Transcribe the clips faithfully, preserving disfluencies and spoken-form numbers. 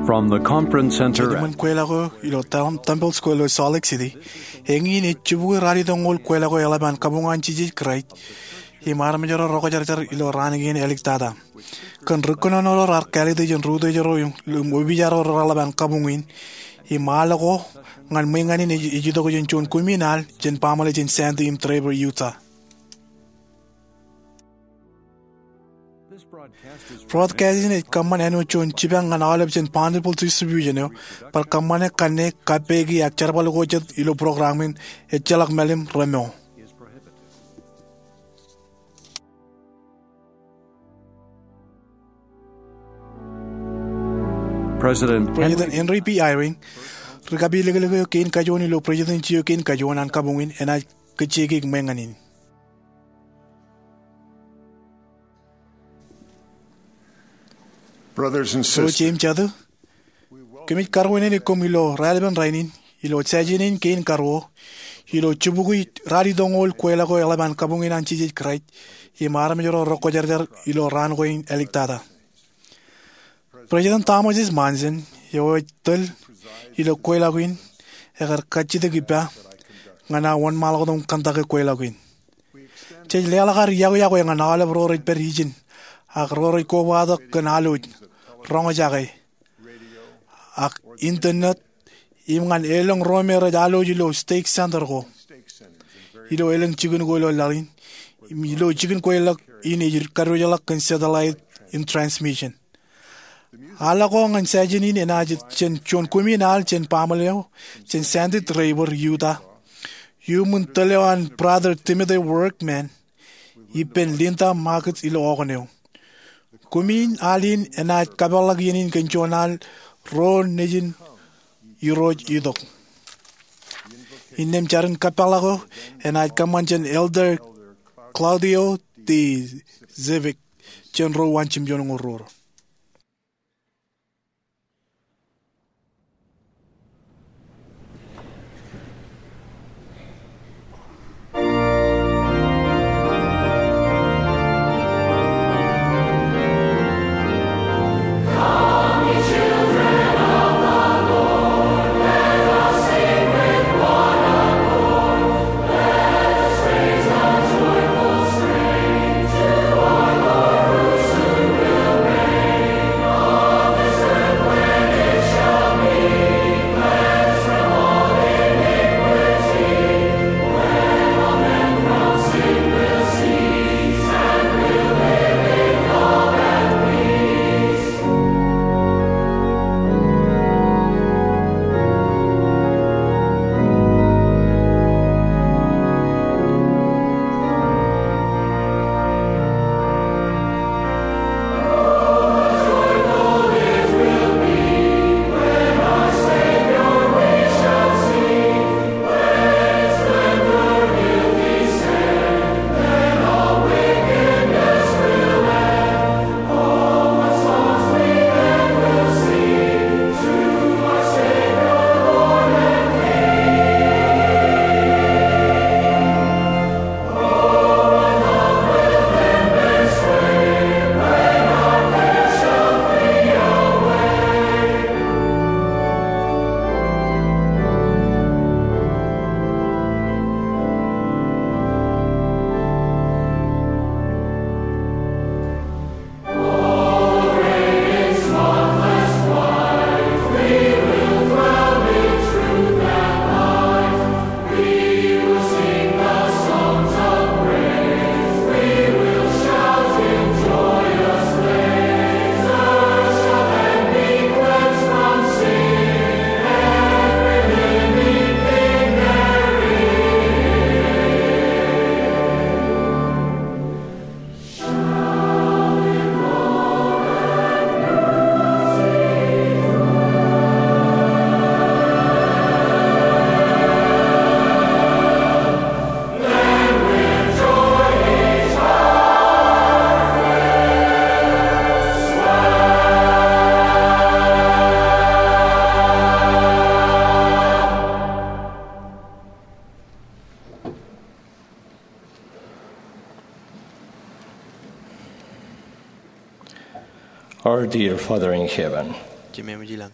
From the conference center. Eṃṃan kweilọk eo ilo Tem-, Temple Square ilo Salt Lake City, eñin ej jibukwi ralitōñoul kweilọk eo eḷap an kabuñ an Jisōs Kraist im armej ro rekwōjarjar ilo raan kein āliktata. Kōn ri kōnono ro raar kāālōt jān ri utiej ro im, im opiij ro reḷap an kabuñ in, im al ko ñan ṃweiññan in ej, ej itok jān juon kumi in al jān baaṃle jān Sandy im Draper, Utah. Broadcast in ej kōṃṃan āinwōt juon jipañ ñan aolep jān bountiful distribution eo, bar kōṃṃane kanne, kappeiki ak jerbal ko jet ilo program in ejjeḷọk mālim remour. President President Henry B. Eyring, ri kapilōklōk eo kein kajuon ilo presidency eo kein kajuon an kabuñ in enaaj kajjioñ ṃweiññan in. Brothers and sisters, kōmij karuwainene koṃ ilo raelepen rainin, ilo session in kein karuo, ilo jibukwi ralitōñoul kweilọk eo eḷap an kabuñ in an Jisōs Kraist, im armej ro rekwōjarjar ilo raan ko in āliktata. President Thomas S. Monson, eo ej tōl ilo kweilọk in, ekar kajjitōk ippa ñan aō wōnṃaanḷọk tok im kōntake kweilọk in. Jej leḷọk ad iọkwe iọkwe ñan aolep ro rej pād ijin, ak ro rej kobatok kōn alwōj, roñjake, ak internet, im ñan elōñ ro me rej alwōj ilo stake center ko, ilo elōñ jikin ko ilo laḷ in, im ilo jikin kweilọk in ej kadiwōjḷọk kōn satellite im transmission. Al ko ñan session in enaaj jān juon kumi in al jān baaṃle eo jān Sandy, Draper, Utah. Iuṃwin tōl eo an Brother Timothy Workman ippān Linda Markets ilo Oregon eo. Kumi in al in enaaj kapakḷọk iien in kōn juon al ro nejin Irooj itok. Innām jar in kapakḷọk eo enaaj kōṃṃan jān Elder Claudio D. Zivik, jān ro eo an jimjuonñoul ruo. Our dear Father in heaven, Jemem ilañ,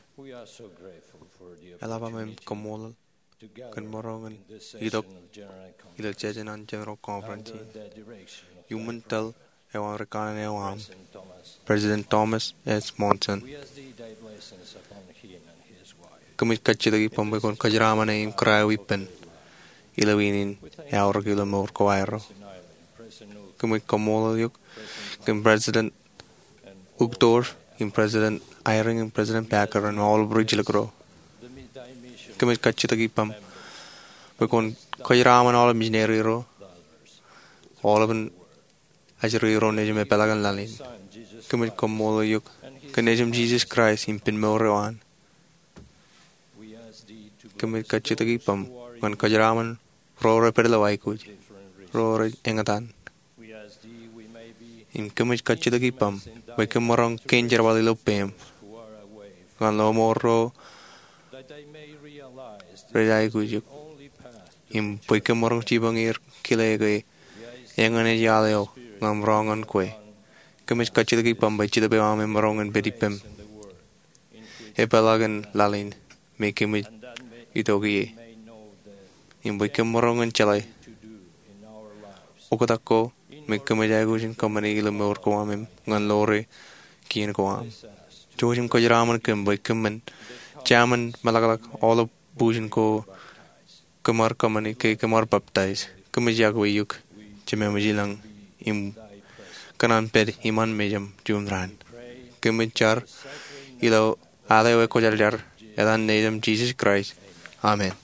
eḷap aṃ im kaṃṃoolol kōn maroñ in itok ilo session an General Conference in. Iuṃwin tōl eo an ri kanaan eo aṃ, President Thomas S. Monson. Kōmij kajjitōk ippaṃ bwe kwōn kōjeraṃṃan e im kōrā e ippān ilo iien in eaorōk ilo mour ko aerro. Kōmij kaṃṃoolol eok kōn President Uchtdorf im President Eyring im President Packer im aolep ri jilkinro. Kōmij kajjitōk ippaṃ bwe kwōn kōjeraṃṃan aolep misineri ro, aolepān ajri ro nejūṃ epeḷaakin laḷ in. Kōmij kaṃṃoolol eok kōn nejūṃ Jisōs Kraist im ippān mour eo an. Kōmij kajjitōk ippaṃ bwe kwōn kōjeraṃṃan ro rej pād ilo aikuj, ro rej eñtaan. Im kōmij kajjitōk ippaṃ bwe kōm maroñ kein jerbal ilo peiṃ ñan lọmọọr ro rej aikuj eok, im bwe kōm maroñ jipañ er kile ke eñin ej iaḷ eo ḷōmṇak ñan kwe. Kōmij kajjitōk ippaṃ bwe Jetōb eo aṃ emaroñ in pād ippem epeḷaakin laḷ in me kōmij itok ie, im bwe kōm maroñ in jeḷā oktak ko me kōmij aikuj in kōṃṃane ilo mour ko am im ñan ḷoore kien ko am. Jouj im kōjeraṃṃan kōm bwe kōm men jāmin meḷọkḷọk aolep bujen ko kōm ar kōṃṃane ke kōm ar baptize. Kōmij iọkwe eok, Jemem ilañ, im kōṇaan pād iṃaan mejaṃ juon raan. Kōmij jar ilo al eo ekwōjarjar, etan Nejūṃ Jisōs Kraist. Amen.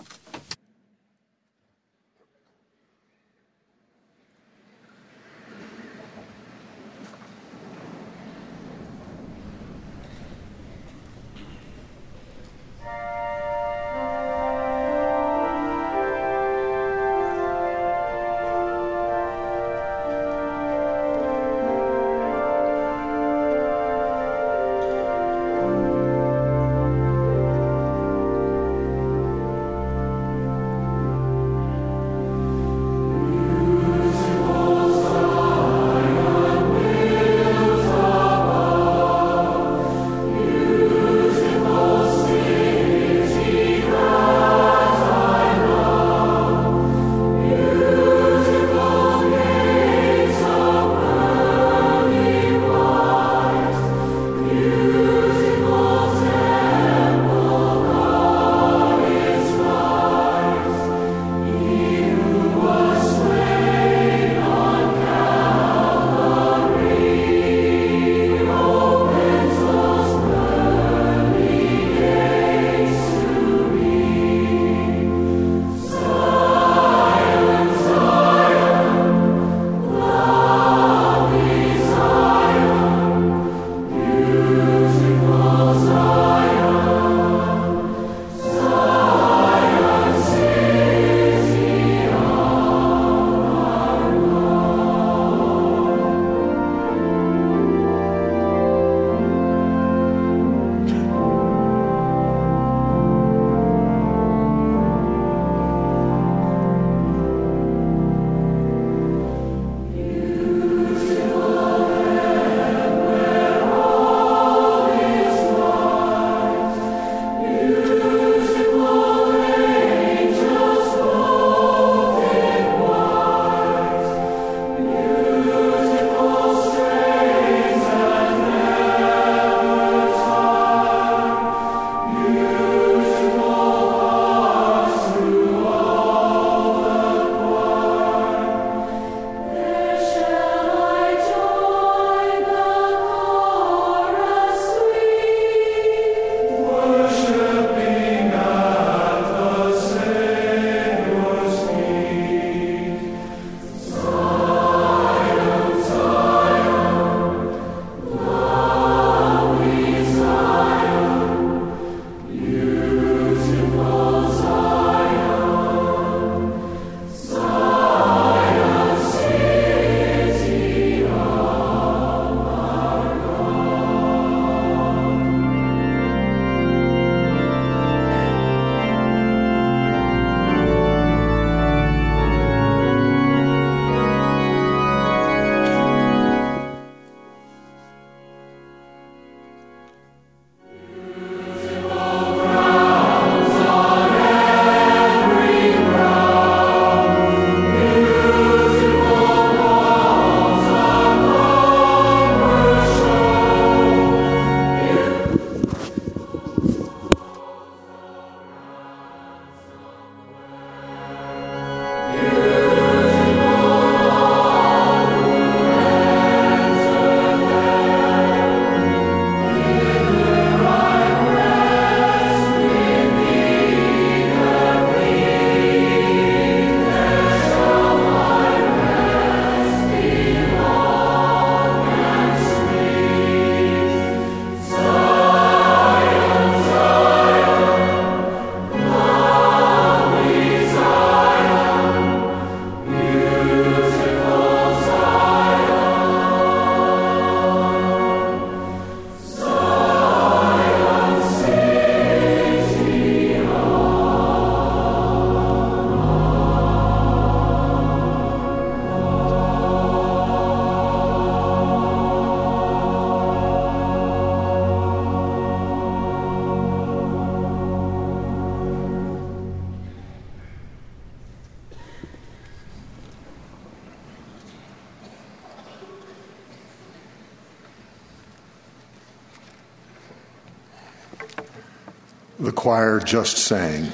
The choir just sang.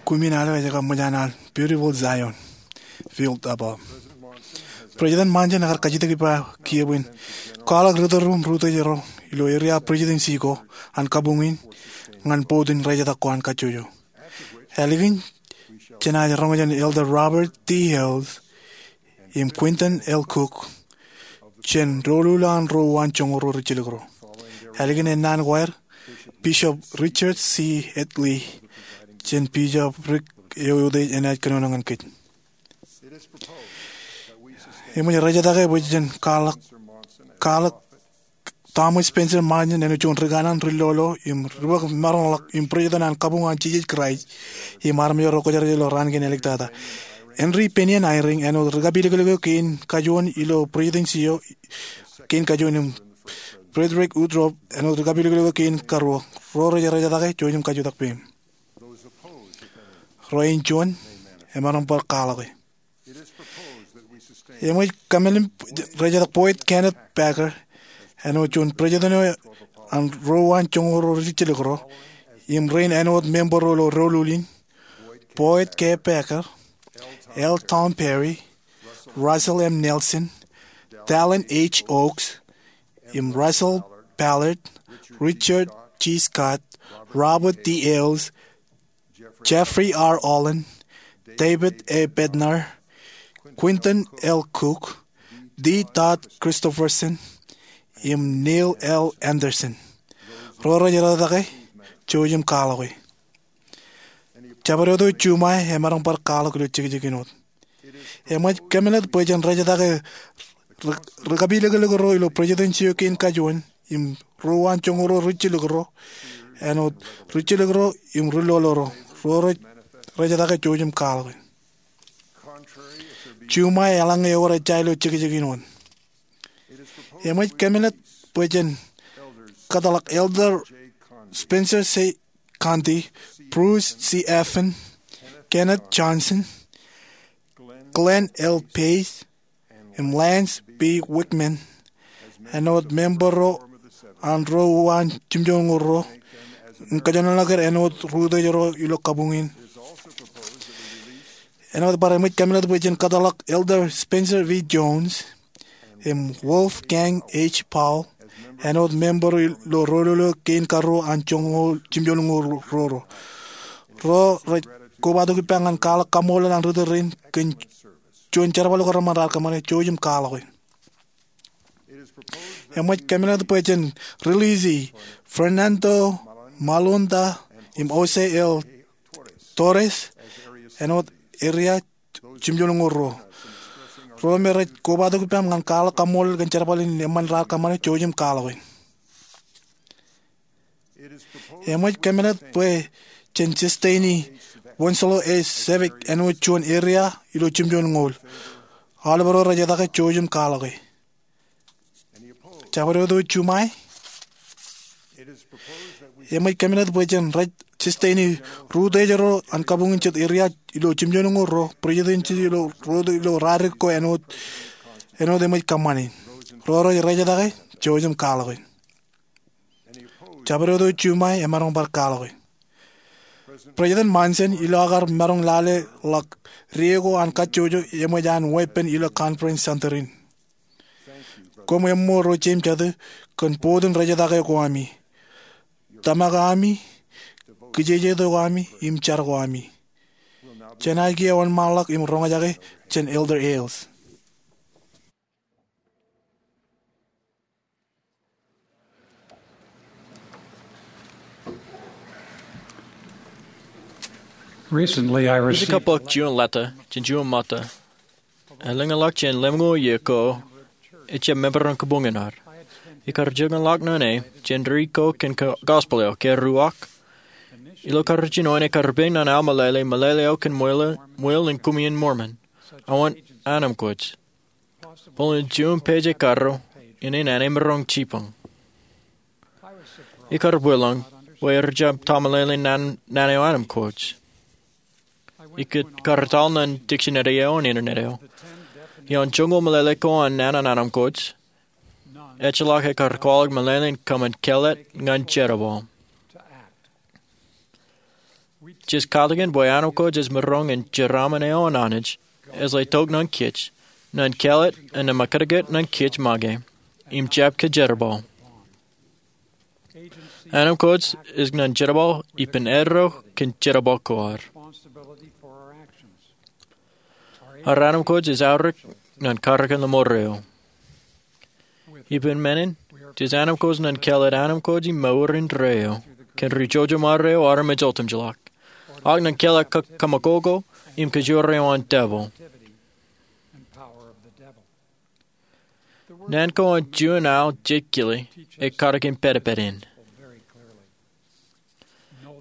Kumi in al eo ej kab ṃōj an al Beautiful Zion, Built Above. President Monson ekar kajjitōk ippa kiiō bwe in kwaḷọk ri tōl ro im ri utiej ro ilo area presidency ko an kabuñ in ñan board in rejtak ko an kajjojo. Ālikin, jenaaj roñjake Elder Robert D. Hales im Quentin L. Cook jān doulul an ro uwaan joñoul ro rijjelōk ro. Ālikin ennaan ko aer, Bishop Richard C. Headlee jān bishopric eo eutiej enaaj kōnono ñan kōj. Eṃōj rejetake bwe jen kwaḷọk, kwaḷọk Thomas Spencer Monson āinwōt juon ri kanaan, ri lolo im ri bōk maroñḷọk im president an kabuñ an Jisōs Kraist im armej ro kwōjarjar ilo raan kein āliktata. Henry Bennion Eyring āinwōt ri kapilōklōk eo kein kajuon ilo presidency eo kein kajuon im Frederick Uchtdorf āinwōt ri kapilōklōk eo kein karuo. Ro rej rejetake, jouj im kajutak peiṃ. Ro eo in juon, emaroñ bar kwaḷọke. Eṃōj kōmālōt rejetake Boyd Kenneth Packer āinwōt juon president eo an ro uwaan joñoul ro rijjelōk ro im rein āinwōt member ro ilo doulul in: Boyd K. Packer, L. Tom Perry, Russell M. Nelson, Dallin H. Oaks, im Russell Ballard, Richard G. Scott, Robert D. Hales, Jeffrey R. Holland, David A. Bednar, Quentin L. Cook, D. Todd Christofferson, im Neil L. Andersen. Ro rej rejetake, jouj im kwaḷọke. Jabdewōt eo juṃae emaroñ bar kwaḷọk ilo jekjek in wōt. Eṃōj kōmālōt bwe jen rejetake ri, ri kapilōklōk ro ilo presidency eo kein kajuon im ro uwaan joñoul ro rijjelōk ro āinwōt rijjelōk ro im ri lolo ro. Ro rej rejetake, jouj im kwaḷọke. Juṃae eḷaññe ewōr ejja ilo jekjek in wōt. Eṃōj kōmālōt bwe jen kōtḷọk Elder Spencer C. Condie, Bruce C. Affin, Kenneth Johnson, Glenn L. Pace, im Lance B. Wickman āinwōt member ro an ro uwaan jimjuonñoul ro im kōjenolọke er āinwōt ri utiej ro ilo kabuñ in. Āinwōt bar eṃōj kōmālōt bwe jen kōtḷọk Elder Spencer V. Jones im Wolfgang H. Powell āinwōt member ro ilo doulul eo kein karuo an joñoul, jimjuonñoul ro ro. Ro rej kobatok ippa ñan kwaḷọk kaṃṃoolol an ri tōl rein kōn juon jerbal ko reṃṃan raar kōṃṃane. Jouj im kwaḷọke. Eṃōj kōmālōt bwe jen release Fernando Malunda im Jose L. Torres āinwōt area jimjuonñoul ro. Ro me rej kobatok ippaṃ ñan kwaḷọk kaṃṃoolol kōn jerbal in eṃṃan raar kōṃṃane. Jouj im kwaḷọke. Eṃōj kōmālōt bwe jen sustain e Wenslow A. Sevick āinwōt juon area ilo jimjuonñoul. Aolep ro rejetake, jouj im kwaḷọke. Jabdewōt eo juṃae, eṃōj kōmālōt bwe jen rej sustain e ri utiej ro an kabuñ in jet area ilo jimjuonñoul ro, presidency ilo ro ilo radik ko āinwōt, āinwōt eṃōj kōṃṃane. Ro rej rejetake, jouj im kwaḷọke. Jabdewōt eo juṃae emaroñ bar kwaḷọke. President Monson, ilo aō kar maroñ lale ḷọk die ko an kajjojo, eṃōj an weeppān ilo Conference Center in. Koṃ eṃṃool ro jeiū im jatū kōn board in rejetake ko ami, tōmak ami, kijeje ko ami, im jar ko ami. Jenaaj kiiō wōnṃaanḷọk im roñjake jān Elder Hales. Recently, I received Ijjkab bōk juon leta jān juon ṃōtta. Elōñḷọk jān lemñoul iiō ko, ejjab member an kabuñ in ad. Ikar joñan ḷọk ñan e jān dik ko kōn gospel eo, ke ruo, ilo kar jino in ekar bōk ñan aō meḷeḷe, meḷeḷe eo kōn ṃweo, ṃweo in Kuṃwin Mormon. Aō wōt anemkwōj. Bōlen juon page ekaro, innem emaroñ jipañ. Ikar bwilōñ bwe ejjab ta meḷeḷe in naan, naan eo anemkwōj. Ikar etal ñan dictionary eo an internet eo. Ioon joñoul meḷeḷe ko an naan an anemkwōj, ejjeḷọk ekar kwaḷọk meḷeḷe in kōṃṃan kellet ñan jerbal. Jej katakin bwe anamkwōj ej maroñ in jeraaṃṃan eo an Anij, ej letok ñan kōj, ñan kāālōt im ñan mekōtōkōt ñan kōj make, im jab kōjerbal. Anamkwōj ej ñan jerbal ippān eddo kōn jerbal ko ad. Ad anamkwōj ej aorōk ñan karōk in lemor eo. Ippān men in, jej anamkwōj ñan kāālōt anamkwōj im mour indeeo kōn ri jojo ṃare eo armej otemjeḷọk, ak ñan kāālōt kōmkoko im kōjro eo an devil. Naan ko an juon aō jekkili ej katakin pedped in.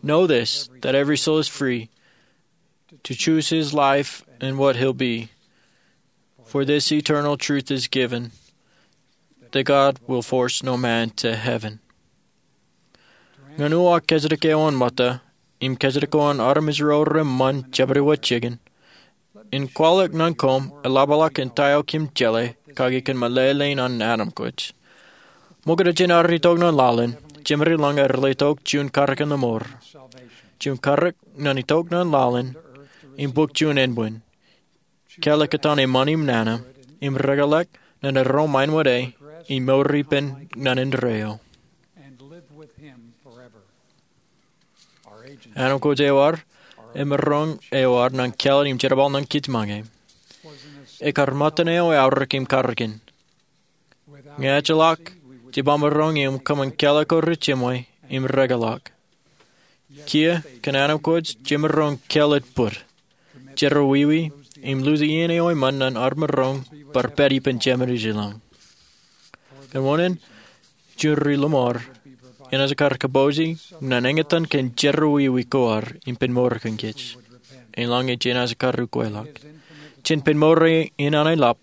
Know this, that every soul is free to choose his life and what he'll be. For this eternal truth is given, that God will force no man to heaven. Ñan uwaak kōjatdikdik eo an ṃōtta, im kōjatdikdik eo an armej ro reṃṃan jeṃḷọk wōt jikin, in kwaḷọk ñan koṃ eḷapḷọk in ta eo kōm jeḷā kake kōn meḷeḷein an anamkwōj. Ṃokta jān ad itok ñan laḷ in, Jemān ilañ ej letok juon karōk in lemor. Juon karōk ñan itok ñan laḷ in, im bōk juon ānbwin. Kāālōt kōtaan eṃṃan im nana, im rekōḷọk ñan erom aineṃōj, im mour ippān ñan indeeo. Anamkwōj eo ad, emaroñ eo ad ñan kāālōt im jerbal ñan kōj make, ekar ṃōttan eo eaorōk im karōk in. Ñe ejjeḷọk, jemaroñ in kōṃṃan kāālōt ko rijimwe im rekōḷọk. Kiiō kōn anamkwōj jemaroñ kāālōt bōd, jerọwiwi, im luze iien eo eṃṃan ñan ad maroñ bar pād ippān Jemān ilañ. Kōn wōn in, juon ri lemor enaaj kar kōpooje ñan eñtaan kōn jerọwiwi ko ad im pen mour kōn kōj. Eḷaññe jenaaj kar ukweḷọk, jen pen mour in an eḷap,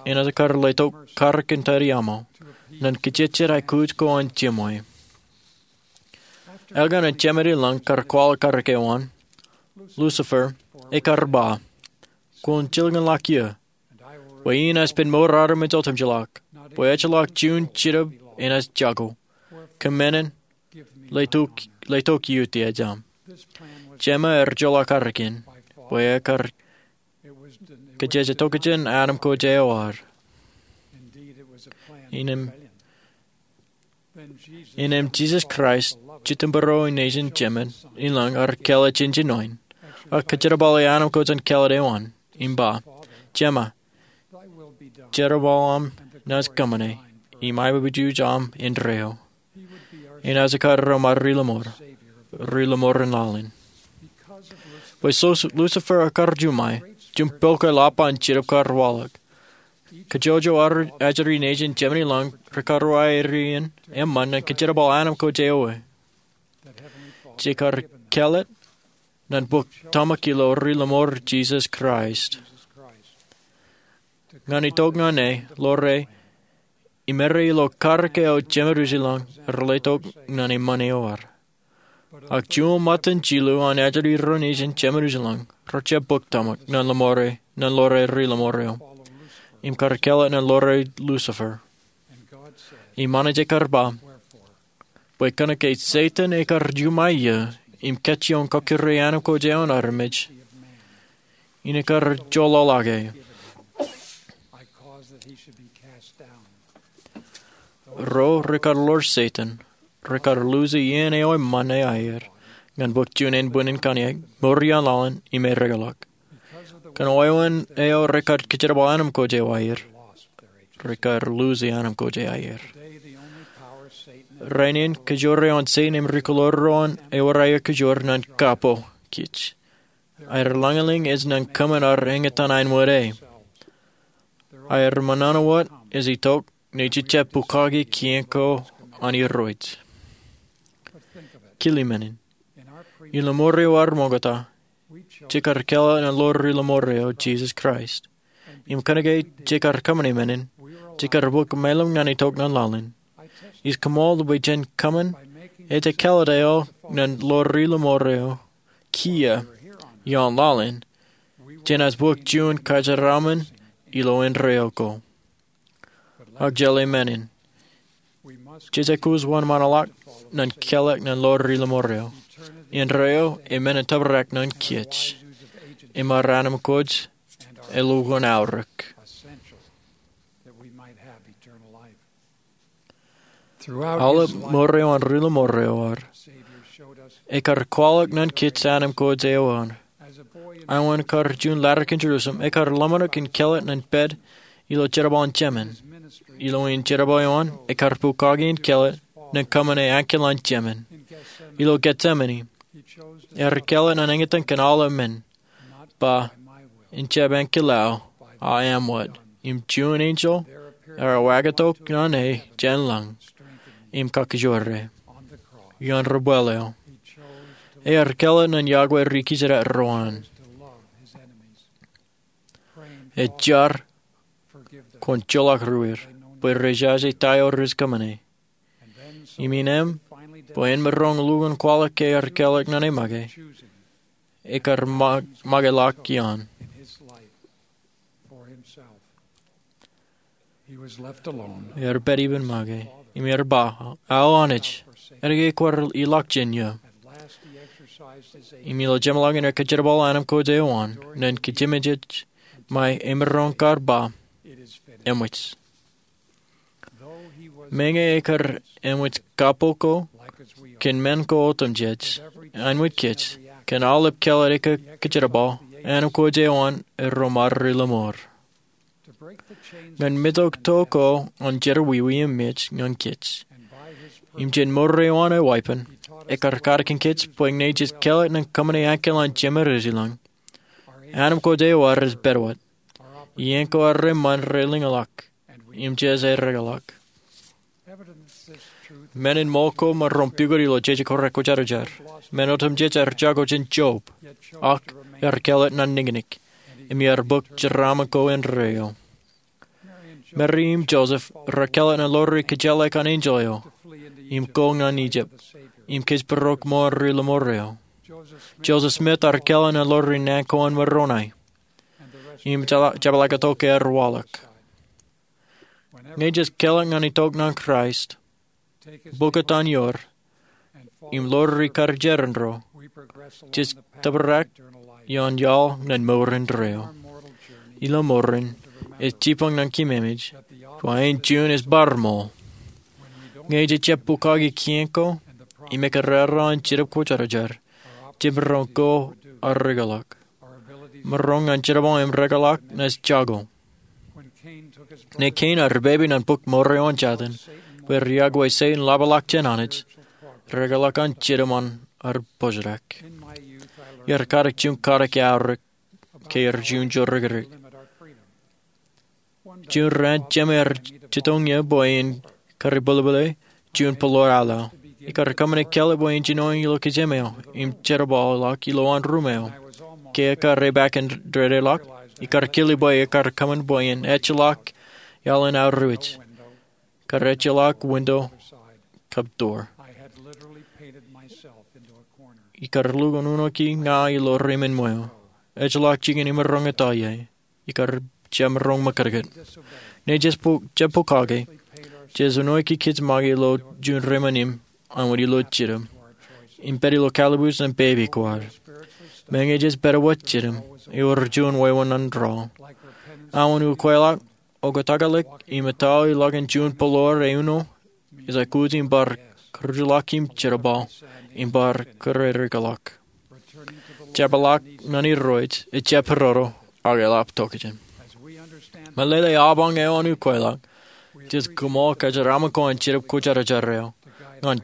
enaaj kar letok karōk in tōre aṃo ñan kajejjet aikuj ko an jemwe. Elkan an Jemān ilañ kar kwaḷọk karōk eo an, Lucifer ekar ba, Kwōn jilkinḷọk iiō, bwe in ej pen mour armej otemjeḷọk, bwe ejjeḷọk juon jinōb enaaj jako. Kōm men in, letok, letok iiō tiajaṃ. Jemān ej joḷọk karōk in, bwe ekar kajejjet tokjān anamkwōj eo ad. Innem, innem Jisōs Kraist, Jitōnbōro in nejin Jemān ilañ, ear kāālōt jān jinoin, ak kōjerbale anamkwōj an kāālōt eo an, im ba, Jemān, jerbal aṃ naaj kōṃṃane, im aikuj aṃ indeeo. Enaaj kar ro ṃae ri lemor, ri lemor in laḷ in. Bwe Sus-, Lucifer ekar juṃae, juon pok eḷap an jinōb kar waḷọk. Kajjojo ajri nejin Jemān ilañ rekar aerien eṃṃan ñan kōjerbal anamkwōj eo. Jekar kāālōt ñan bōk tōmak ilo ri lemor Jisōs Kraist. Ñan itok ñan e, ḷoore, im errā ilo karōk eo Jemān ilañ rej letok ñan eṃṃan eo ad. Ak juon ṃōttan jilu an ajri ro nejin Jemān ilañ, rej jab bōk tōmak ñan lemore, ñan ḷoore ri lemor eo, im kar kāālōt ñan ḷoore Lucifer. Im Anij ekar ba, bwe kōnke Setan ekar juṃae iiō, im kajjioñ kọkkure anamkwōj eo an armej, in ekar joḷọḷọke. Ro rekar ḷoor Setan, rekar luze iien eo eṃṃan eo aer, ñan bōk juon ānbwinnin kanniōk, mour iaan laḷ in, im erekeḷọk. Kōn wāween eo rekar kōjerbal anamkwōj eo aer, rekar luze anamkwōj eo aer. Rainin kōjro eo an Setan im ri kōḷoor ro an ewōr aer kōjro ñan kapo kōj. Aer lañlōñ ej ñan kōṃṃan ad eñtaan āinwōt e. Aer ṃōṇōṇō wōt ej itok ñe jej jab pukaki kien ko an Irooj. Kile men in. Ilo ṃoor eo ad ṃokta, jekar kāālōt ñan ḷoor ri lemor eo Jisōs Kraist. Im kōnke jekar kōṃṃane men in, jekar bōk mālōm ñan itok ñan laḷ in. Ij koṃṃool bwe jān kōṃṃan ejkāālōt eo ñan ḷoor ri lemor eo kiiō iaan laḷ in, jenaaj bōk juon kajeraaṃṃan ilo indeeo ko. Ak jeḷā men in. Jej aikuj wōnṃaanḷọk ñan kāālōt ñan ḷoor ri lemor eo. Indeeo e men in tōprak ñan kōj im ar anamkwōj elukkuun aorōk. Aolep mour eo an Ri Lemor eo ad, ekar kwaḷọk ñan kōj anamkwōj eo an. Aolep kar juon laḷ in Jerusalem, ekar lọmọọr in kōḷḷā ñan pād ilo jerbal in Jemān. Ilo in jerbal eo an, ekar pukaki in kōḷḷā ñan kōṃṃane ankilaan Jemān. Ilo Getsemane, ear kōḷḷā ñan eñtaan kōn aolep men, ba, ijjab ankilaan aō, a aṃ wōt. Im juon enjeḷ ear wāktok ñan e jān lañ im kakkōjwōr e. Ioon ri-bwil eo, ear kōḷḷā ñan yokwe ri-kōjdat ro an. Ej jar, kwōn joḷọk ruwir, bwe rej jaje ta eo rej kōṃṃane. Im innem, bwe en maroñ lukkuun kwaḷọk ke ear kōḷḷā ñan e make, ekar ma-, makeḷọk iaan. Ear pād ippān make, im ear ba, Aō Anij, etke kwaar ilọk jān eō? Im ilo jeṃḷọkin ekar jerbal anamkwōj eo an, ñan kōjememej ṃae emaroñ kar ba, Eṃōj. Meñe ekar eṃōj kapo ko kōn men ko otemjej, āinwōt kōj, kōn aolep kōḷḷā ekar kōjerbal, anamkwōj eo an erro mar Ri Lemor. Ñan metok to ko an jerọwiwi im mej ñan kōj, im jān mour eo an e weeppān, ekar katakin kōj bwe ñe jej kōḷḷā ñan kōṃṃane ankilaan Jemān Rijelañ, anamkwōj eo an rej pād wōt. Iien ko ad reṃṃan rej lōñḷọk, im jej rekḷọk. Men in ṃool ko maroñ pukot ilo jeje ko rekwōjarjar. Men otemjej ear jako jān Job, ak ear kōḷḷā ñan niñniñ, im ear bōk jeraaṃṃan ko indeeo. Meri im Joseph rekōḷḷā ñan lori kōjjeḷā kōn enjeḷ eo, im ko ñan Ijipt, im kōjparok ṃool Ri Lemor eo. Joseph Smith ear kōḷḷā ñan lori naan ko an Moroni, im jab-, jabdewōt tok ear waḷọk. Ñe jej kōḷḷā ñan itok ñan Kraist, bōk etan ioer, im lori karijeran ro, jej tōprak ioon iaḷ ñan mour indeeo. Ilo mour in, ej jibboñ ñan kōmemej, bwe en juon ej bar ṃool. Ñe jej jab pukaki kien ko, im ekōrā an Jetōb Kwōjarjar, jemaroñ ko ar rekḷọk. Maroñ ñan jerbal im rekḷọk ej jako. Ñe Kein ear pepe ñan bōk mour eo an Jatan, bwe riak bwe Setan ḷapḷọk jān Anij, rekḷọk an Jetōb an ear pojadak. Iar katak juon katak aorōk, ke iar juon jorrāān. Juon raan, jema ear jitōñ ie bwe in karibwilbwile juon bōḷōḷ aḷ eo. Ikar kōṃṃane kōḷḷā bwe in jinoin ilo kōjām eo, im jerbal ḷọk ilowaan ruum eo. Ke ekar epaak in dede ḷọk, ikar kile bwe ekar kōṃṃan bwe en ejjeḷọk iaḷ in aorōk. Kar ejjeḷọk winto kab door. Ikar lukkuun unoki ña ilo remen ṃweo. Ejjeḷọk jikin imaroñ etto ie. Ikar jemaroñ ṃōkātkāt. Ñe jej pu-, jab pukaki, jej unoiki kōj make ilo juon remen im, āinwōt ilo Jetōb. Im pād ilo kalliṃur ñan pepe ko ad. Meñe jej pād wōt Jetōb, ewōr juon wāween raan. Aō ukweḷọk, oktakḷọk, im etto ḷọk in juon bōḷōḷ e uno, ej aikuj im bar kūrjulọk im jerbal, im bar kūr rekḷọk. Jepḷọk ñan Irooj, ejjab pororo, ak eḷap tokjān. Meḷeḷe apañ eo an ukweḷọk, jej kōṃṃool kōjeraaṃṃan ko an Jetōb Kwōjarjar eo, ñan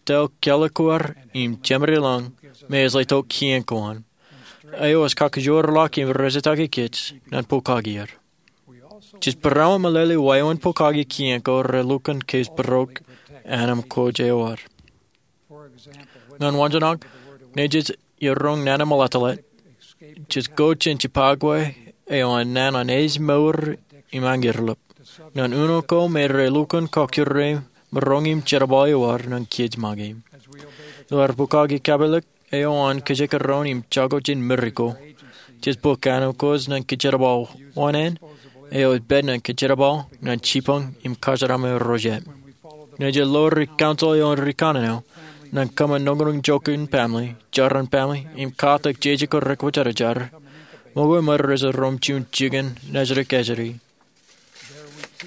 tōl kōḷḷā ko ad, im jemed ilañ, me ej letok kien ko an. Eo ej kakkōjwōr ḷọk im rejetakin kōj, ñan pukaki er. Jej būrāwōt meḷeḷe wāween pukaki kien ko relukkuun kōjparok anamkwōj eo ad. Ñan waanjoñak, ñe jej iroñ nana meḷeḷe, jej go jān jibakwe eo an naan an ej mour im añerḷap. Ñan uno ko me relukkuun kọkkure maroñ im jerbal eo ad ñan kōj make. Ilo ad pukaki kapilōk, eo an kajekdọọn im jako jān Meksiko. Jej bōk anamkwōj ñan kōjerbal wōṇāān, eo ej pād ñan kōjerbal, ñan jibboñ, im kōjeraaṃṃan ro jet. Ñe jej lori council eo an ri kanaan eo, Ñan kōṃṃan nōnōk in joñan baaṃle, jaran baaṃle, im katak jeje ko rekwōjarjar, ṃokwe ṃōj rej room juon jikin nejin kajjitōk.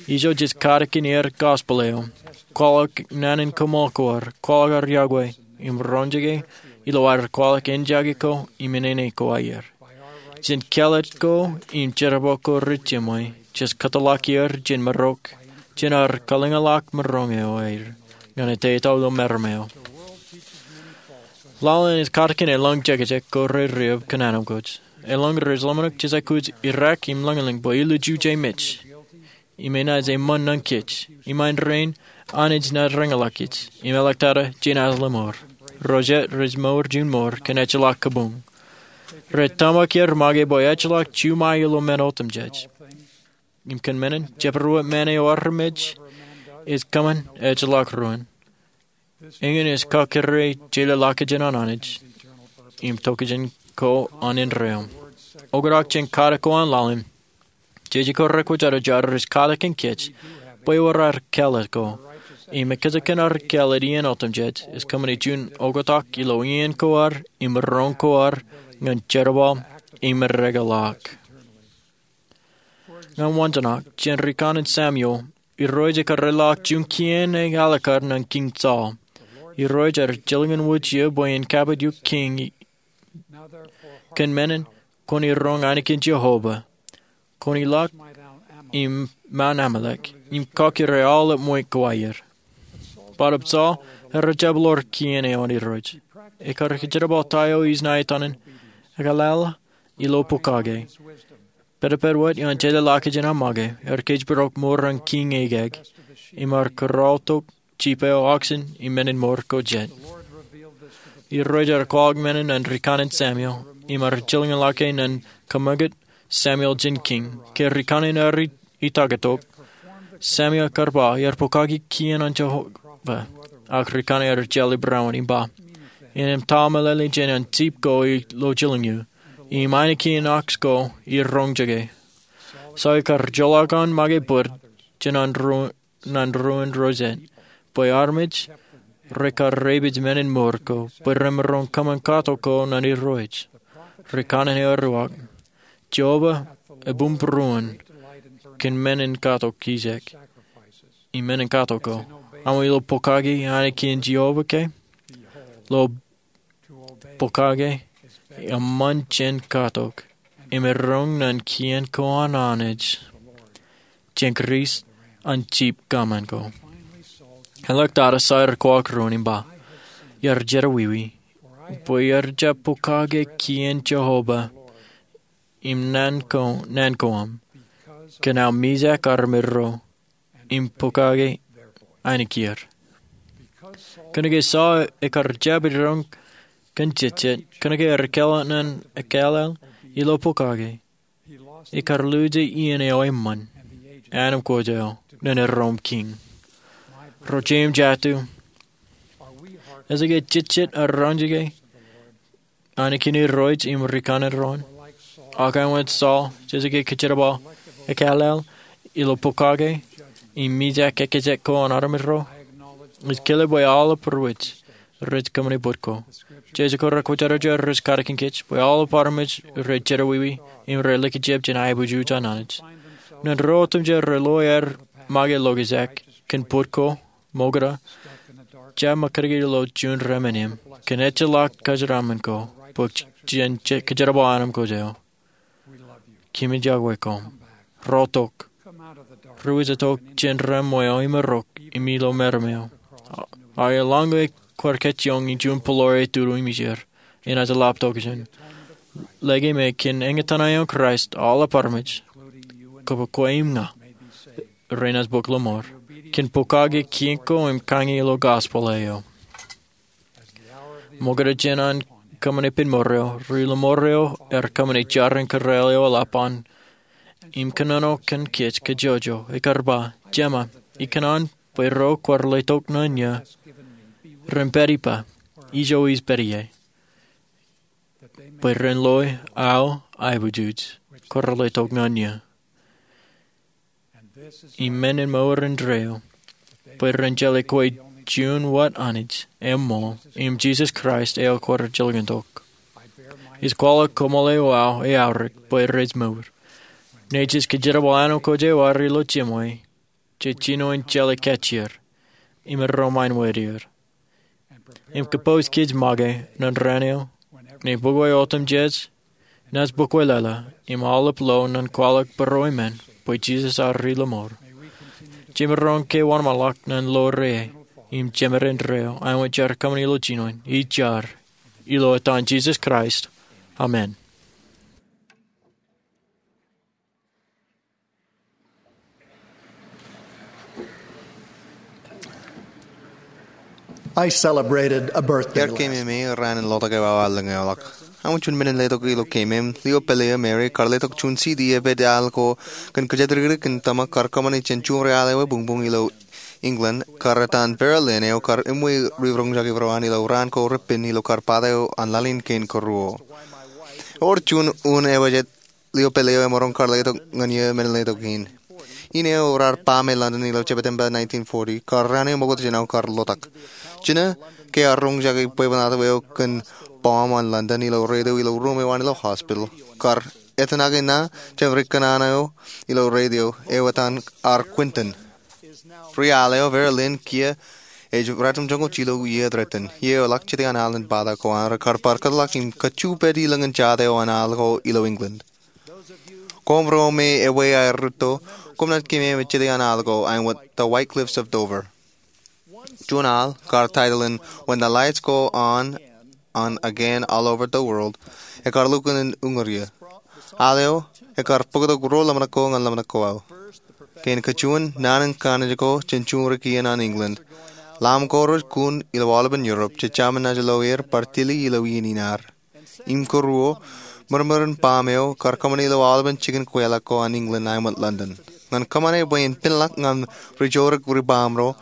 Ijo jej katakin aer gospel eo, kwaḷọk naan in koṃṃool ko ad, kwaḷọk ad yokwe, im roñjake ilo ad kwaḷọk enjake ko im inene ko aer. Jān kāālōt ko im jerbal ko rej jiṃwe, jej kōtḷọk er jān maroñ, jān ad kalōñḷọk maroñ eo aer ñan etaetao ilo meram eo. Laḷ in ej katakin elōñ jekjek ko rej riab kōn anemkwōj. Elōñ rej ḷōmṇak jej aikuj irak im lōñlōñ bwe ilju je mej im enaaj eṃṃan nañkij, im āindein Anij enaaj reñḷọk kōj im eḷak tata jenaaj lọmọọr. Ro jet rej mour juon mour kōn ejjeḷọk kabuñ. Rej tōmak er make bwe ejjeḷọk juṃae ilo men otemjej. Im kōn menin, jepdewōt men eo armej ej kōṃṃan ejjeḷọk ruōn. Eñin ej kakōrā jeḷāḷọkjeṇ an Anij im tokjān ko an indeeo. Oktak jān katak ko an laḷ in, jeje ko rekwōjarjar ej katakin kōj bwe ewōr ad kāālōt ko, im ekkejel kōn ad kāālōt iien otemjej ej kōṃṃane juon oktak ilo iien ko ad im maroñ ko ad ñan jerbal im erekeḷọk. Ñan waanjoñak, jān rikanaan Samuel, Irooj ekar leḷọk juon kien eo alikkar ñan Kiiñ Saul. Irooj ear jilkinwōj eō bwe en kapijukuj kiiñ. Kōn menin, kwōn iroñ ainikien Jeova. Kwōn ilọk im mour Amalek im kakōrā aolep ṃweiuk ko aer. Bōtab Saul ear jab ḷoor kien eo an Irooj. Ekar kōjerbal ta eo enaaj iten an ekāāl ilo pokake. Pedped wōt eo an jeḷāḷọkjeṇ an make, ear kōjparok mour an kiiñ eo kōj, im ear kōrọọltok jip eo, oxen, im menin mour ko jet. Irooj ear kwaḷọk menin ñan rikanaan Samuel, im ear jilkinḷọk e ñan kōṃṃakūt Samuel jān kiiñ. Ke rikanaan ear itaktok, Samuel ekar ba ear pokake kien an Jeova. Ak rikanaan ear jeḷā barāinwōt im ba, innem ta meḷeḷe jān an jip ko ilo jilin eō, im ainikien oxen ko iroñjake. Saul ekar joḷọk an make bōd jān an ruo, ñan ruo in ro jet, bwe armej rekar repeej menin mour ko bwe remaroñ kōṃṃan katok ko ñan Irooj. Rikanaan eo ear uwaak, Jeova ebuñbūruon kōn menin katok ijek. Im menin katok ko, aṃ ilo pokake ainikien Jeova ke? Lo pokake eṃṃan jān katok, im eroñ ñan kien ko an Anij, jān Kraist an jip kōṃṃan ko. Eḷak tata Saul ear kwaḷọk ruo in im ba, iar jerọwiwi, bwe iar jab pokake kien Jeova im naan ko, naan ko aṃ, kōn aō mijak armej ro im pokake ainikieir. Kōnke Saul ekar jab iroñ kōn jejjet, kōnke ear kāālōt ñan ekāāl ilo pokake, ekar luje iien eo eṃṃan, anemkwōj eo, ñan erom kiiñ. Ro jeiū im jatū, ej ke jejjet ear roñjake ainikien Irooj im rikanaan ro in? Ak āinwōt Saul, jej ke kōjerbal ekāāl ilo pokake im mijak ekkejek ko an armej ro? Ij kile bwe aolep ro rej kōṃṃane bōd ko. Jeje ko rekwōjarjar ej katakin kōj bwe aolep armej rej jerọwiwi im rej likjab jān aebujū jān Anij. Ñan ro otemjej rej lo aer make lokjak kōn bōd ko, ṃokta, jab ṃōkaj ilo juon remenem kōn ejjeḷọk kōjeraaṃṃan ko bwe jen kōjerbal anemkwōj eo. Kōmij yokwe koṃ. Ro tok. Ro ej tok jān reṃṃan eo im errok im ilo meram eo. Aer lañ ke kwaar kajjioñ in juon bōlōr eo tutu im ijeer, enaaj lap tokjān. Lōke me kōn eñtaan eo an Kraist aolep armej, kōpooje kwe im ña, renaaj bōk lọmọọr kōn pokake kien ko im kañin ilo gospel eo. Ṃokta jān an kōṃṃane ippān mour eo, ri lọmọọr eo ear kōṃṃane jarin kōrā eo eḷap an im kōnono kōn kōj kajjojo, ekar ba, Jema, ikōṇaan bwe ro kwaar letok ñan eō ren pād ippa, ijo ij pād ie, bwe ren loe aō aebujūj kwaar letok ñan eō. Im menin mour indeeo, bwe ren jeḷā kwe juon wōt Anij eṃṃool im Jisōs Kraist eo kwaar jilkintok. Ij kwaḷọk koṃṃool eo aō eaorōk bwe rej mour. Nejū ej kōjerbal āinwōt kōj eo ear ilo jemwāer, jej jino in jeḷā kajjier im erom aenwōt er, im kōpooj kōj make ñan raan eo ñe bōkwe otemjej, naaj bōkwe lōḷā, im aolep lo ñan kwaḷọk būruō emān bwe Jisōs ear ri lọmọọr. Jemaroñ ke wōnṃaanḷọk ñan lo rein im jemān rein eo āinwōt jaar kōṃṃani ilo jinoin, ij jar ilo etan Jisōs Kraist, amen. I celebrated a birthday. Iar keememej raan in lotak eo aō lōñ eoḷọk. Aṃ juon men in letok ilo keememej. Leo Pelletier, Mary, kar letok juon C D epād al ko kōn kōjatdikdik in tōmak kar kōṃṃani jān juon ri al eo ebuñbuñ ilo England, kar etan Vera Lynn, eo kar eṃṃan ri roñjake būruon ilo raan ko repen ilo kar bōtaab eo an laḷ in kein kōruo. Ewōr juon un eo ej Leo Pelletier eo emaroñ kar letok ñan iiō men in letok in. In eo raar ba me London ilo September nineteen forty, kar raan eo ṃokta jān aō kar lotak. Jino ke ear roñjake bwebwenato eo kōn bomb an London ilo radio ilo ruum eo an ilo hospital, kar etanake ṇa jān ri kōṇaan eo ilo radio eo etan R. Quentin. Ri al eo, Vera Lynn, kiiō ej ratimjuonñoul jilu iiō threaten. Iiō eḷak jete an al in bōtaab ko an rekar bar kōtḷọk im kajju pād ilōñ in jota eo an al ko ilo England. Koṃro me ewi aer rūtto, koṃ naaj keememej jete an al ko āinwōt The White Cliffs of Dover. Juon al, kar title in When the Lights Go On and Again All Over the World, ekar lukkuun in uñūr iiō. Al eo ekar bōktok ruo ḷōmṇak ko ñan ḷōmṇak ko aō. Kein kajuon, naan in kanniōk ko jān juon ri kien an England. Ḷaam ko rej kun ilo aolepen Europe, jejāmin naaj lo er bar tili ilo iien in ad. Im kōruo, ṃōrṃōr in bomb eo kar kōṃṃani ilo aolepen jikin kweilọk ko an England āinwōt London. Ñan kōṃṃane bwe en pinḷọk ñan ri joorōk ri bomb ro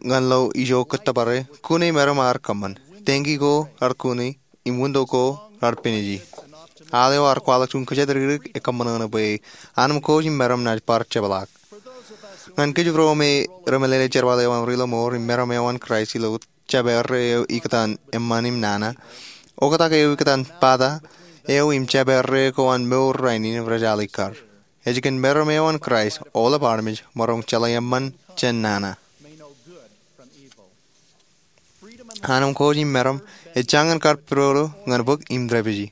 ñan lo ijo kōttōpare, kune meram ear kōṃṃan. Tangki ko ear kune, im winto ko raar piniji. Al eo ear kwaḷọk juon kōjatdikdik ekkā ṃōṇōṇō bwe anemkwōj im meram naaj bar jepḷaak. Ñan kōj būruo me remeḷeḷe jerbal eo aṃ ri lọmọọr im meram eo an Kraist ilo jabdewōt eo ikōtaan eṃṃan im nana, oktak eo ikōtaan bōtaab eo im jabdewōt ko an mour rainin rej alikkar. Ej kōn meram eo an Kraist aolep armej maroñ jeḷā eṃṃan jān nana. Anemkwōj im meram ej jañin kar pidodo ñan bōk im dāpiji.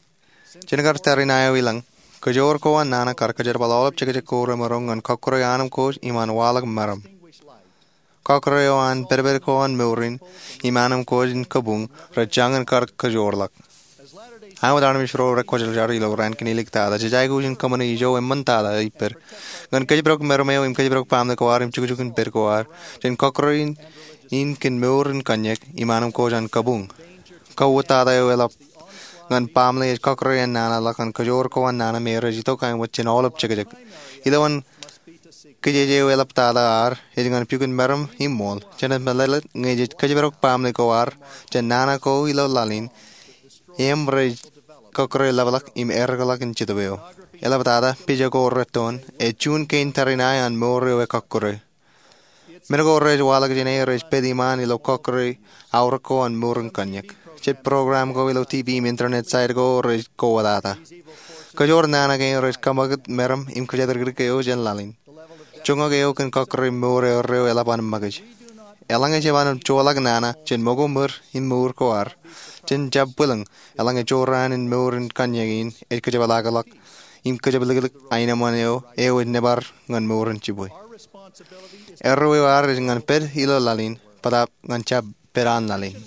Jen kar tariṇae eo ilañ, kōjoor ko an nana kar kōjerbal aolep jekjek ko remaroñ ñan kọkkure anemkwōj im an waḷọk meram. Kọkkure eo an pedped ko an mour in im anemkwōj in kabuñ rej jañin kar kōjoorḷọk. Āinwōt armej ro rekwōjarjar ilo raan kinelek tata, jej aikuj in kōṃṃane ijo eṃṃan tata ippād. Ñan kōjparok meram eo im kōjparok baaṃle ko ad im jukjuk in pād ko ad jān kọkkure in kōn mour in kōnñak im anemkwōj an kabuñ. Kauwōt tata eo eḷap ñan baaṃle ej kọkkure an nana ḷọk ñan kōjoor ko an nana me rej itok āinwōt jān aolep jekjek. Ilowaan kijeje eo eḷap tata ad ej ñan pukot meram im ṃool. Jenaaj meḷeḷe ñe jej kōjparok baaṃle ko ad jān nana ko ilo laḷ in, im rej kọkkure ḷapḷọk im errḷọk in Jetōb eo. Eḷap tata, pija ko rettoon, ej juon kein tariṇae an mour eo ekọkkure. Men ko rej waḷọk jāne rej pād iṃaan ilo kọkkure aorōk ko an mour in kōnñak. Jet program ko ilo T V im internet site ko rej kowōtata. Kōjoor nana kein rej kaṃakūt meram im kōjatdikdik eo jān laḷ in. Joñak eo kōn kọkkure mour erreo eḷap an ṃakūtkūt. Eḷaññe jab an joḷọk nana jān ṃōko ṃōr in mour ko ad, jen jab bwilōñ, eḷaññe jorrāān in mour in kōnñak in ej kōjepḷaakḷọk im kōjepliklik aenōṃṃan eo, eo ej nōbar ñan mour in jibwe. Erreo eo ad ej ñan pād ilo laḷ in, bōtaab ñan jab pād an laḷ in.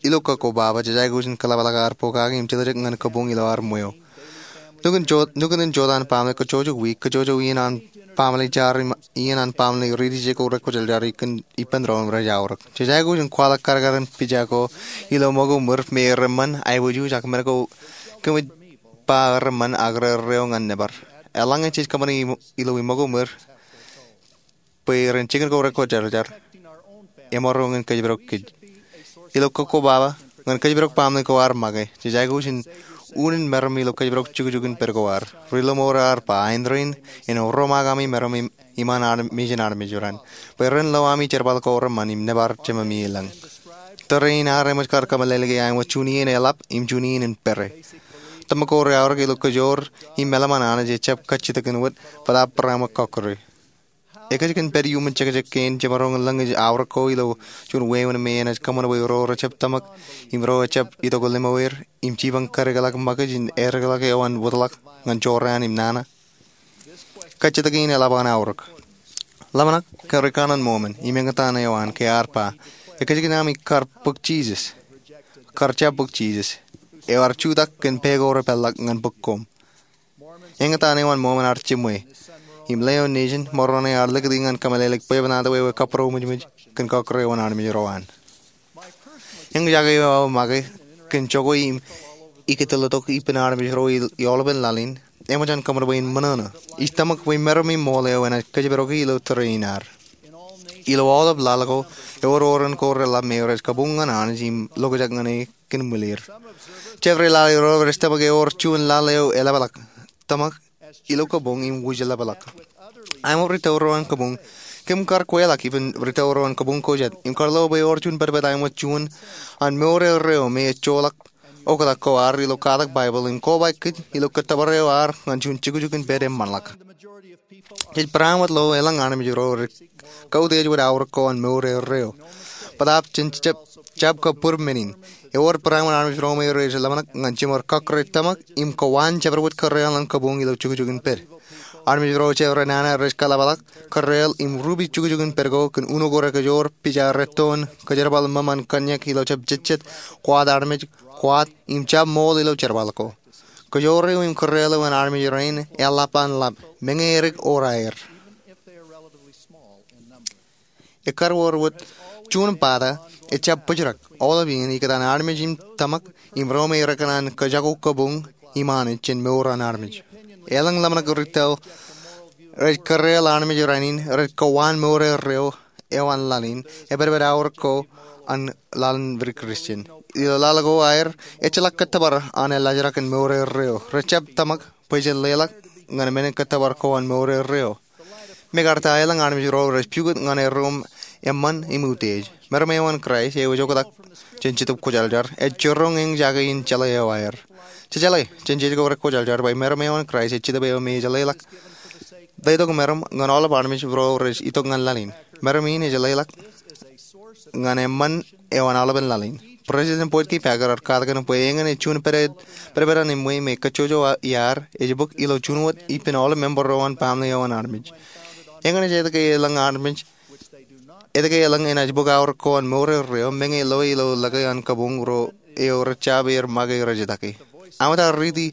Ilo kōkkobaba, jej aikuj in kōḷapḷọk ad pokake im jiljilimjuonñoul ñan kabuñ ilo ad ṃweo. Nukun jo-, nukun in jota an baaṃle kōjjojo wiik, kōjjojo iien an baaṃle jar im iien an baaṃle riiti je ko rekwōjarjar ippān doon rej aorōk. Jej aikuj in kwaḷọk kadkadin pija ko ilo ṃōko ṃōr me ereṃṃan aiboojoj ak men ko kōmij ba ereṃṃan ak erreo ñan nōbar. Eḷaññe jej kōṃṃane im-, ilo iṃōko ṃōr bwe ren jikin ko rekwōjarjar, emaroñ in kōjparok kōj. Ilo kōkkobaba, ñan kōjparok baaṃle ko ad make, jej aikuj in unin meram ilo kōjparok jukjuk in pād ko ad. Ri-lọmọọr ear ba, aendein in ro ṃōk ami meram im iṃaan armej in armej ro an, bwe ren lo ami jerbal ko reṃṃan im nōbar Jememi elōñ. Tōre in ad eṃōj kar kōmeḷeḷe ke aenōṃṃan juon iien eḷap im juon iien en pere. Tōmak ko reaorōk ilo kōjoor im meḷeṃan Anij ejjab kajjitōkin wōt bōtaab barāinwōt kọkkure. Ekōjkan pād iuṃwin jekjek kein jemaroñ in lōñ ej aorōk ko ilo juon wāween me enaaj kōṃṃan bwe ro rejjab tōmak im ro ejjab itok limoer im jipañ kadeḷọk ṃakūtkūt in edeḷọk eo an wōtlọk ñan jorrāān im nana. Kajjitōk in eḷap an aorōk. Ḷōmṇak ke ri kanaan Mōmon im eñtaan eo an ke ear ba, ekōjkan ami kar bōk Jisōs, kar jab bōk Jisōs, eo ear jutak kōn pā ko repeḷḷọk ñan bōk koṃ. Eñtaan eo an Mōmon ear jiṃwe im leo nejin mour eo ear likūti ñan kōmeḷeḷeik bwebwenato eo ekabūroṃōjṃōj kōn kọkkure eo an armej ro an. Eñjake eo aō make kōn jokwe im ikōtḷọk ippān armej ro i aolepān laḷ in eṃōj an kōṃṃan bwe in ṃōṇōṇō. Ij tōmak bwe meram im ṃool eo enaaj kōjparoki ilo tōre in ad. Ilo aolep laḷ ko, ewōr oran ko reḷap me rej kabuñ ñan Anij im lokjak ñan e kōn ṃwilir. Jabdewōt laḷ ro rej tōmak ewōr juon laḷ eo eḷapḷọk, tōmak ilo kabuñ im wūjlepḷọk. Aemot ri tōre ro an kabuñ, kōm kar kweḷọk ippān ri tōre ro an kabuñ ko jet im kar lo bwe ewōr juon pedped aemot juon an mour erreo me ejjeḷọk oktak ko ad ilo katak Baibōḷ im kobaik kōj ilo kōttōpar eo ad ñan juon jukjuk in pād eṃṃanḷọk. Jej barāinwōt lo elōñ armej ro rej kautiej wōt aorōk ko an mour erreo. Bōtaab jen jab, jab kab bōd men in. Ewōr barāinwōt armej ro me rej ḷōmṇak ñan jiṃor kọkkure tōmak im kowaan jabdewōt kōrreaḷ an kabuñ ilo jukjuk in pād. Armej ro jabdewōt nana rej kaḷapḷọk kōrreaḷ im rupi jukjuk in pād ko kōn uno ko rekōjoor, pija rettoon, kōjerbal ṃōṃ an kōnñak ilo jab jejjet, kwaat armej, kwaat, im jab ṃool ilo jerbal ko. Kōjoor eo im kōrreaḷ eo an armej rein eḷap an ḷap, meñe edik or aer. Ekkar wōr wōt juon bata ejjab bōjrak aolep iien ikōtaan armej in tōmak im ro me rekōṇaan kajako kabuñ im Anij jān mour an armej. Elōñ ḷōmṇak ri tōre rej kōrreaḷ armej rainin rej kowaan mour erreo eo an laḷ in, epedped aorōk ko an laḷ in wūnin Christian. Ilo laḷ ko aer, ejjeḷọk kōttōpar an eḷaljrak in mour erreo. Rejjab tōmak bwe jen leḷọk ñan men in kōttōpar ko an mour erreo. Mekarta elōñ armej ro rej pukot ñan erro eṃṃan im utiej. Meram eo an Kraist eo ej oktak jān Jetōb Kwōjarjar ej jiroñ eñjake in jeḷā eo aer. Jejeḷā jān jej ko rekwōjarjar bwe meram eo an Kraist ej Jetōb eo me ej leḷọk ḷetok meram ñan aolep armej ro rej itok ñan laḷ in. Meram in ej leḷọk ñan eṃṃan eo an aolepen laḷ in. President Boyd K. Packer ear katakin bwe eñin ej juon pedped, pedped an eṃṃan me kajjojo iaad ej bōk ilo juon wōt ippān aolep member ro an baaṃle eo an armej. Eñin ej etke elōñ armej, etke elōñ enaaj bōk aorōk ko an mour erreo meñe loe ilo lōke an kabuñ ro eo rej jab er make rej etake. Aṃ etaar riiti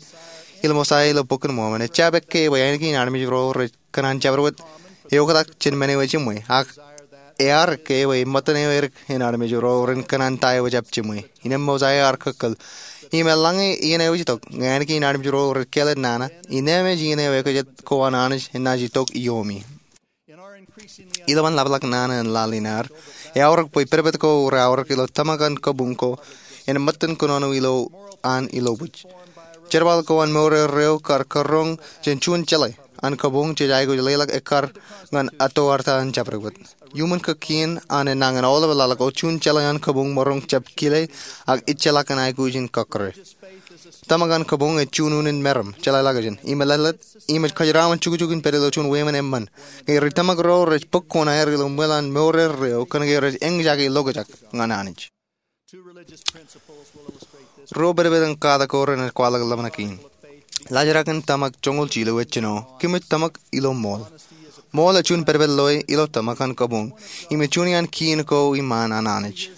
ilo Mosaia ilo Bok in Mormon, ejjab ekkā bwe āinwōt in armej ro rej kōṇaan jabdewōt eoktak jān men eo ejiṃwe, ak ear ekkā bwe ṃōttan eo edik in armej ro ren kōṇaan ta eo ejjab jiṃwe. Innem Mosaia ear kōkkōl, im eḷaññe iien eo ej itok, ñe āinwōt in armej ro rej kāālōt nana, innām ej iien eo ekajet ko an Anij enaaj itok iomi. Ilowaan ḷapḷọk nana in laḷ in ad, eaorōk bwe pedped ko reaorōk ilo tōmak an kabuñ ko en ṃōttan kōnono ilo an ilobōj. Jerbal ko an mour erreo kar karoñ jān juon jeḷā an kabuñ jej aikuj leḷọk ekkar ñan atoartaan jabdewōt. Iuṃwin kōkien an enañin aolep laḷ ko, juon jeḷā an kabuñ maroñ jab kile ak ejjeḷọk in aikuj in kọkkure. Tōmak an kabuñ ej juon unin meram, jeḷāḷọkjeṇ, im eḷḷāḷọt, im ej kōjeraṃṃan jukjuk in pād ilo juon wāween eṃṃan. Ñe ri tōmak ro rej bōk koṇaer ilo ṃwil an mour erreo kōnke rej eñjake lokjak ñan Anij. Ruo pedped in katak ko renaaj kwaḷọk ḷōmṇak in. Laljrak in tōmak joñoul jilu ej jino, kōmij tōmak ilo ṃool. Ṃool ej juon pedped loe ilo tōmak an kabuñ, im ej juon iaan kien ko iṃaan an Anij.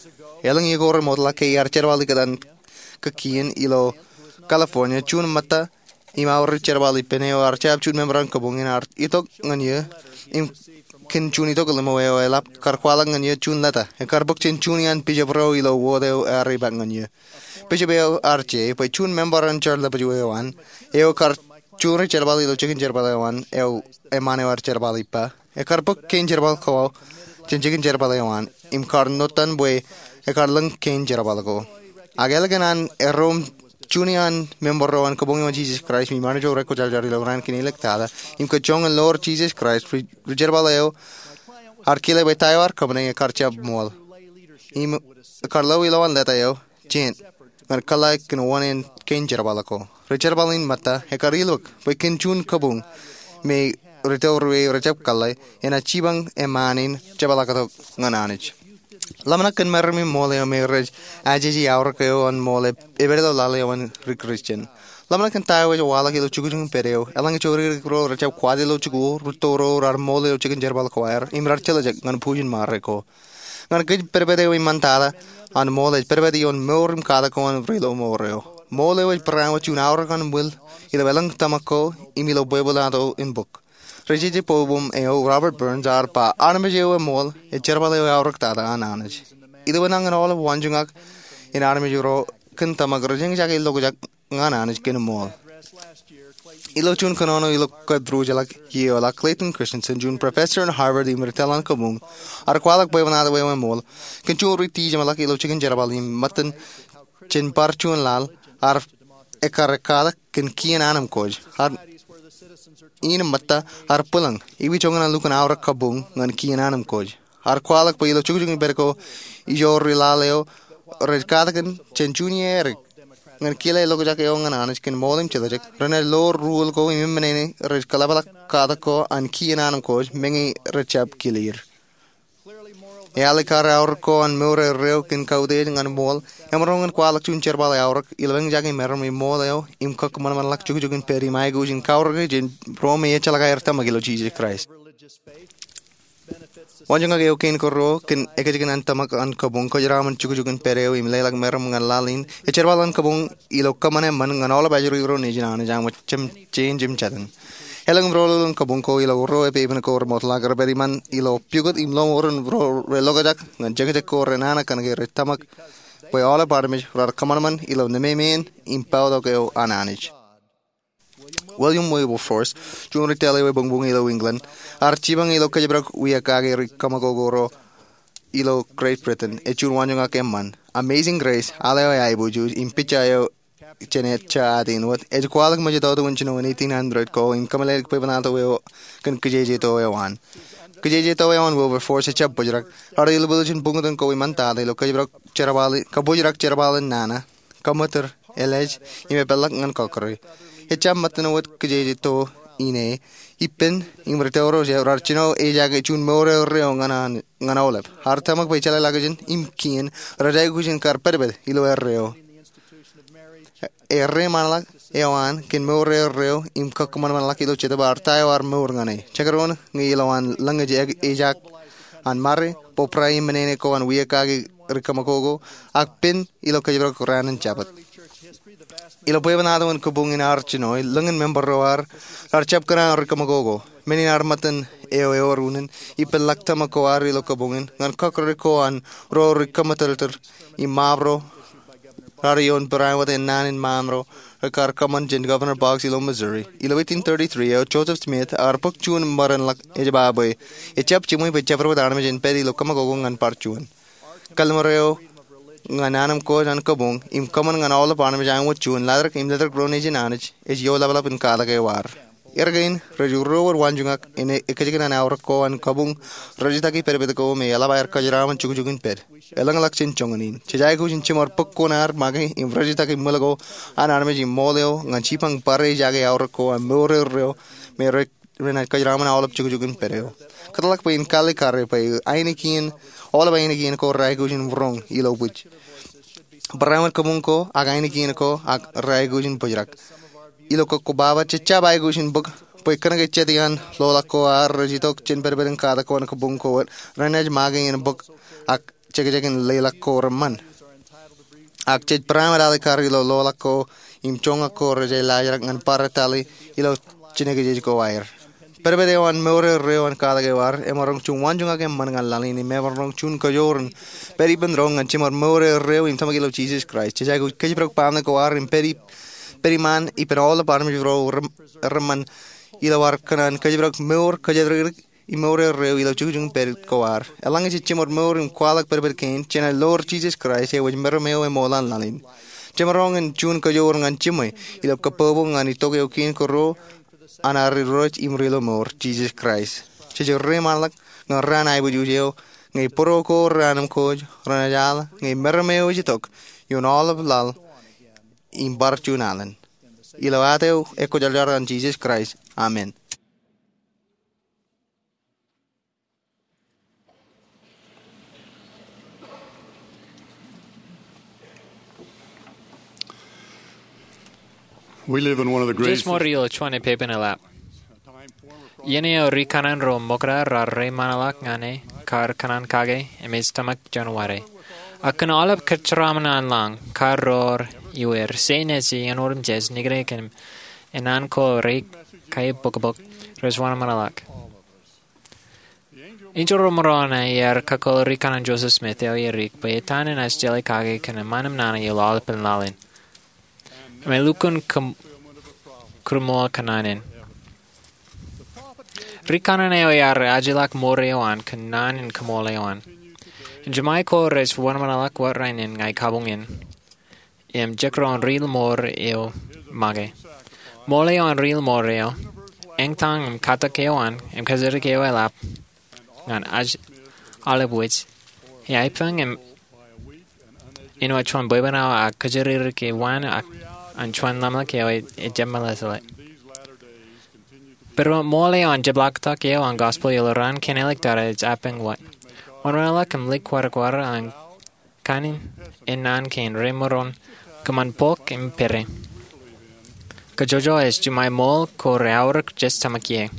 Elōñ iiō ko remootḷọk ke iar jerbal ikōtaan kōkien ilo California, juon ṃōtta im aorōk jerbal ippān eo ear jab juon member an kabuñ in ear itok ñan eō, im kōn juon itok limo eo eḷap, kar kwaḷọk ñan eō juon leta. Ekar bōk jān juon iaan bishop ro ilo wōt eo ear epaak ñan eō. Bishop eo ear je bwe juon member an jar ḷapḷọk eo an, eo kar juon ri jerbal ilo jikin jerbal eo an, eo eṃṃaan eo ear jerbal ippa. Ekar bōk kein jerbal ko jān jikin jerbal eo an, im kar notan bwe ekar lōñ kein jerbal ko. Ak ālikin an erro im juon iaan member ro an Kabuñ eo an Jesus Christ im imaroñ eo rekwōjarjar ilo raan kein āliktata im kōj joñan loor Jesus Christ, ri-, rijerbal eo ear kile bwe ta eo ear kōṃṃane ekar jab ṃool. Im ekar lo ilowaan leta eo jān ñan kōḷḷā kōn wōṇāān kein jerbal ko. Rijerbal in ṃōtta ekar ilọk bwe kōn juon kabuñ me ri-tōl ruo rej jab kōḷḷā enaaj jipañ eṃṃaan in jepḷaaktok ñan Anij. Ḷōmṇak kōn meram im ṃool eo me rej ajeje aorōk eo an ṃool epād ilo laḷ eo an ri-Kristian. Ḷōmṇak kōn ta eo ej waḷọk ilo jukjuk in pād eo eḷaññe jodikdik ro rej jab kwaḷọk ilo jikuuḷ, ri-tōl ro raar ṃool ilo jikin jerbal ko aer im raar jeḷā jek ñan bwijin ṃare ko. Ñan kōj, pedped eo eṃṃantata an ṃool ej pedped ioon mour im katak ko an ri-loṃour eo. Ṃool eo ej bareinwōt juon aorōk an ṃwiil ilo elōñ tōmak ko im ilo bwebwenato in bok. Ri-jeje bwebwenato eo Robert Burns ear ba, armej eo eṃool ej jerbal eo eaorōktata an Anij. Ilo enañin aolep waanjoñak in armej ro kōn tōmak rej eñjake lokjak ñan Anij kōn ṃool. Ilo juon kōnono ilo kōtḷọk iiō ḷọk, Clayton Christensen, juon professor in Harvard im ri-tōl an kabuñ, ear kwaḷọk bwebwenato eo eṃool kōn juon ri-tijeṃḷọk ilo jikin jerbal im ṃōttan jān bar juon laḷ ear ekkar ekkatak kōn kien anemkwōj. Ear in ṃōtta ear bwilōñ, ewi joñan an lukkuun aorōk kabuñ ñan kien anemkwōj. Ear kwaḷọk bwe ilo jukjuk in pād ko ijo ri-laḷ eo rej katakin jān juon iiō edik ñan kile lokjak eo ñan Anij kōn ṃool im jeḷā jek, renaaj lo ruōl ko im eṃṃan ṇe rej kōḷḷāpḷọk katak ko an kien anemkwōj meñe rej jab kile er. Ealikkar aorōk ko an mour erreo kōn kautiej ñan ṃool emaroñ in kwaḷọk juon jerbal aorōk ilo eñjake meram im ṃool eo im kōkōṃanṃanḷọk jukjuk in pād im aikuj in kaorōke jān ro me ejjeḷọk aer tōmak ilo Jisōs Kraist. Waanjoñak eo kein ko ruo kōn ekajjikōn an tōmak an kabuñ, kōjeraaṃṃan jukjuk in pād eo im leḷọk meram ñan laḷ in, ej jerbal an kabuñ ilo kōṃṃan eṃṃan ñan aolep ajri ro nejin Anij aṃ, jemjein im jatūṃ. Elōñ im roñoul in kabuñ ko ilo ruo epepen ko remootḷọk, rej pād iṃaan ilo pukot im loṃoor in ro relokjak ñan jekjek ko renana kōnke rej tōmak bwe aolep armej raar kōṃanṃan ilo nememeen im poutok eo an Anij. William Wilberforce, juon ri-tōl eo ebuñbuñ ilo England, ear jipañ ilo kōjparok wiakake ri-kōṃakoko ro ilo Great Britain, ej juon waanjoñak eṃṃan. Amazing Grace, aḷ eo eaiboojoj, im picture eo jān ejja atin wōt, ej kwaḷọk mejatoto in jinoin eighteen hundred ko im kōmeḷeḷeik bwebwenato eo kōn kijejeto eo an. Kijejeto eo an Wilberforce ejjab bōjrak. Raar ilbuḷōjin buñtōn ko iṃaantata ilo kōjparok jerbal, kabōjrak jerbal in nana, kōṃṃootōr, elej, im epeḷḷọk ñan kọkkure. Ejjab ṃōttan wōt kijejeto in e, ippān im ri-tōl ro raar jino ejaake juon mour erreo ñan an, ñan aolep. Ear tōmak bwe jeḷāḷọkjeṇ im kien rej aikuj in kar pedped ilo erreo. Erreṃaanḷọk eo an kōn mour erreo im kōkōṃanṃanḷọk ilo Jetōb ear ta eo ear mour ñan e. Jekdọọn ñe ilowaan lōñ ej ejak an ṃare, bōbrae im ṇeṇe ko an wiakake ri-kōṃakoko, ak pen ilo kōjparok raan in Jabōt. Ilo bwebwenato in kabuñ in ear jino, lōñin member ro aer raar jab kōṇaan ri-kōṃakoko. Men in ear ṃōttan eo ewōr unin, ippān ḷak tōmak ko aer ilo kabuñ in, ñan kọkkure ko an ro ri-kōṃṃootōrtōr im ṃaap ro raar ioon bareinwōt ennaan in ṃaam ro rekar kōṃṃan jān Governor Boggs ilo Missouri. Ilo eighteen thirty-three eo, Joseph Smith ear bōk juon ṃōran ḷọk ej ba bwe ejjab jiṃwe bwe jabdewōt armej en pād ilo kōṃakoko ñan bar juon. Kallim̧ur eo ñan anemkwōj an kabuñ im kōṃṃan ñan aolep armej āinwōt juon, laḷtak im laḷtak ro nejin Anij, ej ioḷapḷap in katak eo aer. Erkein, rej ruo wōt waanjoñak in ekajjikōn an aorōk ko an kabuñ, rejjitōk pedped ko me eḷap aer kōjeraaṃṃan jukjuk in pād. Elōñḷọk jān joñan in. Jej aikuj in jiṃor bōk kuṇaer make im rejjitōk ṃwiil ko an armej im ṃool eo ñan jipañ bar ejaake aorōk ko an mour erreo me rej renaaj kōjeraaṃṃan aolep jukjuk in pād eo. Kōtḷọk bwe in kalikkare bwe ainikien, aolep ainikien ko reaikuj in roñ ilo bwij. Bareinwōt kabuñ ko ak ainikien ko ak reaikuj in bōjrak. Ilo kōkkobaba, jej jab aikuj in bōk bwe kōnke jet iaan loḷọk ko aer rej itok jān pedped in katak ko an kabuñ ko, renaaj make in bōk ak jekjek in leḷọk ko reṃṃan. Ak jej bareinwōt alikkar ilo loḷọk ko im joñak ko rej laajrak ñan bar tali ilo jinōkjeej ko aer. Pedped eo an mour erreo an katak eo aer emaroñ juon waanjoñak eṃṃan ñan laḷ in im emaroñ juon kajoor in pād ippān ro ñan jiṃor mour erreo im tōmak ilo Jisōs Kraist. Jej aikuj kōjparok baaṃle ko aer im pād ip-, pād iṃaan ippān aolep armej ro rem-, reṃṃan ilo aer kōṇaan kōjparok mour kōjatdikdik im mour erreo ilo jukjuk in pād ko aer. Eḷaññe jej jiṃor mour im kwaḷọk pedped kein, jenaaj loor Jisōs Kraist eo ej meram eo eṃool an laḷ in. Jemaroñ in juon kajoor ñan jiṃwe ilo kabbokbok ñan itok eo kein kōrā an ad Irooj im Ri-lọmọọr, Jisōs Kraist. Jej reiṃaanḷọk ñan raan aiboojoj eo ñe bōro ko raan im kōj ren ejjeḷọk ñe meram eo ej itok ioon aolep laḷ im bar juon alen. Ilo ad eo ekwōjarjar an Jisōs Kraist, amen. Jej ṃool ilo juon epepen eḷap. Iien eo ri kanaan ro ṃokta raar reiṃaanḷọk ñan e kar kōṇaan kake im ej tōmak juon wate. Ak kōn aolep kōjeraṃṃan an lañ, kar ro iweer, sein ej iien otemjej, nikūnikin, im naan ko reikaibokbok, rej wōnṃaanḷọk. Enjeḷ ro ṃōṇōṇō ear kakkōḷ ri kanaan Joseph Smith eo erik bwe etan enaaj jeḷā kake kōn eṃṃan im naan ilo aolepen laḷ in im elukkuun kōm-, kōṃṃan kōn naan in. Ri kanaan eo ear ajilọk ṃool eo an kōn naan in kōṃṃool eo an. Im jiṃṃae ko rej wōnṃaanḷọk wōt rainin ña kabuñ in im jekdọọn ri-lọmọọr eo make. Ṃool eo an ri-lọmọọr eo, eñtañ im katak eo an, im kōjatdikdik eo eḷap ñan aolep wōj, eaipeñ im āinwōt juon bwebwenato ak kōjatdikdik eo an, ak an juon ḷōmṇak eo ejjab meḷeḷe. Bwe ṃool eo an jepḷaaktok eo an gospel ilo raan kein āliktata ej eaipeñ wōt. Wōnṃaanḷọk im likwatikwatik an kain in naan kein remaroñ kōṃṃan bok im pere. Kōjojro ej jiṃṃae ṃool ko reaorōk jej tōmak ie.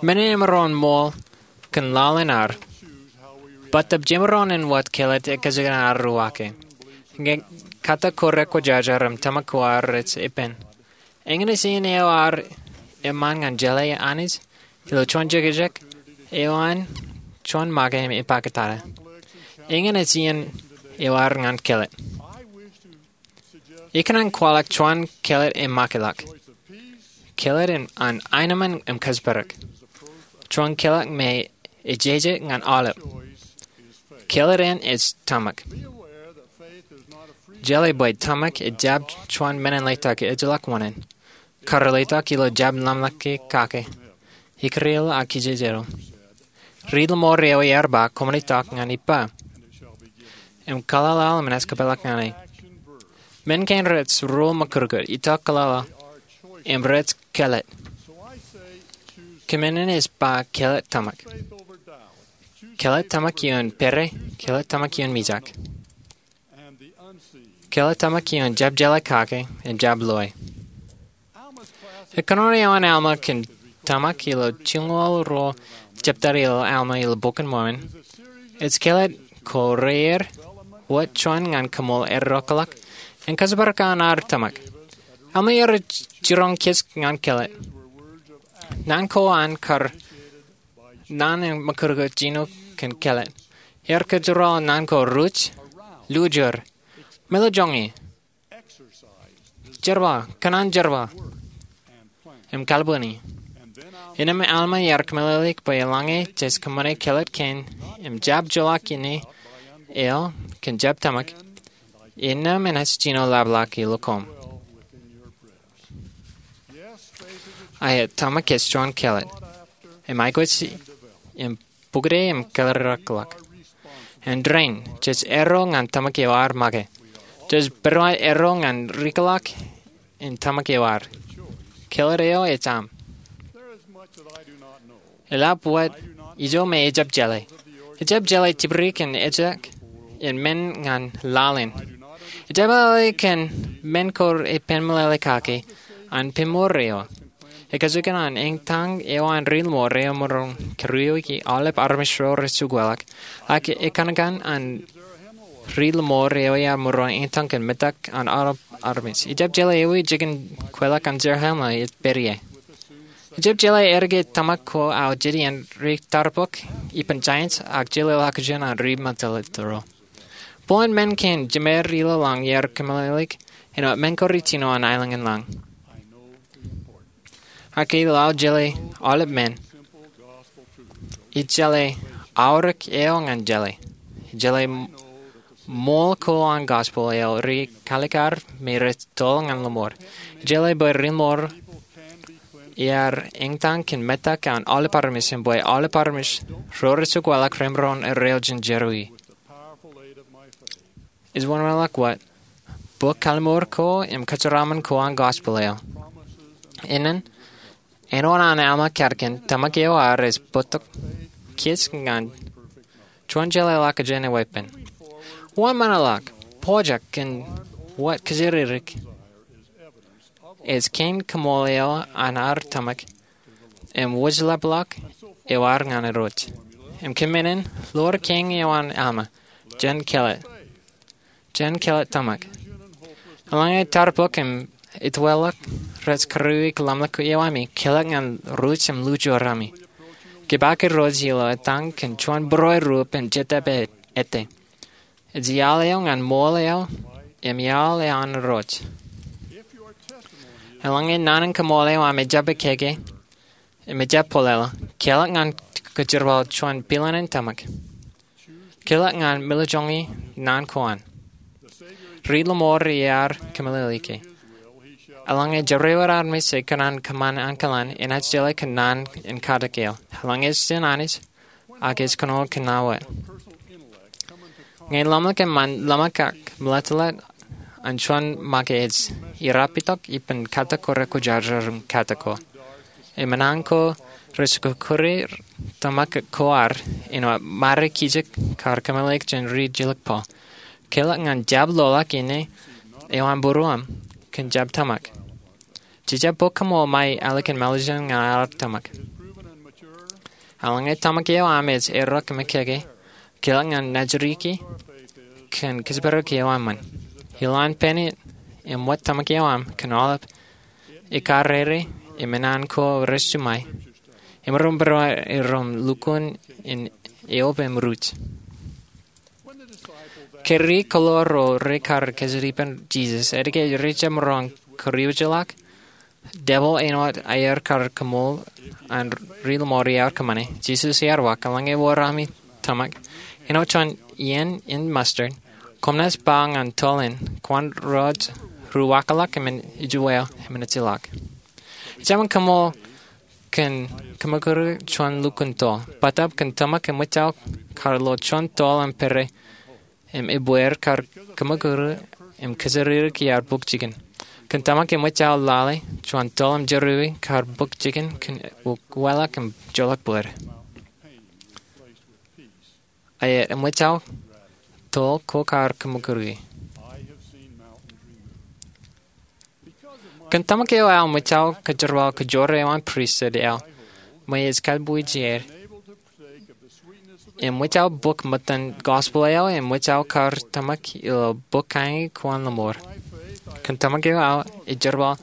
Men in emaroñ ṃool kōn laḷ in ad, bōtab jemaroñ in wōt kelōt ekkejel an ad ruwake. Ñe katak ko rekwōjarjar im tōmak ko ad rej ippān, eñin ej iien eo ad eṃṃan ñan jeḷā Anij ilo juon jekjek eo an juon make im epakitata. Eñin ej iien eo ad ñan kelōt. Ikōṇaan kwaḷọk juon kelōt emakeḷọk. Kelōt in an aenōṃṃan im kōjparok. Juon kelōt me ejeje ñan aolep. Kelōt in ej tōmak. Jeḷā bwe tōmak ejjab juon men in letok ejjeḷọk wōṇāān. Kar letok ilo jab ḷōmṇak kake, ikūreel ak kijejeḷ. Ri-lọmọọr eo ear ba, koṃwin itok ñan ippa, im kōḷaḷḷaḷ im enaaj kōpeḷḷọk ñan e. Men kein rej ruo ṃakūtkūt, itok kōḷaḷḷaḷ, im rej kelōt. Kōmān in ej ba kelōt tōmak. Kelōt tōmak ioon pere, kelōt tōmak ioon mijak. Kelōt tōmak ioon jab jeḷā kake im jab loe. Kōnono eo an Alma kōn tōmak ilo jilñoul ruo jeptata ilo Alma ilo Bok in Mormon ej kelōt ko rear wōt juon ñan kōṃṃool errọọlḷọk im kōjparok an ad tōmak. Alma ear jiroñ kōj ñan kelōt. Naan ko an kar naan in ṃakūtkūt jino kōn kelōt. Ear kōjro naan ko ruj, lujor, meḷeḷe joñi, jerbal, kōṇaan jerbal, im kalbwini. Innām Alma ear kōmeḷeḷeik bwe eḷaññe jej kōṃṃane kelōt kein im jab joḷọk ine eo kōn jab tōmak, innām enaaj jino ḷapḷọk ilo koṃ. Aet, tōmak ej juon kelōt im aikuj im bukide im kōlōrḷọk. Āindein, jej erro ñan tōmak eo ad make. Jej pād wōt erro ñan rikḷọk in tōmak eo ad. Kelōt eo ej aṃ. Eḷap wōt ijo me ejjab jeḷā. Ejjab jeḷā tipdik in ejjab in men ñan laḷ in. Ejjab jeḷā kōn men ko repen meḷeḷe kake an peiṃour eo. Ekajjikōn an eñtañ eo an ri-lọmọọr eo emaroñ kōruweiki aolep armej ro rej jukweḷọk, ak ekōṇaan an ri-lọmọọr eo ear maroñ eñtañ kōn metak an aolep armej. Ejjab jeḷā ewi jikin kweilọk an Zarahemla ej pād ie. Ejjab jeḷā eddike tōmak ko aō jet iien ri tarpok ippān giants ak jeḷā ḷọkjeṇ an ri-mātōlōt ro. Bōlen men kein jemed ilo lañ ear kōmeḷeḷeik āinwōt men ko rej jino an aelōñ in lañ. Ak ilo aō jeḷā aolep men, ij jeḷā aorōk eo ñan jeḷā. Ij jeḷā ṃool ko an gospel eo ri kalikkar me rej toḷ ñan lọmọọr. Ij jeḷā bwe ri ṃool iar eñtaan kōn metak an aolep armej im bwe aolep armej ro rej jab kwaḷọk remaroñ in erreo jān jerọwiwi. Ej wōnṃaanḷọk wōt bōk kalimur ko im kōjeraaṃṃan ko an gospel eo. Innem, āinwōt an Alma katkōn, tōmak eo ad ej bōktok kōj ñan juon jeḷāḷọkjeṇ eweeppān. Wōnṃaanḷọk, pojak kōn wōt kōjatdikdik ej kein kaṃool eo an ad tōmak im wōjlepḷọk eo ad ñan Irooj. Im kōn men in, ḷoor kein eo an Alma, jen kelōt. Jen kelōt tōmak. Eḷaññe tarbok im etweḷọk rej kūrui ḷōmṇak eo ami, kelōt ñan ruj im lujuorami. Kōpeak Irooj ilo etañ kōn juon būruerup im jetōb ete. Ej iaḷ eo ñan ṃool eo im iaḷ eo an Irooj. Eḷaññe naan in kaṃool eo aṃ ejjab ekkeke im ejjab bōlḷọk, kelōt ñan kōjerbal juon pilanen tōmak. Kelōt ñan milọjoñi naan ko an. Ri lọmọọr iar kōmeḷeḷeiki. Eḷaññe jerọwiwi armej ej kōṇaan kōṃṃan ankilōñ, enaaj jeḷā kōn naan in katak eo. Eḷaññe ej jān Anij, ak ej kōnono kōn ña wōt. Ñe ḷōmṇak eṃṃan, ḷōmṇak ak meḷeḷe an juon make ej irrapitōk ippān katak ko rekwōjarjar im katak ko. Im naan ko rej kūrkūri tōmak ko ad āinwōt ṃare kijek kar kōmeḷeḷeik jān ri jilkinḷọk. Kelōt ñan jab loḷọk inne eo an būruōṃ kōn jab tōmak. Jejjab bōk kaṃool ṃae alikin mālejin ñan ad tōmak. Eḷaññe tōmak eo aṃ ej errọk im ekkeke, kelōt ñan nejūriki kōn kōjparok eo aṃ ṃōn. Ilowaan pān in im wōt tōmak eo aṃ kōn aolep ikar rere im naan ko rej jiṃṃae, im ren būruō erom lukkuun in eope im ruj. Ke ri kōḷoor ro rekar kōjatdikdik ippān Jisōs, etke rej jab maroñ kōriwōjḷọk? Debōḷ āinwōt aer kar kaṃool an ri lọmọọr iar kōṃṃane. Jisōs ear waak, eḷaññe wōr ami tōmak āinwōt juon iien in mustard, koṃ naaj ba ñan toḷ in, kwōn rej ruwaakḷọk im ijweo im ejjeḷọk. Ejjab kaṃool kōn kōṃakūri juon lukkuun toḷ. Bōtab kōn tōmak eṃōj aō kar lo juon toḷ im pere im ebbeer kar kōṃakūri im kōjatdikdik iaar bōk jikin. Kōn tōmak eṃōj aō lale juon toḷ im jerọwiwi kar bōk jikin kōn ukeḷọk im joḷọk bōd. Ak eṃōj aō toḷ ko kar kōṃakūri. Kōn tōmak eo aō eṃōj aō kōjerbal kōjro eo an pristut eo ṃōj ej kōtbuuji er. Eṃōj aō bōk ṃōttan gospel eo eṃōj aō kar tōmak ilo bōk kañi ko an lọmọọr. Kōn tōmak eo aō ej jerbal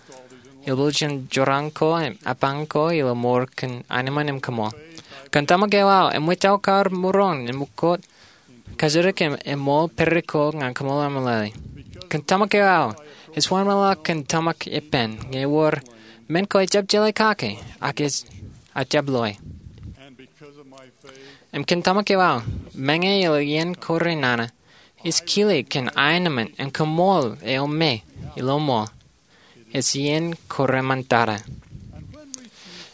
ilbōjin jorrāān ko im epañ ko ilo mour kōn aenōṃṃan im kaṃool. Kōn tōmak eo aō eṃōj aō kar maroñ in mukot kajjitōk im eṃool pere ko ñan kaṃṃoolol meḷeḷe. Kōn tōmak eo aō ej wōnṃaanḷọk kōn tōmak ippān ñe ewōr men ko ejjab jeḷā kake ak ejjab loe. Im kōn tōmak eo aō, meñe ilo iien ko renana, ij kile kōn aenōṃṃan im kaṃṃoolol eo me ilo ṃool. Ej iien ko reṃṃantata.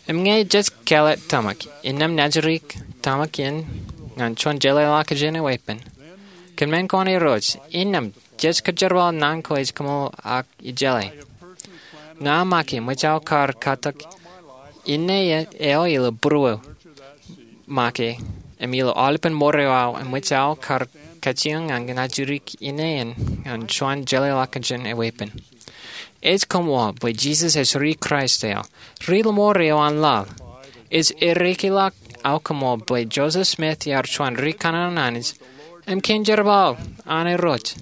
Im ñe jej kelōt tōmak innām nejūriki tōmak in ñan juon jeḷāḷọkjeṇ eweeppān, kōn men ko an Irooj, innām jej kōjerbal naan ko ej kaṃṃoolol ak ijeḷā. Ña make eṃōj aō kar katak inne eo ilo būruō make im ilo aolepān mour eo aō eṃōj aō kar kajjioñ ñan nejūriki inne in ñan juon jeḷāḷọkjeṇ eweeppān. Ej koṃṃool bwe Jisōs ej ri Kraist eo, ri lọmọọr eo an laḷ. Ej eddekḷọk aō koṃṃool bwe Joseph Smith ear juon ri kanaan an Anij im kein jerbal an Irooj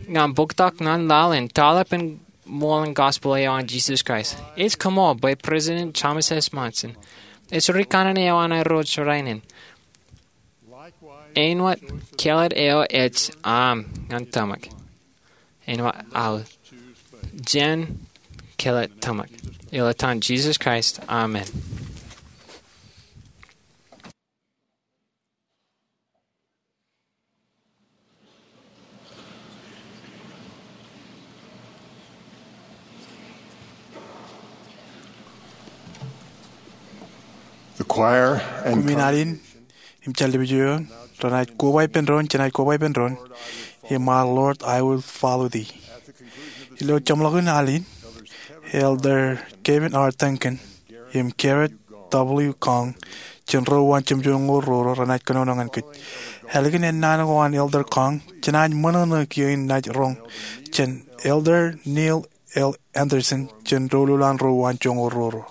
ñan bōktok ñan laḷ in taḷap in ṃool in gospel eo an Jisōs Kraist. Ej koṃṃool bwe President Thomas S. Monson ej ri kanaan eo an Irooj rainin. Āinwōt kelōt eo ej aṃ ñan tōmak. Āinwōt aō, jen kelōt tōmak. Ilo etan Jisōs Kraist, amen. Choir and Koṃwin alin im jar lipij eo eoon, renaaj koba ippān doon, jenaaj koba ippān doon, im Our Lord, I Will Follow Thee. Ilo jeṃḷọkin alin, Elder Kevin R. Duncan im Garrett W. Kang, jān ro uwaan jemjoñoul roro, renaaj kōnono ñan kōj. Ālikin ennaan ko an Elder Kang, jenaaj ṃōṇōṇō kiiō in naaj roñ jān Elder Neil L. Andersen, jān doulul an ro uwaan joñoul roro.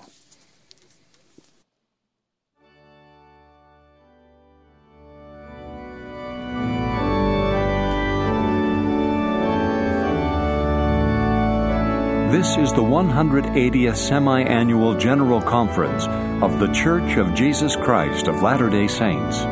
This is the one hundred eightieth Semi-Annual General Conference of The Church of Jesus Christ of Latter-day Saints.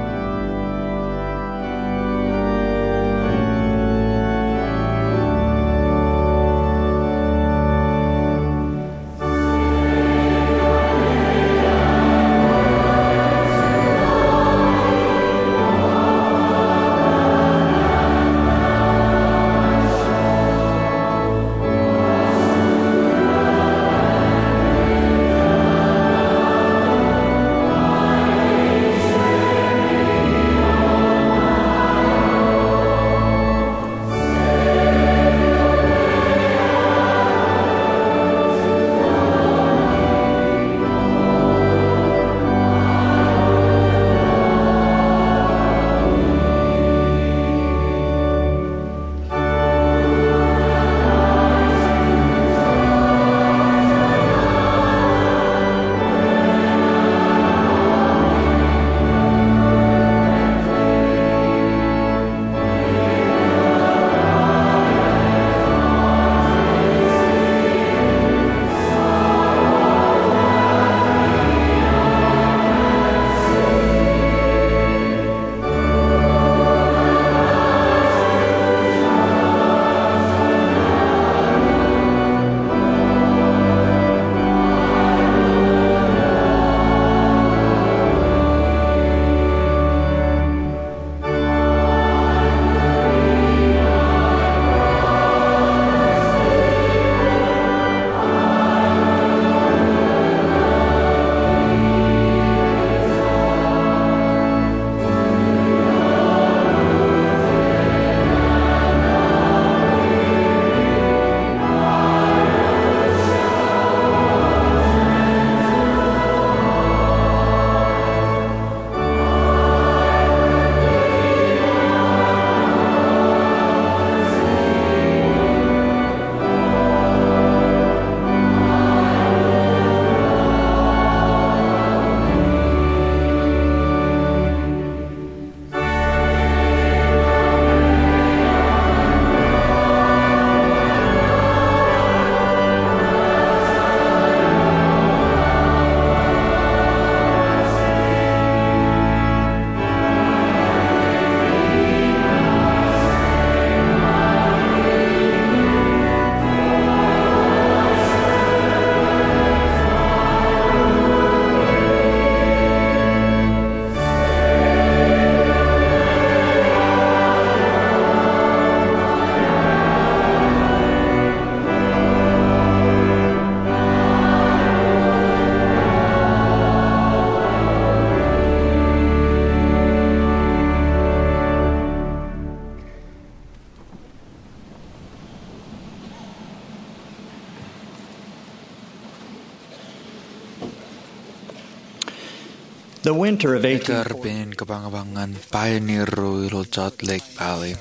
The winter of eighteen forty. Ekkar pein kōpañpañ ñan pioneer ro ilo Salt Lake Valley.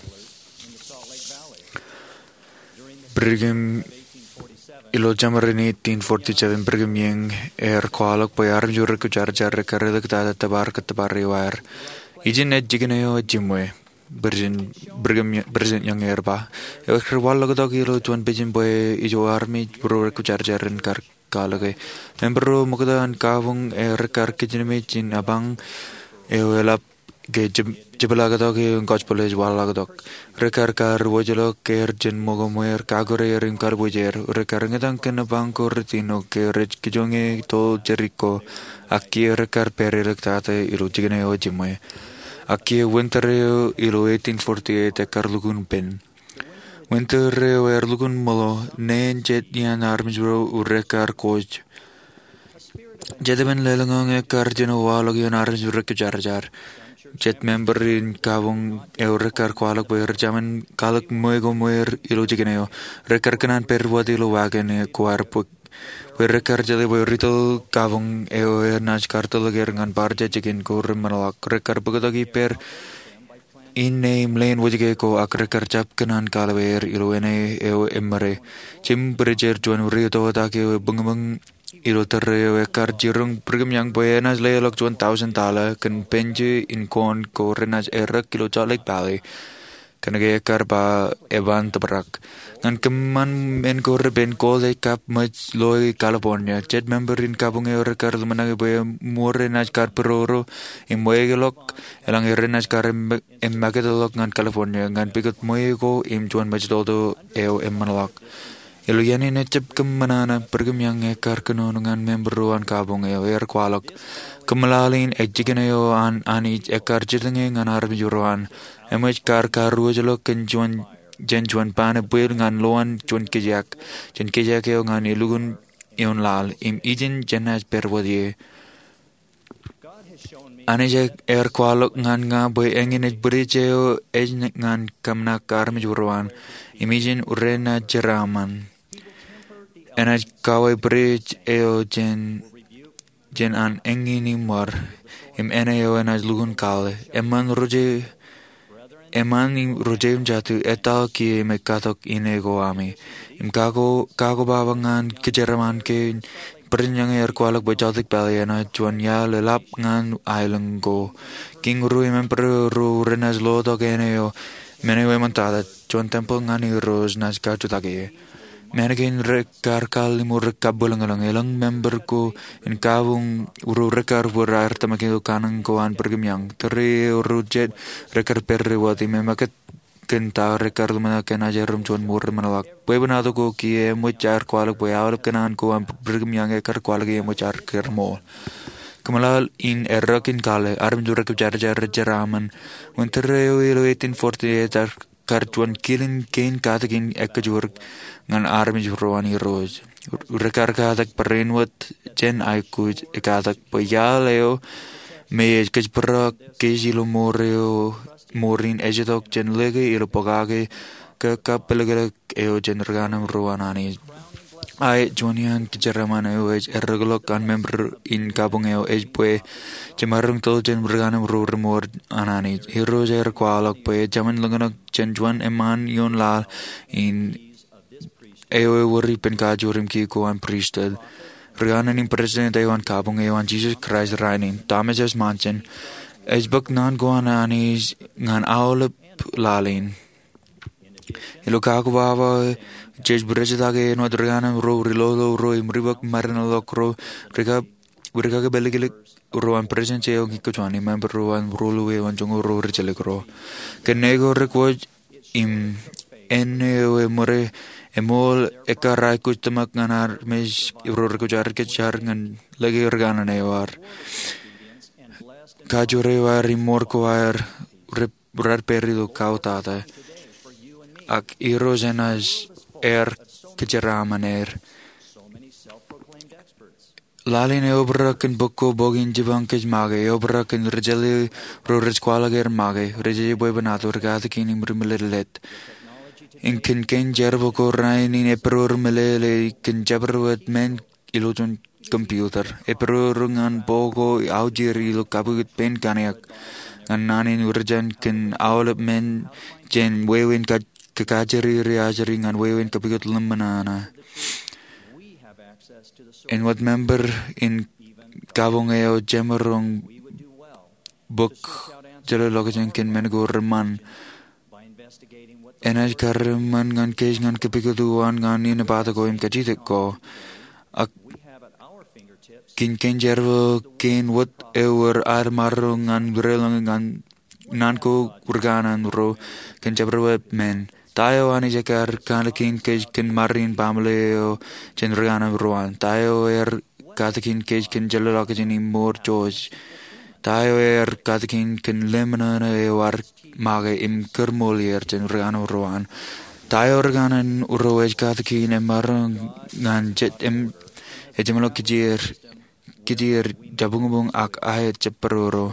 Brigham, ilo jemaroñ in eighteen forty-seven, Brigham Young ear kwaḷọk bwe armej ro rekwojarjar ekkar eliktata tōpar kōttōpar eo aer. Ijin ej jikin eo ejiṃwe. President Brigham, President Young ear ba, ewōr kar waḷọktok ilo juon pejin bwe ijo armej ro rekwojarjar en kar kwaḷọke. Member ro ṃokta an kabuñ ear kar kijenmej in apañ eo eḷap ke jep-, jepḷaaktok eo gospel ej waḷọktok. Rekar kar wōjḷọk er jān ṃōko ṃweer, kakure er im kalbuuj er. Rekar eñjetañ kōn apañ ko rej ino ke rej kijoñe toḷ Jeriko. Ak kiiō rekar pād eliktata ilo jikin eo ejiṃwe. Ak kiiō winter eo ilo eighteen forty-eight ekkar lukkuun pen. Winter eo ear lukkuun ṃōḷo, neen jet iaan armej ro rekar kōj. Jet eṃṃan lelōñḷọk ekkar jino waḷọk ioon armej rej kōjarjar. Jet member in kabuñ eo rekkar kwaḷọk bwe rej jaṃin kwaḷọk ṃweo ko ṃweo ilo jikin eo. Rekkar kōṇaan pād wōt ilo wagon ko ad bwe rekkar jeḷā bwe ri tōl kabuñ eo enaaj kartōlḷọk er ñan bar jejjek in ko reṃṃanḷọk. Rekkar bōktok ippāer inne im leen wōjke ko ak rekkar jab kōṇaan kaloe er ilo āne eo eṃṃare. Jim Bridger, juon ri-ototak eo ebuñbuñ ilo tōre eo ekkar, jiroñ Brigham Young bwe enaaj leḷọk juon tọujin tọḷa kōn penje in kọọ̄n ko renaaj errọk ilo Salt Lake Valley. Kōnke ekkar ba eban tōprak. Ñan kōṃṃan men ko repen, Gould ej kab ṃōj loe California. Jet member in kabuñ eo rekkar ḷōmṇak bwe eṃool renaaj kar būroḷọk im weḷọk, eḷaññe renaaj kar eṃ-, eṃṃakūtḷọk ñan California ñan pukot ṃweo ko im juon ṃōj toltō eo eṃṃanḷọk. Ilo iien in ejab kōṃṃan, Brigham Young ekkar kōnono ñan member ro an kabuñ eo. Ear kwaḷọk, kōmeḷeḷein, ej jikin eo an Anij ekkar jitōñe ñan armej ro an. Eṃōj kar karuwōjḷọk kōn juon, jān juon ban ebwil ñan loan juon kijeek, jān kijeek eo ñan elukkuun ioon laḷ, im ijin jenaaj pād wōt ie. Anij ear kwaḷọk ñan ña bwe eñin ej bwidej eo ej ñan kōmṇak armej ro an, im ijin renaaj jeraaṃṃan. Enaaj kawōj bwidej eo jān, jān an eñin im bar, im āne eo enaaj lukkuun kaḷe. Eṃṃan ro je, eṃṃan im ro jeiū im jatū, etal kiiō im katak inne ko ami. Im kako, kakobaba ñan kōjeraaṃṃan kein, Brigham Young ear kwaḷọk bwe Salt Lake Valley enaaj juon iaḷ eḷap ñan aelōñ ko. Kiiñ ro im emperor ro renaaj lotok āne eo, men eo eṃṃantata, juon tempel ñan Irooj naaj kajutak ie. Men kein rekar kar limo rekar bwilōñlōñ. Elōñ member ko in kabuñ ro rekar bōd aer tōmak ilo kanooj ko an Brigham Young. Tōre eo ro jet rekar pād wōt im eṃṃakūt kōn ta rekar ḷōmṇak enaaj erom juon ṃool reṃanḷọk. Bwebwenato ko kiiō eṃōj aer kwaḷọk bwe aolep kōṇaan ko an Brigham Young ekar kwaḷọk eṃōj aer kar ṃool. Kōmeḷeḷein, errọk in kaḷe, armej rej kōjarjar, rej jeraaṃṃan. Wōn tōre eo ilo eighteen forty-eight ear kar juon kilen kein katakin ekkōjparok ñan armej ro an Irooj. Rekar katak barāinwōt jān aikuj, ekatak bwe iaḷ eo me ej kōjparok kōj ilo ṃoor eo, ṃoor in ej itok jān lōke ilo pokake ke kappālōklōk eo jān rūkaanōṃ ro an Anij. Ak juon iaan kōjeraaṃṃan eo ej errọkḷọk an member in kabuñ eo ej bwe jemaroñ tōl jān rūkaanōṃ ro reṃool an Anij. Irooj ear kwaḷọk bwe ejāmin lōñḷọk jān juon eṃṃaan ioon laḷ in eo ewōr ippān kajoor im kiiō ko an pristut. Rūkaanaan im president eo an kabuñ eo an Jesus Christ rainin, Thomas S. Monson, ej bōk naan ko an Anij ñan aolep laḷ in. Ilo kakobaba, jej bwidejtake āinwōt rūkaanaan ro, ri-lolo ro, im ri-bōk mādanḷọk ro, ri-kab, ri-kakepāliklik ro an Presidensi eo Ñe Kwe Juon, im member ro an Ruo Lue eo an Joñoul ro Rijjelōk ro. Kōn ṇe ko rekwōj im āne eo eṃōde, eṃool ekkar aikuj tōmak ñan armej ro rekōjarjar ñan lōke rūkaanaan eo ad. Kajoor eo ad im ṃool ko ad re raar pād ilo kautata. Ak Irooj enaaj aer kōjeraaṃṃan er. Laḷ in eobrak kōn bok ko bok in jipañ kōj make, eobrak kōn ri-jeḷā ro rej kwaḷọk er make, rej bwebwenato, ri-katakin im ri-mālōtlōt. Im kōn kein jerbal ko rainin, epidodo meḷeḷe kōn jabdewōt men ilo juon computer. Epidodo ñan bok ko aujir ilo kapukot pein kaniak ñan naan in rijin kōn aolep men jān wāween kajjiriri ajri ñan wāween kapukot ḷōmṇak. Āinwōt member in kabuñ eo, jemaroñ bōk jelōtlọkjeṇ kōn men ko reṃṃan. Enaaj kar eṃṃan ñan kōj ñan kapukot uwaan ñan inepata ko im kajjitōk ko. Ak kōn kein jerbal kein wōt ewōr ad maroñ ñan deḷọñ ñan naan ko rūkaanaan ro kōn jabdewōt men. Ta eo Anij ekar katakin kōj kōn ṃare in baaṃle eo jān rūkaanaan ro an? Ta eo ear katakin kōj kōn jelōtlọkjeṇ im ṃool jọj? Ta eo ear katakin kōn lemṇōṇō eo ad make im kūrṃool er jān rūkaanaan ro an? Ta eo rūkaanaan ro ej katakin emaroñ ñan jet im ejemḷọk kijeer kitier, jabuñbuñ ak aet jabdewōt ro.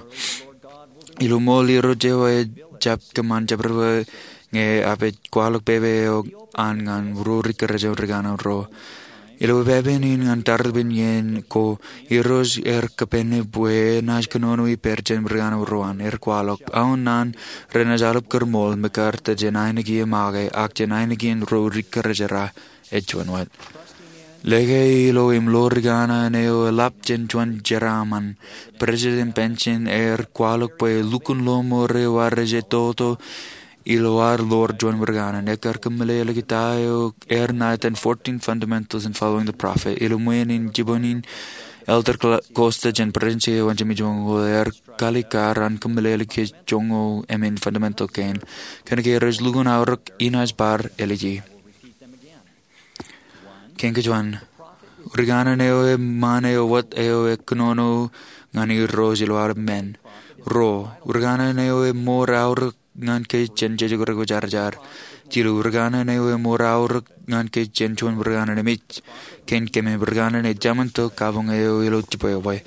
Ilo ṃool Irooj eo ejjab kōṃṃan jabdewōt, ñe ear pād kwaḷọk pepe eo an ñan ro ri kōrā jān ri kanooj ro. Ilo pepe in ñan taripen iien ko, Irooj ear kōpein bwe enaaj kōnono ippād jān ri kanooj ro an. Ear kwaḷọk, aō naan renaaj aolep kūrṃool, mekarta jān ainikien make, ak jān ainikien ro ri kōrā jerā, ej juon wōt. Lōke ilo im lo ri kanaan eo eḷap jān juon jeraaṃṃan, President Benson ear kwaḷọk bwe lukkuun lo ṃoor eo ear ej toto ilo ad lo juon ri kanaan. Ekar kōmeḷeḷeiki ta eo ear ṇa etan Fourteen Fundamentals in Following the Prophet. Ilo ṃweo in jipañ in, Elder Costa jān Presidensi eo an Jimmy Jones ear kalikkar an kōmeḷeḷeiki joñoul emān fundamental kein. Kōnke rej lukkuun aorōk, inaaj bar āliji. Kein kein juon, ri kanaan eo eṃṃan eo wōt eo ekōnono ñan Irooj ilo aolep men. Ruo, ri kanaan eo eṃour aorōk ñan kōj jān jejek rekwōjarjar. Jilu, ri kanaan eo eṃour aorōk ñan kōj jān juon ri kanaan emej. Kein keememej, ri kanaan eo ejāmin tok kabuñ eo ilo jibwebwe.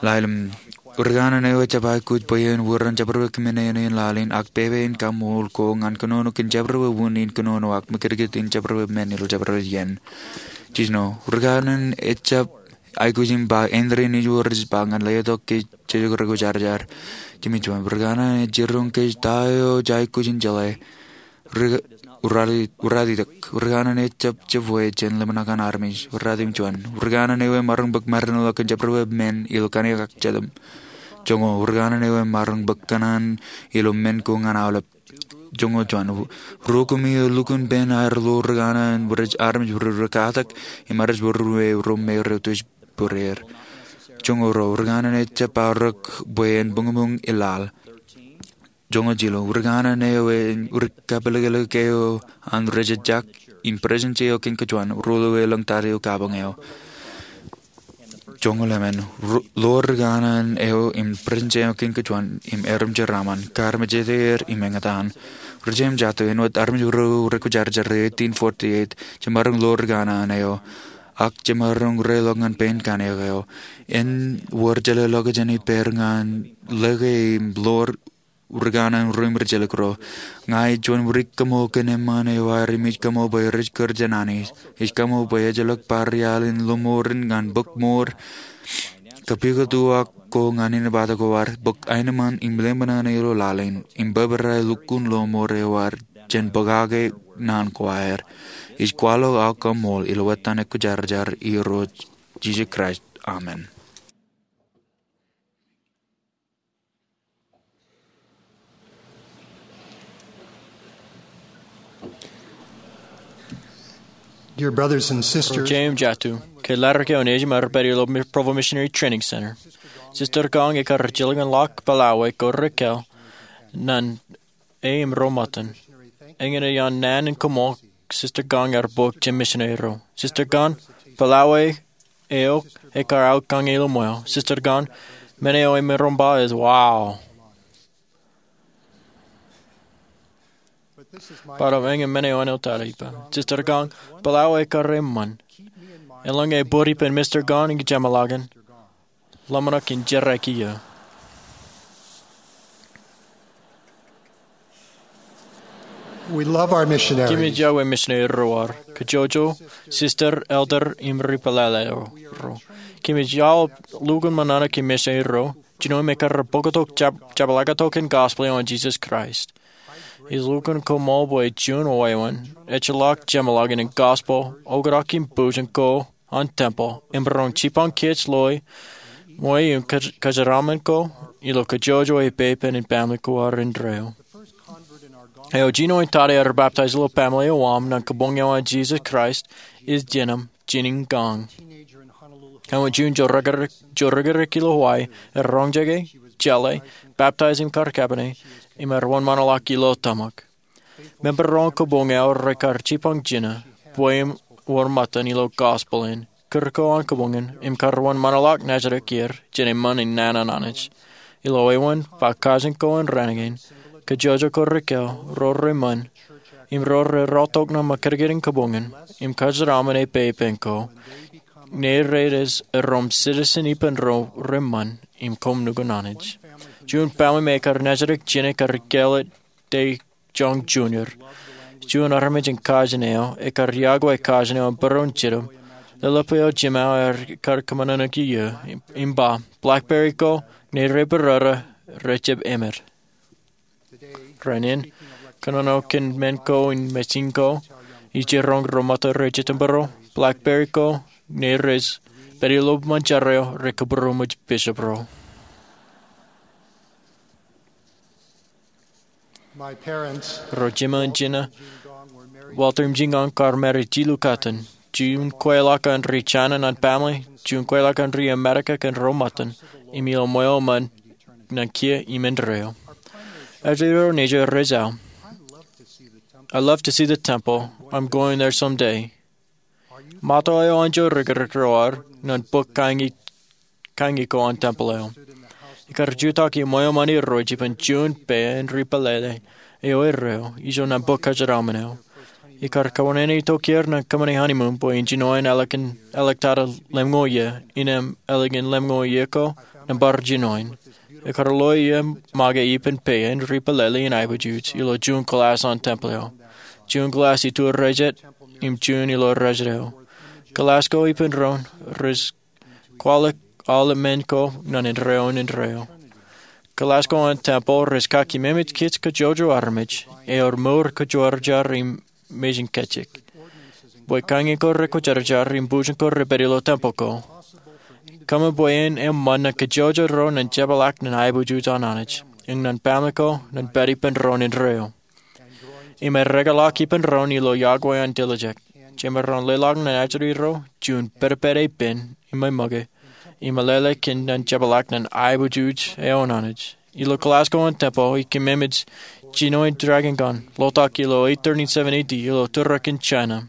Ḷalem, ri kanaan eo ejjab aikuj bwe en wūrin jabdewōt kōmāne in laḷ in ak pepe in kaṃṃool ko ñan kōnono kōn jabdewōt wūnin kōnono ak mekdikdik in jabdewōt men ilo jabdewōt iien. Jiljino, ri kanaan eo ejjab aikuj im ba, āindein ij wōr ij ba ñan letok kōj jejek rekwōjarjar. Jimmy Jones, ri kanaan eo ejiroñ kōj ta eo jej aikuj in jeḷā. Ri, urali, urali tok. Ri kanaan eo ejjab jebwe jān lemñoul an armej. Urali im juon, ri kanaan eo emaroñ bōk mārinḷọk kōn jabdewōt men ilo kaniōk ak jatūṃ. Joñoul, ri kanaan eo emaroñ bōk kōṇaan ilo men ko ñan aolep. Joñoul juon, ruo kōm eo lukkuun pein aer lo ri kanaan, rej armej ro rekatak im rej ro me ro me rej tuj būreer. Joñoul ruo, ri kanaan eo ejjab aorōk bwe en buñbuñ ilaḷ. Joñoul jilu, ri kanaan eo ej ri kapelekelek eo an rej ejjak im Presidensi eo kein kein juon, ruo eo elōñ ta eo kabuñ eo. Joñoul emān, ro, lo ri kanaan eo im Presidensi eo kein kein juon im erom jeraaṃṃan, kar mejāde er im eñtaan. Ri-jeiū im jatū, āinwōt armej ro rekwōjarjar eighteen forty-eight, jemaroñ lo ri kanaan eo, ak jemaroñ reḷọk ñan pein kaniōk eo. En wōr jeḷāḷọkjeṇ ippād ñan lōke im lo ri kanaan ro im ri-jelōk ro. Ña ij juon widik kaṃṃool kōn eṃṃan eo aer im ij kaṃṃool bwe rej kūr jān Anij. Ij kaṃṃool bwe ejjeḷọk bar iaḷ in lọmọọr in ñan bōk ṃool kōpeḷḷọk ko ñan inepata ko ad, bōk aenōṃṃan im lemñoul ilo laḷ in, im bōbrae lukkuun lọmọọr eo ad jān bōkake naan ko aer. Ij kwaḷọk aō kaṃṃool ilo etan ekwōjarjar Irooj Jisōs Kraist. Amen. Dear brothers and sisters, Ri-jeiū im jatū, ke ḷadik eo nejim aer pād ilo Provo Missionary Training Center, Sister Gong ekar jilkinḷọk Palaue ko Raquel ñan e im ro ṃōttan. Eñin ej an naan in koṃṃool Sister Gong ear bōk jān misineri ro. Sister Gong, Palaue eo ekar aō kañe ilo ṃweo. Sister Gong, men eo emaroñ ba ej wow. Bōtab eñin men eo enaaj tata ippa. Sister Gong, Palaue ekar eṃṃan. Eḷaññe ebōd ippān Mister Gong in jeṃḷọkin, ḷōmṇak in jerkakiki eō. We love our missionaries. Kōmij iọkwe misineri ro ad, kōjojro, sister, elder, im ri pālele ro. Kōmij iọkwe lukkuun ṃōṇōṇō kōn misineri ro, jino im ekar bōktok jab-, jabdewōt tok in gospel eo an Jisōs Kraist. Ij lukkuun koṃṃool bwe juon wāween, ejjeḷọk jeṃḷọkin gospel, oktak im bujen ko an tempel, im roñ jipañ kōj loe, ṃweo im kaj-, kōjeraaṃṃan ko, ilo kōjojro epepen in family ko ad indeeo. Eo jino in tata ear baptize ilo family eo aṃ ñan kabuñ eo an Jisōs Kraist, ej jinōm Jeanene Gong. Ewōr juon jouj rikirikōj ilo Hawaii, ear roñjake, jeḷā, baptize im kar kapene, im ear wōnṃaanḷọk ilo tōmak. Member ro an kabuñ eo rekar jipañ jinō bwe im wōr ṃōttan ilo gospel in kūr ko an kabuñ in im kar wōnṃaanḷọk naajdik er jān eṃṃan in naan an Anij. Ilo wāween, ba kajin ko an raan kein, kōjojro ko Raquel, ro reṃṃan, im ro rerọọltok ṇa ṃōkadkad in kabuñ in, im kōjeraaṃṃan epepen ko, Nereres erom sitizen ippān ro reṃṃan im koṃ nukun Anij. Juon pāmle me ekar nejirōk jān ekar kāālōt Dae Jung Junior. Juon armej in kajin eo ekar iọkwe kajin eo im būruon jitōb. Leḷḷap eo jimao ekar kōṃanṃan eok iiō im ba, "Blackberry ko, nere barāra, rejjab emed." Rainin, kōnono kōn men ko im mejin ko, ij jiroñ ro ṃōttan ro jitōnbōro, "Blackberry ko, neres, pād ilo ṃōn jar eo, rekabūroṃōj bishop ro." Ro jimjuon jino, Walter im Jean Gong, kar married jilu katten. Juon kweilọk an ri China ñan pāmle, juon kweilọk an ri Amerika kōn ro ṃōttan, im ilo ṃweo ṃōn ñan kiiō im indeeo. Ejjeḷọk ro nejū rej aō, "I'd love to see the temple. I'm going there someday." Ṃōttan eo anjọ rikirikroar ñan bok kañi ko an tempeḷ eo. Ekar jutak ṃweo ṃōn irooj ippān juon pā in ri pālele eo erreo ijo ñan bok kōjeraṃṃan eo. Ekar kōnono itok er ñan kōṃṃani honeymoon bwe en jinoin ālikin āliktata lemñoul iiō, innem ālikin lemñoul iiō ko ñan bar jinoin. Ekar lo iiō make ippān pā in ri pālele in aiboojoj ilo juon kōḷaas an tempeḷ eo. Juon kōḷaas iturin ro jet im juon ilo ro jet eo. Kōḷaas ko ippān doon rej kwaḷọk aolep men ko ñan indeeo im indeeo. Kōḷaas ko an tempeḷ rej kaki memej kōj kajjojo armej ewōr mour kōjwōrjar im mejin kajjik. Bwe kañi ko rekwōjarjar im bujen ko repād ilo tempeḷ ko, kōṃṃan bwe en eṃṃan ñan kajjojo ro ñan jepḷaak ñan aiboojoj an Anij im ñan pāmle ko ñan pād ippān doon indeeo. Im erekḷọk ippān doon ilo iọkwe an tiljek. Jemaroñ leḷọk ñan ajri ro juon pedped epen im ṃōke im meḷeḷe kōn ñan jepḷaak ñan aiboojoj eo an Anij. Ilo kōḷaas ko an tempeḷ ikememej jinoin Dragon Gong, ḷotak ilo eight thirty-seven A D ilo tūrekan China.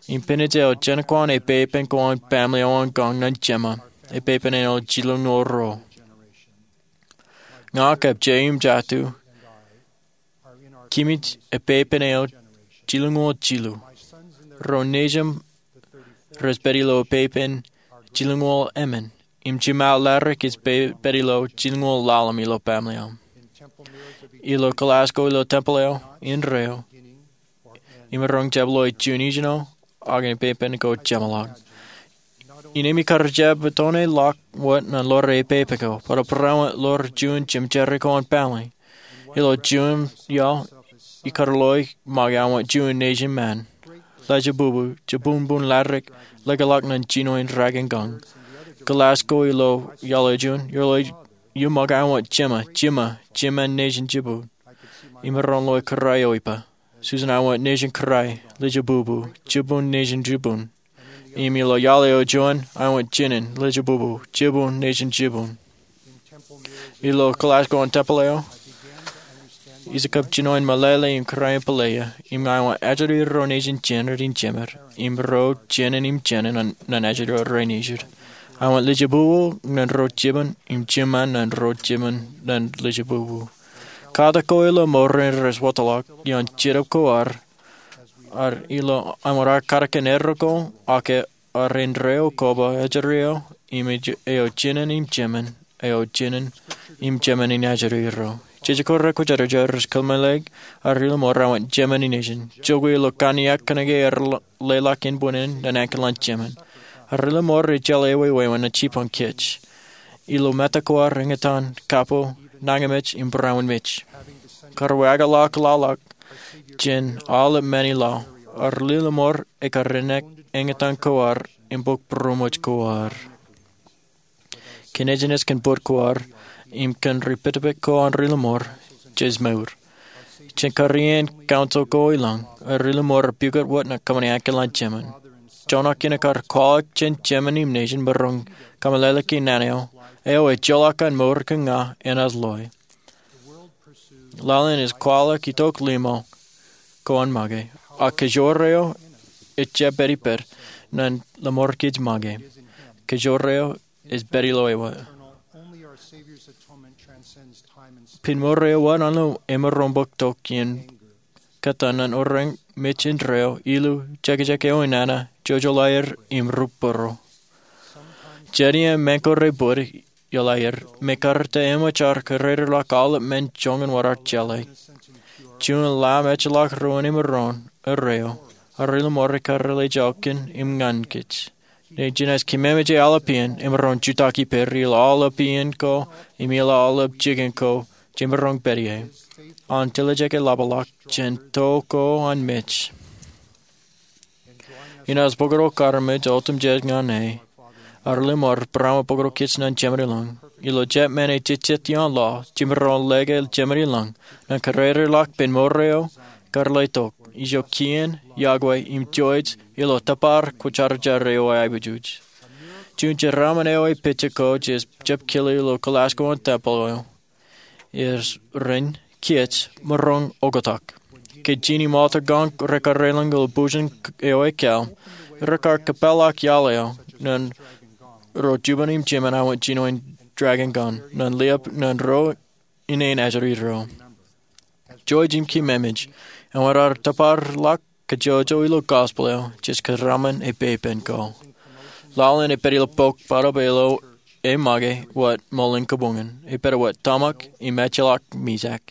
Im penej eo jenkwan epepen ko an pāmle eo an gong ñan jema, epepen eo jilñoul ruo. Ña kab Jay im Jatu, kōmij epepen eo jilñoul jilu. Ro nejūṃ rej pād ilo epepen jilñoul emān. Im jiṃa ḷadik ej pād ilo jilñoul ḷalem ilo pāmle eo. Ilo kōḷaas ko ilo tempeḷ eo indeeo, imaroñ jab lo juon ijin eo, ak epepen ko jeṃḷọk. Innem ikar jab itoon ḷọk wōt ñan ḷoor epepen ko, bwe bar wōt ḷoor juon jemjerri ko an pāmle. Ilo juon iaḷ ikar lo make aṃ wōt juon nejin ṃaan. Lejebubu, jibunbun ḷadik, leḷọk ñan jinoin Dragon Gong. Kōḷaas ko ilo iaḷ eo juon, ilo iuṃwin aṃ wōt jema, jema, jema nejin jibun. Imaroñ lo kōrā eo ippa. Susan, aṃ wōt nejin kōrā, lejebubu, jibun nejin jibun. Im ilo iaḷ eo juon, aṃ wōt jinen, lejebubu, jibun nejin jibun. Ilo kōḷaas ko an tempeḷ eo, ij kab jinoin meḷeḷe im kōrā in pālle eo, im aṃ wōt ajri ro nejin jener im jemed, im ro jinen im jinen ñan ajri ro nejid. Aṃ wōt lejebubu ñan ro jibun, im jema ñan ro jibun ñan lejebubu. Katak ko ilo mour rein rej wōtlọk ioon Jetōb ko ad, ad ilo aṃ wōt ad katak kōn erro ko, ak ad indeeo koba ajri eo, im eo jinen im jemān, eo jinen im jemān in ajri ro. Jeje ko rekwōjarjar rej kōmeḷeḷe ad ri lọmọọr aṃ wōt jemān in nejin. Jokwe ilo kanniōk kōnke ear leḷọk inboñōn ñan ankilōñ jemān. Ad ri lọmọọr ejjeḷọk ewi wāween ñan jibboñ kōj. Ilo mejān ko ad eñtaan kapo, nañinmej im būruon mej. Kar wāween ḷọk ḷọk jān aolep men ilaḷ, ad ri lọmọọr ekar eñtaan ko ad im bōk būruon mej ko ad. Kōn ejjeṇ kōn bōd ko ad im kōn ri pād ippān ko an ri lọmọọr, jej mour. Jān kar iien council ko ilañ, ad ri lọmọọr epukot wōt ñan kōṃṃani ankilōñ jemān. Joñak in ekar kwaḷọk jān jemān im nejin imaroñ kōmeḷeḷeiki naan eo, eo ejjeḷọk an mour kōn ña enaaj loe. Laḷ in ej kwaḷọk itok limo ko an make, ak kōjro eo ejjab pād ippād ñan lọmọọr kōj make. Kōjro eo ej pād ilo ewi. Pen mour eo wōt an lo emaroñ bōk tok iien kōttan ñan orōñ mej indeeo, ilu, jekjek eo inanna, jojoḷ aer im rup būruo. Jen iaan men ko rej bōd ioḷaer me kar ta eṃōj ar kōrā ḷọk aolep men joñan wōt ar jeḷā. Juon Lamb ejjeḷọk ruo im maroñ erreo, a ri ḷōṃaro kar lale jokwe im ñan kōj. Jen jenaaj kōmmeṃōj aolep iien im maroñ jutak ippāer ilo aolep iien ko im ilo aolep jikin ko jej maroñ pād ie. An tiljek eḷapḷọk jān to ko an mej. Inaaj bōktok armej otemjej ñan e, a ri ḷōṃaro, barāinwōt bōktok kōj ñan Jemān ilañ. Ilo jab men ej jejjet ioon laḷ, jej maroñ lōke Jemān ilañ ñan kōrā ḷọk ippān mour eo kar lale tok, ijo kien, yokwe im jouj ilo tōpar kwōjarjar eo aebwijoj. Juon jeraaṃṃan eo ej pejek ko jej jab kile ilo kōḷaaj ko an tempel eo ej ren kōj maroñ oktak. Ke jinen im aotak kaṇ rekar raelōñ ilo bujen eo ekāāl, rekar kōpeḷḷọk iaḷ eo ñan ro juon im jemān awa jinoin dragon kaṇ ñan liab ñan ro ineen ajri ro. Jouj im kōmmeṃōj, āinwōt ad tōpar ḷọk kajjojo ilo gospel eo, jej kōraaṃṃan epepen ko. Laḷ in ej pād ilo bok bōtab ilo e make wōt ṃōḷan kabuñ in, ej pād wōt tōmak im ejjeḷọk mijak.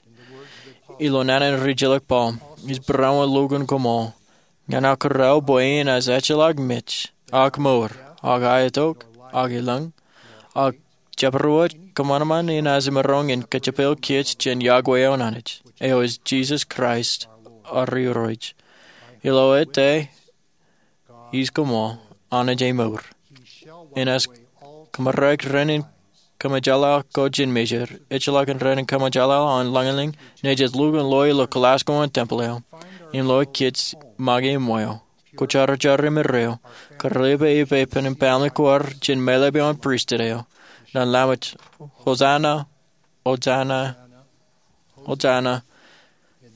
Ilo naan in rijjelōk Paul, ij barāinwōt lukkuun koṃṃool. Ñan aō kōrā bwe enaaj ejjeḷọk mej, ak mour, ak aetok, ak ilañ, ak jabdewōt kōṃanṃan enaaj maroñ in kajepel kōj jān yokwe eo an Anij, eo ej Jisōs Kraist, ad Irooj. Ilo ete ij koṃṃool, Anij e mour. Enaaj kōmmaroñ ren in kōṃōjḷọk kōj jān mejād, ejjeḷọk ren in kōṃōjḷọk an lañlōñ, naaj lukkuun loe ilo kōḷaaj ko an tempel eo, im loe kōj make im weo, kwōjarjar im erreo, kar lale epepen in family ko ad jān meḷeḷe eo an pristut eo, ñan Laṃōj, Hosanna, Hosanna, Hosanna,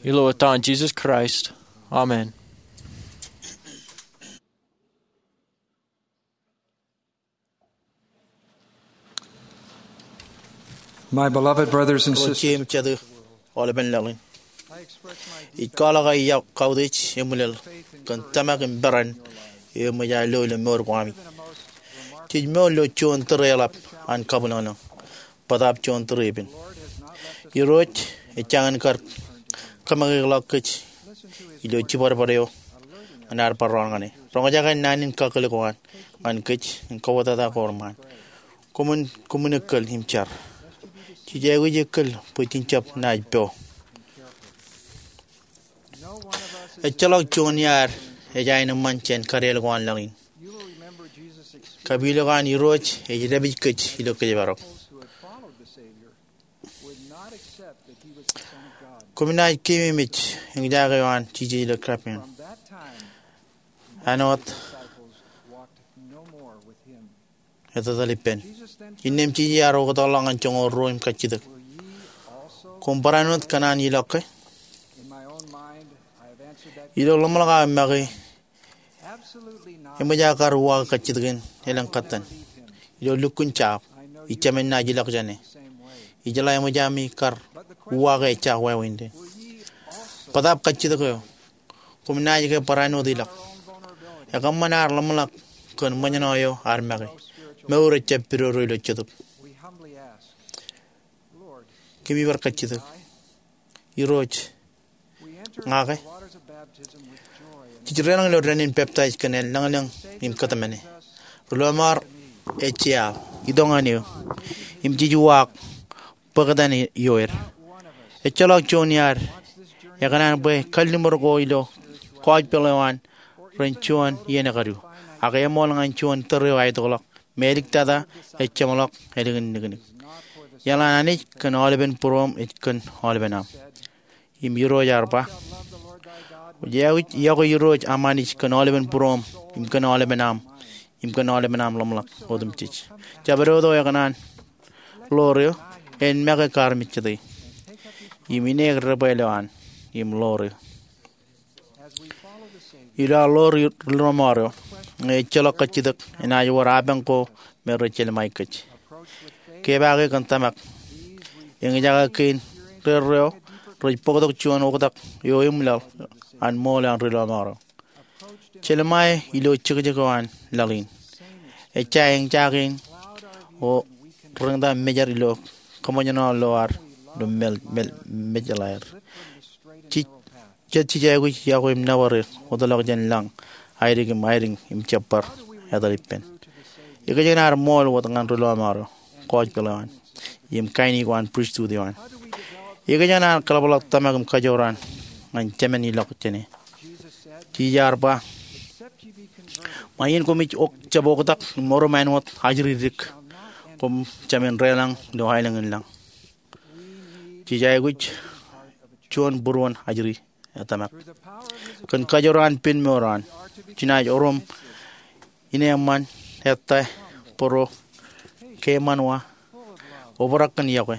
ilo etan Jisōs Kraist. Amen. My beloved brothers and sisters, Jemān aolepen laḷ in, ij kwaḷọk aō kautiej eṃwilaḷ kōn tōmak im peran eo eṃōj aō lo ilo mour ko ami. Jej mour ilo juon tōre eḷap an kabwilōñlōñ, bōtab juon tōre epen. Irooj ejjañin kar kōmekeḷọk kōj ilo jibadbad eo ñan ad bar raan ñan e. Roñjake naan in kakōl ko an ñan kōj im kōwōtata ko reṃṃan. Koṃwin, koṃwin ekkōl im jar. Jej aikuj ekkōl bwe jen jab naaj po. Ejjeḷọk juon iaad ej aenōṃṃan jān kadeel ko an laḷ in. Kapilōk an Irooj ej dāpij kōj ilo kōjparok. Koṃ naaj keememej eñjake eo an Jisōs ilo kapeel. Āinwōt etetal ippān. Innām Jisōs ear oktakḷọk ñan joñoul ruo im kajjitōk, Koṃ barāinwōt kōṇaan ilọk ke? Ilo ḷōmṇak aō make, eṃōj aō kar uwaak kajjitōk in elōñ kōttan. Ilo lukkuun jab, ij jemān naaj ilọk jān e. Ijeḷā eṃōj ami kar uwaak e ejja wāween pen. Bōtab kajjitōk eo, koṃ naaj ke barāinwōt ilọk. Ekōṃṃan ad ḷōmṇak kōn ṃōjṇọ eo ad make. Mour ejjab pidodo ilo jetōb. Kōmij bar kajjitōk. Irooj, ña ke? Jej deḷọñ ilo dān in peptaij kōn lañlōñ im kōtmāne. Ri-lọmọọr ej jeaḷ, itok ñan eō, im jej uwaak bōktan ioer. Ejjeḷọk juon iaad ekōṇaan bwe kalliṃur ko ilo gospel eo an ren juon iien ekadu, ak eṃool ñan juon tōre eo aetokḷọk, im eliktata ej jeṃḷọk ālikin niknik. Iaḷ an Anij kōn aolepen būruōṃ ej kōn aolepen aṃ. Im Irooj ear ba, Kwōj aikuj iọkwe Irooj aṃ Anij kōn aolepen būruōṃ, im kōn aolepen aṃ, im kōn aolepen aṃ ḷōmṇak otemjej. Jabdewōt eo ekōṇaan ḷoor eō, en make kar mejjete, im ineek debwāāl eo an im ḷoor eō. Ilo ad ḷoor ri-lọmọọr eo, ñe ejjeḷọk kajjitōk, enaaj wōr apañ ko me rej jelṃae kōj. Kepaake kōn tōmak. Eñjake kein rerreo rej bōktok juon oktak eo eṃwilaḷ an ṃool an ri-lọmọọr eo. Jelṃae ilo jekjek eo an laḷ in. Ejja eñjake in O reñta mejar ilo kōṃōjṇọ lo ad ilo mel mel mejeḷā er. Jej jet jej aikuj yokwe im nōbar er wōtlọk jān lañ, aidik im aidik im jab bar etal ippān. Ekōjkan ad ṃool wōt ñan ri lọmọọr eo, gospel eo an, im kain eo an pristut eo an? Ekōjkan ad kōḷapḷọk tōmak im kajoor an ñan Jemān ilọk jāne? Jisōs ear ba, ṃae iien koṃij jab oktak im orom āinwōt ajri dik, koṃ jāmin deḷọñ ilo aelōñ in lañ. Jej aikuj juon būruon ajri tōmak. Kōn kajoor an pen mour eo an, jenaaj orom ineeṃṃan, ettā, būruo, keemān wa, obrak kōn iọkwe,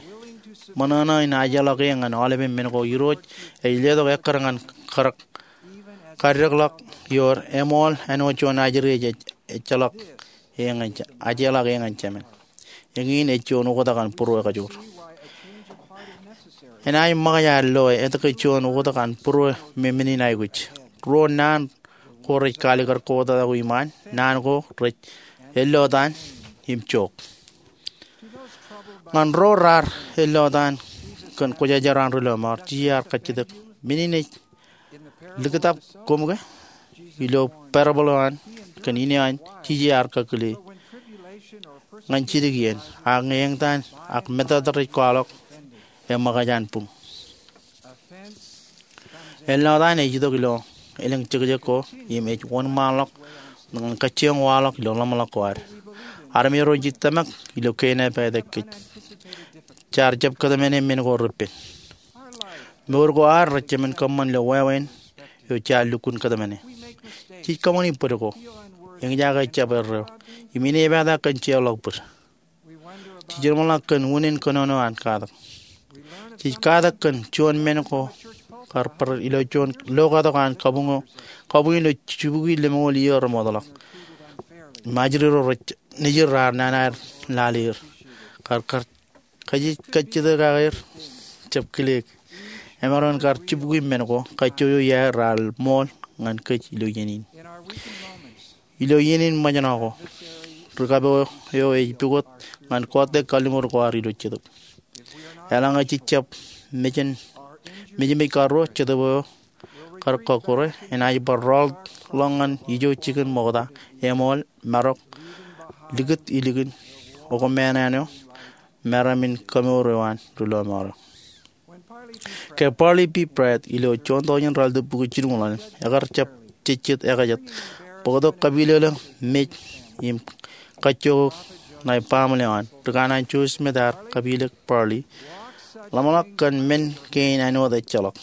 ṃōṇōṇō in ajeḷọk e ñan aolepen men ko Irooj ej letok ekkar ñan kar kaddekḷọk ioer, eṃool āinwōt juon ajri ej ejjeḷọk e ñan, ajeḷọk e ñan Jemān. Eñin ej juon oktak an būruo ekajoor. Enaaj ṃōkaj ad loe etke juon oktak an būruo me men in aikuj. Ruo naan ko rej kaalikkar kotak ko iṃaan, naan ko rej ellotaan im jook. Ñan ro raar ellotaan kōn kwōjarjar an ri lọmọọr, Jisōs ear kajjitōk, men in ej likūtap koṃ ke? Ilo parable eo an kōn ine an, Jisōs ear kakile ñan jidik iien, ak ñe eñtaan ak metata rej kwaḷọk, eṃōkaj an buñ. Ellotaan ej itok ilo elōñ jekjek ko im ej wōnṃaanḷọk ñan kajjioñ waḷọk ilo ḷōmṇak ko ad. Armej ro ej tōmak ilo kein epād kōj. Jaar jab kōtmāne men ko repen. Mour ko ad rej jemān kōṃṃan ilo wāween eo jaar lukkuun kōtmāne. Jej kōṃṃani bōd ko, eñjake jab erreo, im inepata kōn jeorḷọk bōd. Jej jeṃḷọk kōn unin kōnono an katak. Jej katak kōn juon men ko kar bar ilo juon lokatok an kabuñ eo, kabuñ eo ilo jibukwi lemñoul iiō remootḷọk. Im ajri ro rej nejid raar nana er lale er. Kar kar kajjitōk aer jab kile. Emaroñ in kar jibukwi men ko, kajjojo iaer raar ṃool ñan kōj ilo iien in. Ilo iien in ṃōjṇọ ko, ri kapo eo ej pukot ñan kọọte kalliṃur ko ad ilo jetōb. Eḷaññe jej jab mejān, mejāmej karuo, jetōb eo kar kọkkure, enaaj bar rọọlḷọk ñan ijo jikin ṃokta, eṃool, marok, likūt ilikin, okmāān eo, meram in kamour eo an ri lọmọọr eo. Ke Parley P. Pratt ilo juon tọujin ralitōk bukwi jilñuul ḷalem, ekar jab jejjet ekajet, bōktok kapilōklōk mej im kajjojo ṇae baaṃle eo an. Ri kanaan Joseph Smith ear kapilōk Parley, ḷōmṇak kōn men kein āinwōt ejjeḷọk,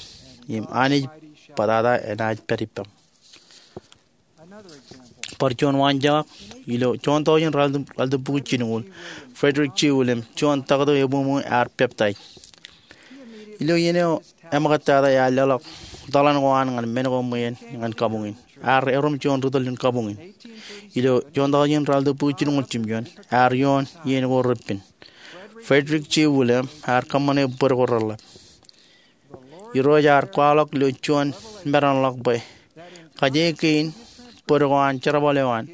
im Anij bōtata enaaj pād ippaṃ. Bar juon waanjake, ilo juon tọujin ralitōk bukwi jilñuul, Frederick G. Williams, juon taktō ebuñbuñ, ear peptaij. Ilo iien eo eṃōkajtata, ear leḷọk tōḷan ko an ñan men ko ṃweien ñan kabuñ in. Ear erom juon ri tōl in kabuñ in. Ilo juon tọujin ralitōk bukwi jilñuul jimjuon, ear ioon iien ko repen. Frederick G. Williams ear kōṃṃane bōd ko reḷḷap. Irooj ear kwaḷọk ilo juon meranḷọk bwe kaje kein bōd ko an jerbal eo an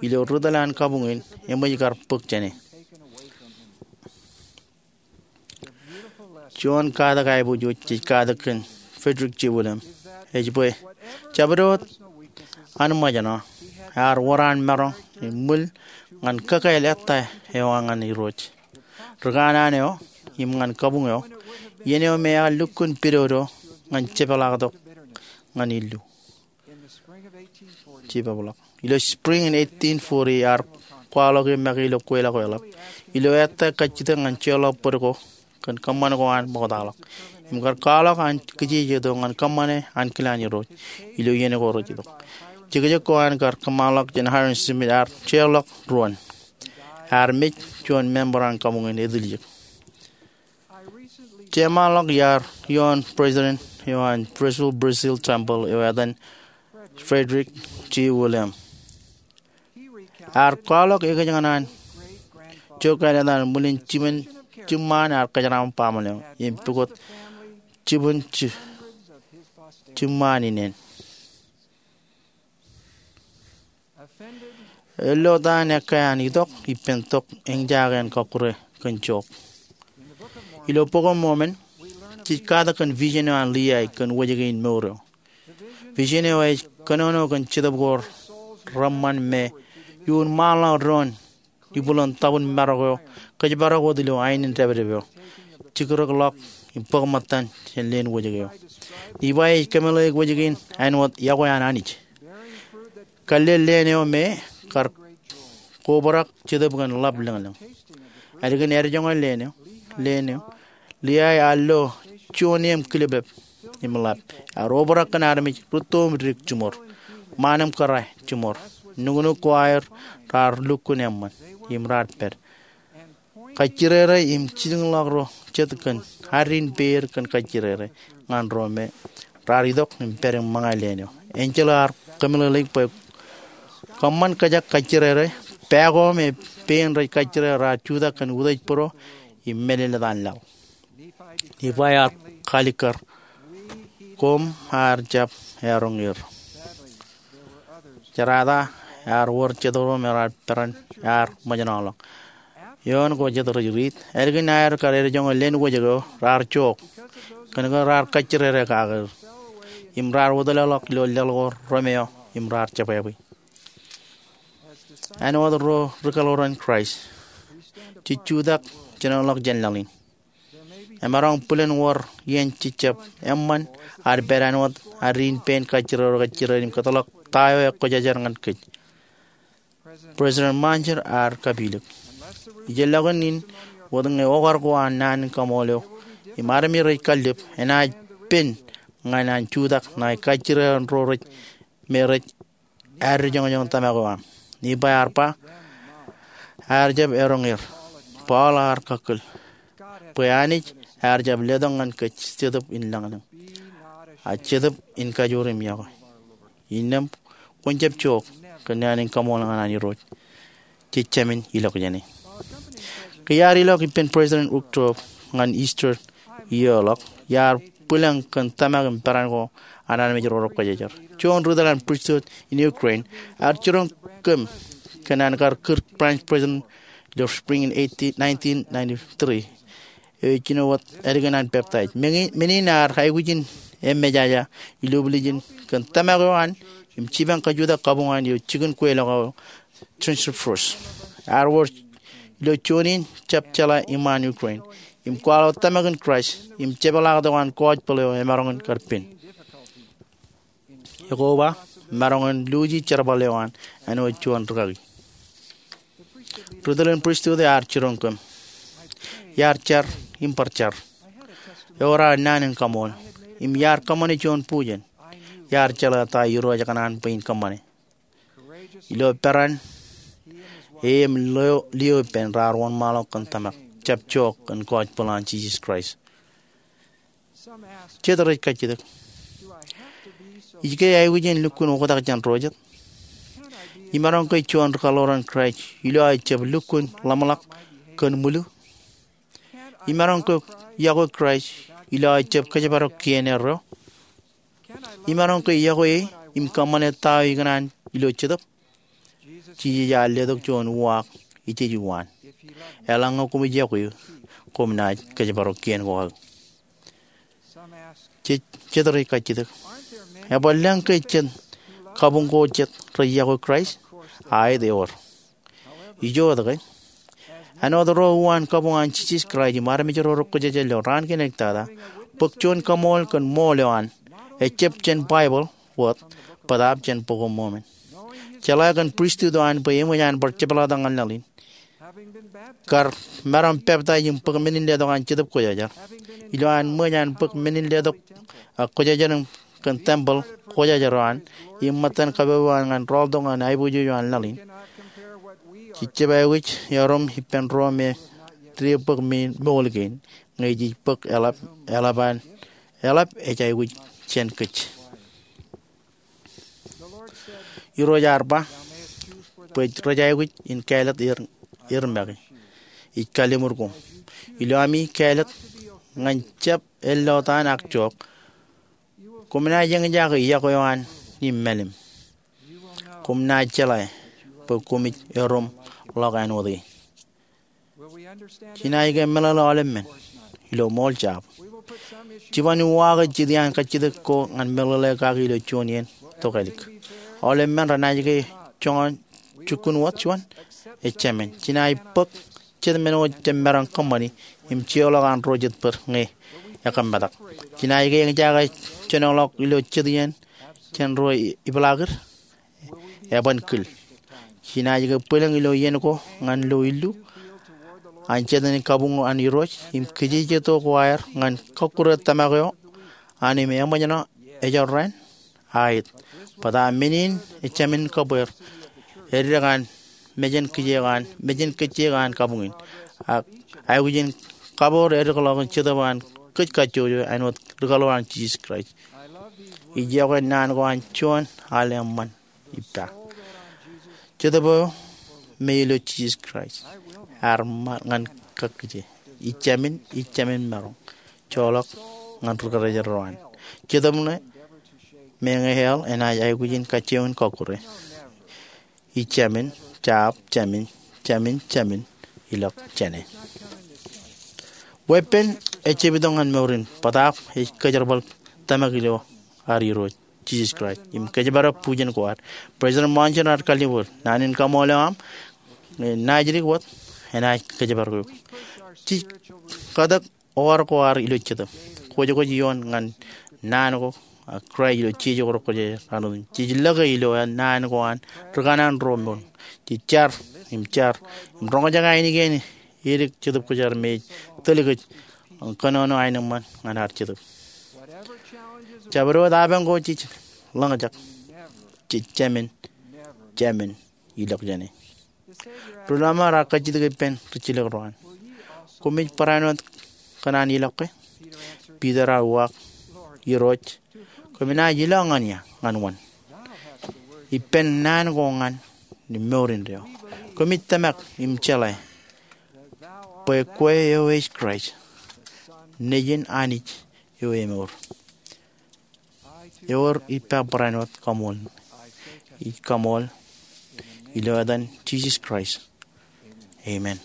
ilo ri tōl an kabuñ in eṃōj kar bōk jāne. Juon katak aiboojoj jej katak kōn Frederick G. Williams ej bwe jabdewōt an ṃōjṇọ, ear wōr an maroñ im ṃwil ñan kakāāl ettā eo an ñan Irooj, ri kanaan eo, im ñan kabuñ eo, iien eo me ear lukkuun pidodo ñan jepḷaaktok ñan illu. Ilo spring in eighteen forty, ear kwaḷọk e make ilo kweilọk eo eḷap, ilo ettā kajjitōk ñan jeorḷọk bōd ko kōn kōṃṃan ko an ṃoktaḷọk, im kar kwaḷọk an kijejeto ñan kōṃṃane ankilaan Irooj ilo iien ko rej itok. Jekjek ko an kar kōṃṃanḷọk jān Hyrum Smith ear jeorḷọk ruon. Ear mej juon member an kabuñ in etiljek. Jeṃaanḷọk iar ioon president eo an Brazil, Brazil Temple eo etan Frederick G. Williams. Ear kwaḷọk ekōjkan an jokāāl etan ṃwilin jiṃṃaan ear kōjeraṃṃan baaṃle eo im pukot jibwin jiṃṃaan in en. Ellotaan ekkā an itok ippān tok eñjake an kọkkure kōn jook. Ilo Bok eo Mormon, jej katak kōn vision eo an Liai kōn wōjke in mour eo. Vision eo ej kōnono kōn jetōb ko reṃṃan me iuun ṃaanḷọk doon ibwilen tabōn marok eo kōjparok wōt ilo aenōn dāpdep eo, jikūrōkḷọk im bōk ṃōttan jān leen wōjke eo. Nifai ej kōmeḷeḷeik wōjke in āinwōt yokwe an Anij. Kallel leen eo me kar kobrak jetōb kōn ḷap lōñlōñ. Ālikin edjoñe leen eo, leen eo, Liai ear lo juon eṃ kilep im ḷap. Ear obrak kōn armej rūtto im dik jiṃor, ṃaan im kōrā jiṃor. Nuknuk ko aer raar lukkuun eṃṃan im raar pād. Kajjirere im jilkinḷọk ro jet kōn addiin peid kōn kajjirere ñan ro me raar itok im pād im ṃōñā leen eo. Enjeḷ ear kōmeḷeḷeik bwe kōṃṃan kōjak kajjirere, pā ko me pein rej kajjirere raar jutak kōn utiej būro im mālōtlōt an laḷ. Nifai ear kalikkar, koṃ ar jab eroñ er. Jerata ear wōr jet ro me raar peran ear ṃōjṇọḷọk. Eoon ko jet rej riit, ālikin aer kar edjoñe leen wōjke eo, raar jook kōn ke raar kajjirere kake er im raar wōtlọḷọk ilo leḷ ko remeọ im raar jebwābwe. Āinwōt ro ri kaḷoran Kraist, jej jutak jinoḷọk jān laḷ in. Emaroñ bwilōn wōr iien jejjab eṃṃan ad pād āinwōt addiin pein kajjirere kajjirere im kōtḷọk ta eo ekwōjarjar ñan kōj. President Monson ear kapilōk, ijellọkin in wōt ñe okar ko an naan in kaṃool eo im armej rej kallib enaaj pen ñan an jutak ṇae kajjirere ro rej me rej addijoñjoñ tōmak eo aṃ. Nifai ear ba, ear jab eroñ er. Paul ear kakkōl bwe Anij ear jab letok ñan kōj Jetōb in lōñlōñ, ak Jetōb in kajoor im yokwe. Innām kwōn jab jook kōn naan in kaṃool ñan an Irooj jej jāmin ilọk jāne. Ke iar ilọk ippān President Uchtdorf ñan Easter iiō ḷọk, iar bwilōñ kōn tōmak im peran ko an armej ro rekwōjarjar. Juon ri tōl an pristut in Ukraine ear jiroñ kōm kōn an kar kūr branch president ilo spring in eighteen, nineteen ninety-three. Eo ej jino wōt ālikin an peptaij. Men in ear aikuj in emejaja ilublijin kōn tōmak eo an im jipañ kajutak kabuñ an eo jikin kweilọk eo Trench Force. Ear wōr ilo juon in jab jeḷā iṃaan Ukraine im kwaḷọk tōmak in Kraist im jepeḷaaktok an gospel eo emaroñ in kar pen. Ekoba maroñ in luuji jerbal eo an āinwōt juon rikaki. Ri tōl in pristut eo ear jiroñ kōm. Iar jar im bar jar. Ewōr aō naan in kaṃool im iar kōṃṃane juon bujen. Iar jeḷā ta Irooj ekōṇaan bwe in kōṃṃane. Ilo peran e im lio, lio ippān raar wōnṃaanḷọk kōn tōmak, jab jook kōn gospel an Jisōs Kraist. Jet rej kajjitōk, ij ke aikuj in lukkuun oktak jān ro jet? Imaroñ ke juon ri kaḷoran Kraist ilo aō jab lukkuun ḷōmṇak kōn mwilu? Imaroñ ke yokwe Kraist ilo aō jab kōjparok kien erreo? Imaroñ ke yokwe e im kōṃṃane ta eo ikōṇaan ilo Jetōb? Jisōs ear letok juon uwaak ijej uwaan. Eḷaññe koṃij yokwe eō, koṃ naaj kōjparok kien ko aō. Jet, jet rej kajjitōk, ebwe lōñ ke jet kabuñ ko jet rej yokwe Kraist? Aet, ewōr. Ijo wōt ke, āinwōt ro uwaan kabuñ an Jisōs Kraist im armej ro rekwōjarjar ilo raan kein ektata, bōk juon kaṃool kōn ṃool eo an, ejjab jān Baibōḷ wōt, bōtaab jān Bok eo Mormon. Jeḷā kōn pristut eo an bwe eṃōj an bar jepḷaaktok ñan laḷ in, kar maroñ peptaij im bōk men in letok an Jetōb Kwōjarjar. Ilo an ṃōj an bōk men in letok, a, kwōjarjar im kōn tempel kwōjarjar eo an im ṃōttan kabbokbok eo an ñan rọọltok ñan aiboojoj eo an laḷ in, jej jab aikuj erom ippān ro me dide bōk men in ṃool kein, ñe jej bōk eḷap, eḷap an, eḷap ej aikuj jān kōj. Irooj ear ba bwe rej aikuj in kāālōt er, er make. Ij kalliṃur koṃ ilo ami kāālōt ñan jab ellotaan ak jook, koṃ naaj eñjake yokwe eo an im mālim. Koṃ naaj jeḷā bwe koṃij erom ḷọk āinwōt e. Jenaaj ke meḷeḷe aolepān ilo ṃool jab? Jeban uwaake jet iaan kajjitōk ko ñan meḷeḷe kaki ilo juon iien tokālik. Aolepān renaaj ke joñan jukun wōt juon? Ejāmin. Jenaaj bōk jet men ko jemaroñ kōṃṃani im jeorḷọk an ro jet bōd ñe ekōmmetak. Jenaaj ke eñjake jenoḷọk ilo jet iien jān ro ipeḷaakin? Eban kil. Jenaaj ke bwilōñ ilo iien ko ñan lo illu an jatū in kabuñ an Irooj im kijeje tok ko aer ñan kọkkure tōmak eo an im eṃōjṇọ ejorrāān? Aet. Bōtaab men in ejāmin kōbweer, eddek an mejān kijeek an, mejān kijeek an kabuñ in. Ak aikuj in kaboor eddekḷọk in Jetōb an kōj kajjojo āinwōt rikaḷoor an Jisōs Kraist. Ij iọkwe naan ko an juon al eṃṃan ippa. Jetōb eo me ilo Jisōs Kraist ear ṃaan ñan kōj kajjitōk. Ijāmin, ijāmin maroñ joḷọk ñan ri kōrā ro an. Jetōb ṇe me ñe hell enaaj aikuj in kajjioñ in kọkkure. Ijāmin, jab, jāmin, jāmin, jāmin, ilọk jāne. Weeppān ejab itok ñan mour in bōtaab ej kōjerbal tōmak ilo ad Irooj Jisōs Kraist im kōjparok bujen ko ad. President Monson ear kalliṃur naan in kaṃṃoolol eo aṃ, ñe naajdik wōt enaaj kōjparok eok. Jej kōtōk oor ko ad ilo Jetōb. Kwōjkwōj ioon ñan naan ko ak Kraist ilo jeje ko rekwōjarjar. Jej lōke ilo naan ko an rikanaan ro mour. Jej jar im jar im roñjake ainikien edik Jetōb Kwōjarjar me ej tōl kōj kōnono aenōṃṃan ñan ad Jetōb. Jabdewōt apañ ko jej ḷōñjake, jej jāmin, jāmin, ilọk jāne. Ri Lọmọọr ear kajjitōk ippān rijjilōk ro an, koṃij barāinwōt kōn an ilọk ke? Piter ear uwaak, Irooj, koṃ naaj ilọk ñan ia? Ñan wōn? Ippān naan ko ñan im mour indeeo. Koṃij tōmak im jeḷā bwe kwe eo ej Kraist, Nejin Anij eo emour. Ewōr ippa barāinwōt kaṃṃoolol. Ij kaṃṃoolol ilo etan Jisōs Kraist. Amen.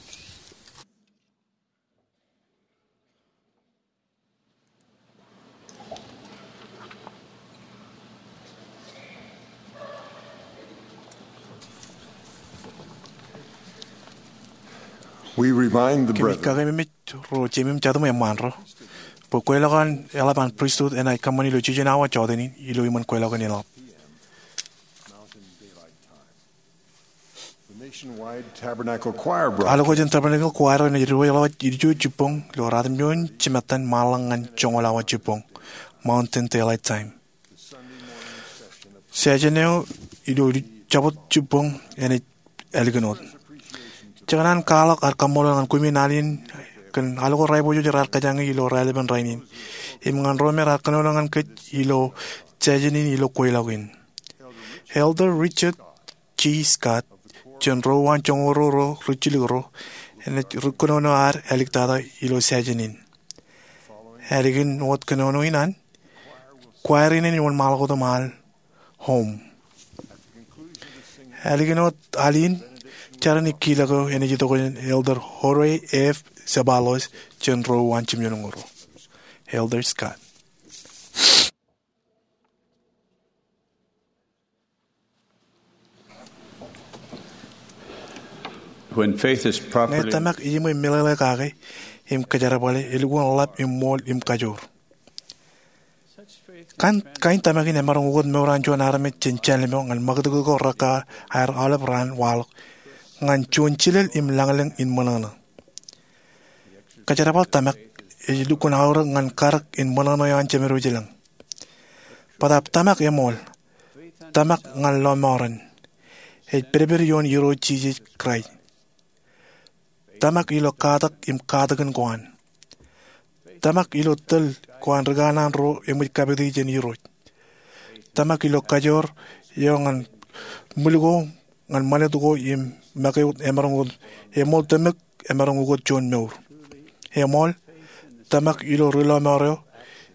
We remind the brethren. Kōmij kakememej ro jeiṃ im jatūṃ eṃṃaan ro bwe kweilọk an eḷap an pristut enaaj kōṃṃani ilo jiljino awa jọtenin ilo iṃōn kweilọk in eḷap. Alokwe jān Tabernacle Choir eo enaaj diwōjḷọk waj ilju jibboñ ilo ratimjuon jimattan ṃaanḷọk ñan joñoul awa jibboñ, Mountain Daylight Time. Session eo ilo Jabōt Jibboñ enaaj ālikin wōt. Jekōṇaan kwaḷọk ad kaṃṃoolol ñan koṃwin al in kōn alko ro aiboojoj raar kōjañi ilo raelepen rainin im ñan ro me raar kōnono ñan kōj ilo session in ilo kweilọk in. Elder Richard G. Scott jān ro uwaan joñoul ruo ro rijjilōk ro enaaj kōnono ad āliktata ilo session in. Ālikin wōt kōnono in an, choir in enaaj wōnṃaanḷọk wōt im al home. Ālikin wōt al in, jar in kilọk eo enaaj itok jān Elder Jorge F. Ceballos jān ro uwaan jimjuonñoul ruo. Elder Scott. When faith is properly... Ñe tōmak ejiṃwe meḷeḷe kake im kōjerbale, elukkuun ḷap im ṃool im kajoor. Kain, kain tōmak in emaroñ ukōt mour an juon armej jān jānlōm eo ñan ṃakūtkūt ko rekar aolep raan waḷọk ñan juon jilel im lañlōñ in ṃōṇōṇō. Kōjerbal tōmak ej lukkuun aorōk ñan karōk in ṃōṇōṇō eo an Jemedwōj i lañ. Bōtaab tōmak eṃool, tōmak ñan lọmọọren, ej pedped ioon Irooj Jisōs Kraist. Tōmak ilo katak im katakin ko an. Tōmak ilo tōl ko an rikanaan ro eṃōj kapiti jān Irooj. Tōmak ilo kajoor eo ñan ṃwil ko, ñan ṃanit ko im make wōt emaroñ wōt. Eṃool tōmak emaroñ ukōt juon mour. Eṃool, tōmak ilo ri lọmọọr eo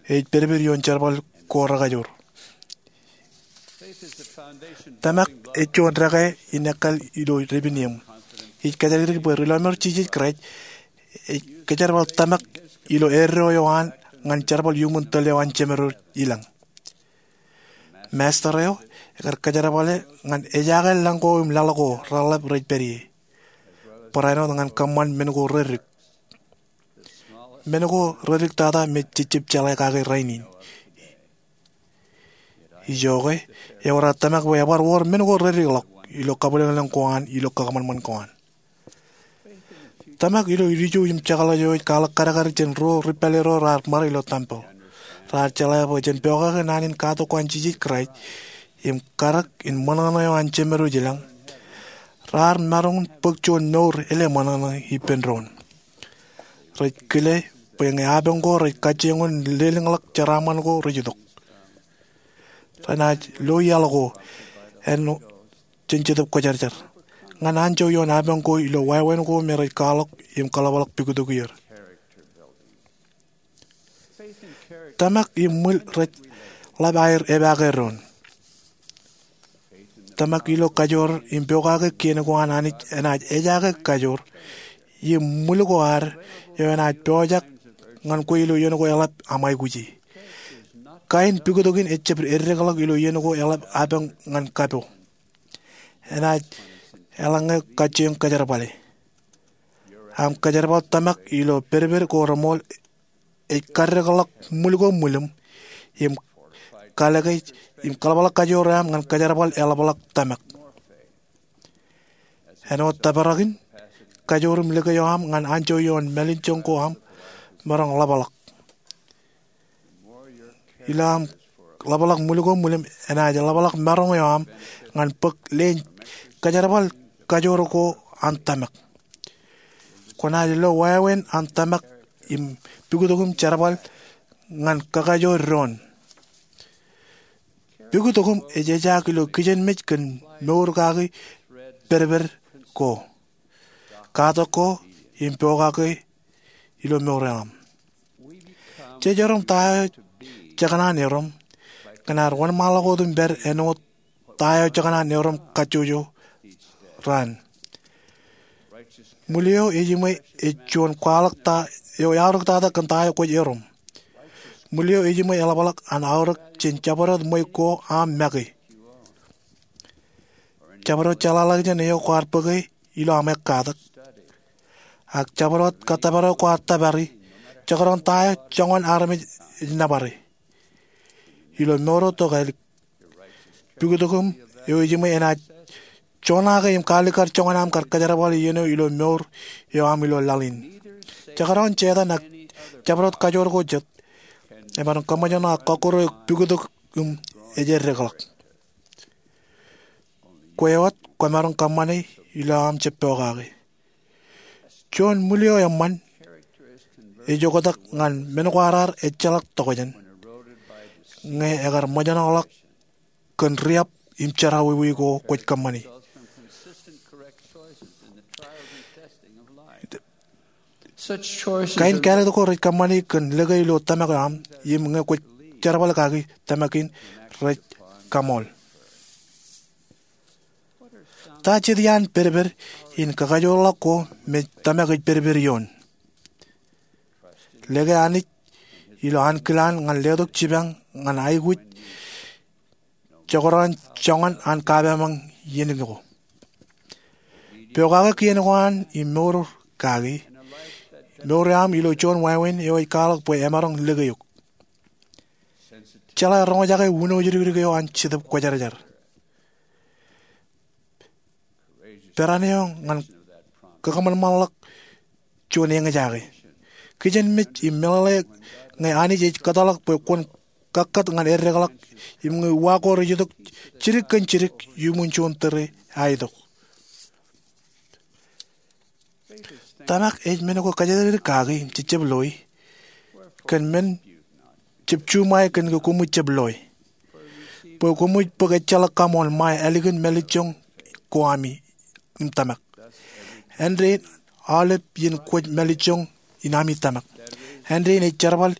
ej pedped ioon jerbal ko rekajoor. Tōmak ej juon dekā in ekkal ilo dāpin eṃ. Ij kōjatdikdik bwe Ri-Lọmọọr Jisōs Kraist ej kōjerbal tōmak ilo eddo eo an ñan jerbal iuṃwin tōl eo an Jemed ro ilañ. Masta eo ekar kōjerbale ñan ejaake lañ ko im laḷ ko reḷap rej pād ie. Barāinwōt ñan kōṃṃan men ko reddik. Men ko reddik tata me jejjab jeḷā kake rainin. Ijoke, ewōr ad tōmak bwe ebar wōr men ko reddik ḷọk ilo kabwilōñlōñ ko an ilo kōṃanṃan ko an. Tōmak ilo ilju im jekḷaj eo ej kwaḷọk kadkad jān ruo ri pālle ro raar ṃare ilo tempel. Raar jeḷā bwe jen pokake naan in katak ko an Jisōs Kraist im kadek in ṃōṇōṇō eo an Jemed ro ilañ, raar maroñ in bōk juon mour ele ṃōṇōṇō ippān doon. Rej kile bwe ñe apañ ko rej kajjioñ in lelōñḷọk jeraaṃṃan ko rej itok, renaaj lo iaḷ ko āinwōt jān Jetōb Kwōjarjar ñan anjọ ioon apañ ko ilo wāween ko me rej kwaḷọk im kōḷapḷọk pukot ko er. Tōmak im ṃwil rej ḷap aer epaake doon. Tōmak ilo kajoor im pokake kien ko an Anij enaaj ejaake kajoor im ṃwil ko ad eo enaaj pojak ñan kwe ilo iien ko eḷap aṃ aikuji. Kain pukot kein ejjab eddekḷọk ilo iien ko eḷap apañ ñan kapo. Enaaj eḷaññe kajjioñ kōjerbale. Aṃ kōjerbal tōmak ilo pedped ko reṃool ej kaddekḷọk ṃwil ko ṃwilim im kalōke im kōḷapḷọk kajoor eo aṃ ñan kōjerbal eḷapḷọk tōmak. Āinwōt tōprak in, kajoor im lōke eo aṃ ñan anjọ ioon mālejjoñ ko aṃ maroñ ḷapḷọk. Ilo aṃ ḷapḷọk ṃwil ko ṃwilim enaaj ḷapḷọk maroñ eo aṃ ñan bōk leen kōjerbal kajoor ko an tōmak. Kwōnaaj lo wāween an tōmak im pukot ko im jerbal ñan kakajoor doon. Pukot ko im ej ejaak ilo kijenmej kōn mour kaki pedped ko, katak ko im pokake ilo mour eo aṃ. Jejerom ta eo jekōṇaan erom kōn ad wōnṃaanḷọk wōt im pād āinwōt ta eo jekōṇaan erom kajjojo raan. Ṃwil eo ejiṃwe ej juon kwaḷọk ta eo eaorōk tata kōn ta eo kwōj erom. Ṃwil eo ejiṃwe eḷapḷọk an aorōk jān jabdewōt ṃweiuk ko aṃ make, jabdewōt jeḷāḷọkjeṇ eo kwaar bōke ilo aṃ ekkatak, ak jabdewōt kattōpar eo kwaar tōpari, jekdọọn ta eo joñan armej ej nōbare. Ilo mour eo tokālik, pukot ko im eo ejiṃwe enaaj joñake im kaalikkar joñan aṃ kar kōjerbale iien eo ilo mour eo aṃ ilo laḷ in. Jekdọọn Setan ak jabdewōt kajoor ko jet emaroñ kōṃōjṇọ ak kọkkure eok pukot ko im ej eddekḷọk. Kwe wōt kwōmaroñ kōṃṃane ilo aṃ jab pokake. Juon ṃwil eo eṃṃan ej oktak ñan men kwaar ar ejjeḷọk tokjān ñe ekar ṃōjṇọḷọk kōn riab im jerọwiwi ko kwōj kōṃṃani. Kain kāālōt ko rej kōṃṃani kōn lōke ilo tōmak eo aṃ im ñe kwōj jerbal kaki tōmak in rej kaṃool. Ta jet iaan pedped in kakajoorḷọk ko me tōmak ej pedped ioon? Lōke Anij ilo ankilaan ñan letok jipañ ñan aikuj jekdọọn joñan an kapaamañ iien ko. Pokake kien ko an im mour kaki, mour eo aṃ ilo juon wāween eo ej kwaḷọk bwe emaroñ lōke eok. Jeḷā roñjake wūno jidikdik eo an Jetōb Kwōjarjar. Peran eo ñan kakōṃanṃanḷọk juon eñjake. Kijenmej im meḷeḷe ñe Anij ej kōtḷọk bwe kwōn kakkāt ñan eddekḷọk im ñe uwaak ko rej itok jidik kōn jidik iuṃwin juon tōre aetok. Tōmak ej men ko kōjatdikdik kaki im jejjab loi kōn men jab juṃae kōn ke koṃij jab loi. Bwe koṃij bōk ejjeḷọk kaṃool ṃae ālikin mālejjoñ ko ami im tōmak. Āindein aolep iien kwōj mālejjoñ in ami tōmak. Āindein ej jerbal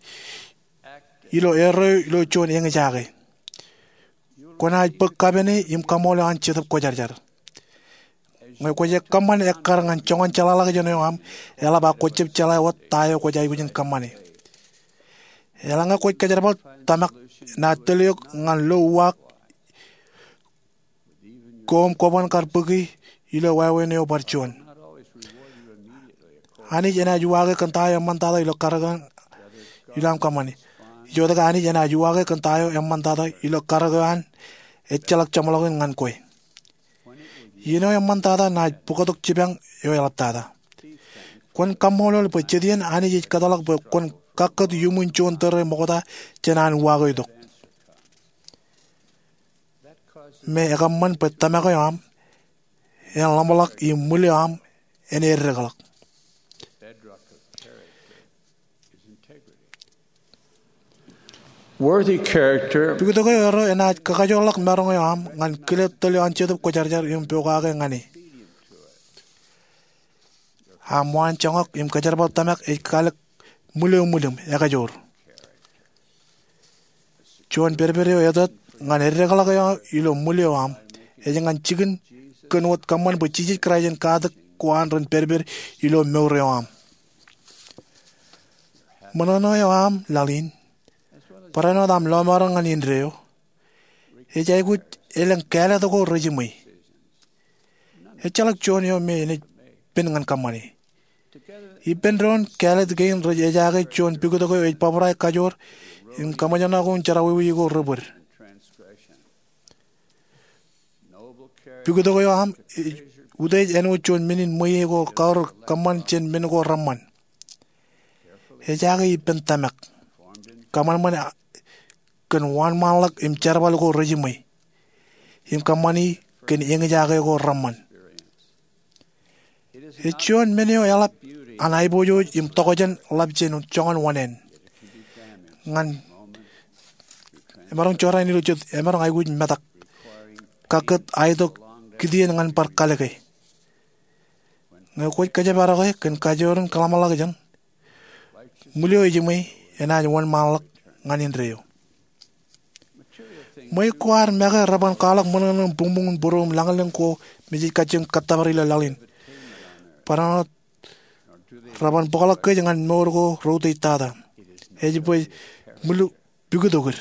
ilo eddo eo ilo juon eñjake. Kwōnaaj bōk kapene im kaṃṃoolol eo an Jetōb Kwōjarjar. Ñe kwōj kōṃṃan ekkar ñan joñan jeḷāḷọkjeṇ eo aṃ, eḷap ak kwōj jab jeḷā wōt ta eo kwōj aikuj in kōṃṃane. Eḷaññe kwōj kōjerbal tōmak, naaj tōl eok ñan lo uwaak ko im kwōban kar bōki ilo wāween eo bar juon. Anij enaaj uwaake kōn ta eo eṃṃantata ilo karōk eo an ilo aṃ kōṃṃane. Ijoke Anij enaaj uwaake kōn ta eo eṃṃantata ilo karōk eo an ejjeḷọk jeṃḷọkin ñan kwe. Iien eo eṃṃantata naaj bōktok jipañ eo eḷaptata. Kwōn kaṃṃoolol bwe jet iien Anij ej kōtḷọk bwe kwōn kakkōt iuṃwin juon tōre ṃokta jān an uwaak eo itok. Me ekōṃṃan bwe tōmak eo aṃ en ḷōmṇak im ṃwil eo aṃ en eddekḷọk. Worthy character. Pikitok eo erro enaaj kakajoorḷọk maroñ eo aṃ ñan kile tōl eo an Jetōb Kwōjarjar im pokake ñan e. Aṃ waan joñak im kōjerbal tōmak ej kalōk ṃwil eo ṃwilōṃ ekajoor. Juon pedped eo etōt ñan eddekḷọk eo ilo ṃwil eo aṃ ej ñan jikin kōn wōt kōṃṃan bwe Jisōs Kraist en katak ko an ren pedped ilo mour eo aṃ. Ṃōṇōṇō eo aṃ laḷ in, barāinwōt aṃ lọmọọren ñan indeeo, ej aikuj elōñ kāālōt ko rejiṃwe. Ejjeḷọk juon eo me enaaj pen ñan kōṃṃane. Ippān doon kāālōt kein rej ejaake juon pikitok eo ej bōbrae kajoor im kaṃōjṇọ ko im jerọwiwi ko rebōd. Pikitok eo aṃ ej utiej āinwōt juon men in ṃweiie ko kaorōk kōṃṃan jān men ko reṃṃan. Ejaake ippān tōmak, kōṃanṃan kōn wōnṃaanḷọk im jerbal ko rejiṃwe, im kōṃṃani kōn eñjake ko reṃṃan. Ej juon men eo eḷap an aiboojoj im tokjān ḷap jān joñan oṇāān. Ñan emaroñ jorrāān ilo jet emaroñ aikuj metak, kakkōt, ak itok kitien ñan bar kalōke. Ñe kwōj kōjparoke kōn kajoor in kōḷmānḷọkjeṇ, ṃwil eo ejiṃwe enaaj wōnṃaanḷọk ñan indeeo. Ṃweiuk ko ad make reban kwaḷọk ṃōṇōṇō im buñbuñ in būruō im lañlōñ ko me jej kajjioñ kōttōpar ilo laḷ in. Barāinwōt reban bōkḷọk kōj ñan mour ko reutiejtata. Ej bwe ṃwil pikitokid.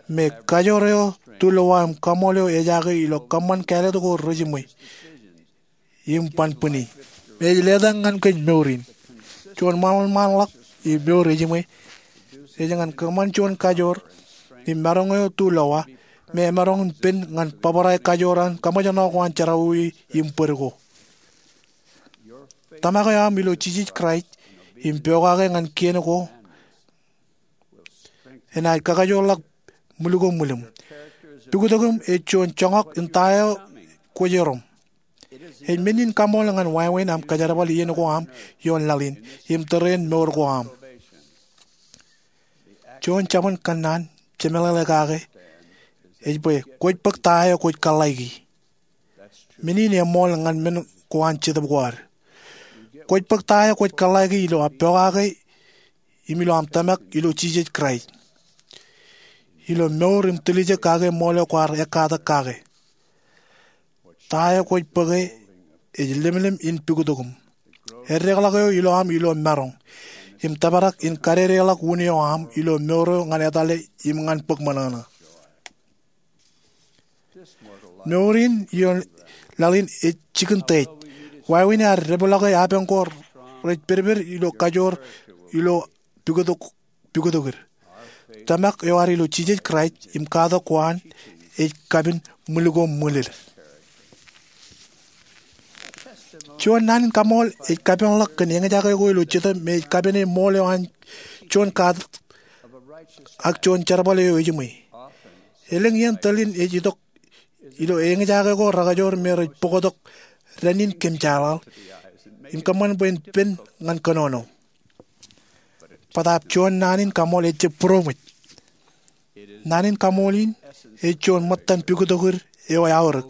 Me kajoor eo, tulowa im kaṃool eo ejaake ilo kōṃṃan kāālōt ko rejiṃwe im ban bwini. Me ej letak ñan kōj mour in. Juon ṃaanṃaanḷọk im mour ejiṃwe ej ñan kōṃṃan juon kajoor im maroñ eo tulowa me emaroñ in pen ñan bōbrae kajoor an kaṃōjṇọ ko an jerọwiwi im bōd ko. Tōmak eo aṃ ilo Jisōs Kraist im pokake ñan kien ko enaaj kakajoorḷọk ṃwil ko ṃwilōṃ. Pikitok eo aṃ ej juon joñak in ta eo kwōj erom. Ej men in kaṃool ñan wāween aṃ kōjerbal iien ko aṃ ioon laḷ in im tōre in mour ko aṃ. Juon jabōn kōnnaan jemeḷeḷe kake ej bwe kwōj bōk ta eo kwōj kōḷḷāiki. Men in eṃool ñan men ko an Jetōb ko ad. Kwōj bōk ta eo kwōj kōḷḷāiki ilo aō pokake im ilo aṃ tōmak ilo Jisōs Kraist, ilo mour im tiljek kake ṃool eo kwaar ekkatak kake. Ta eo kwōj bōke ej lemlem in pikitok iṃ. Eddekḷọk eo ilo aṃ ilo maroñ im tōprak in kadedeḷọk wūn eo aṃ ilo mour eo ñan etale im ñan bōk ṃōṇōṇō. Mour in ioon laḷ in ej jikin teiej. Wāween ad depḷọke apañ ko rej pedped ilo kajoor ilo pikitok, pikitokid. Tōmak eo ad ilo Jisōs Kraist im katak ko an ej kapin ṃwil ko ṃwilid. Juon naan in kaṃool ej kapenḷọk kōn eñjake ko ilo Jetōb me ej kapene ṃool eo an juon katak ak juon jerbal eo ejiṃwe. Elōñ iien tōl in ej itok ilo eñjake ko rekajoor me rej bōktok dān in kōm jeḷāḷ im kōṃṃan bwe en pen ñan kōnono. Bōtaab juon naan in kaṃool ejjab būroṃōj. Naan in kaṃool in ej juon ṃōttan pikitokid eo eaorōk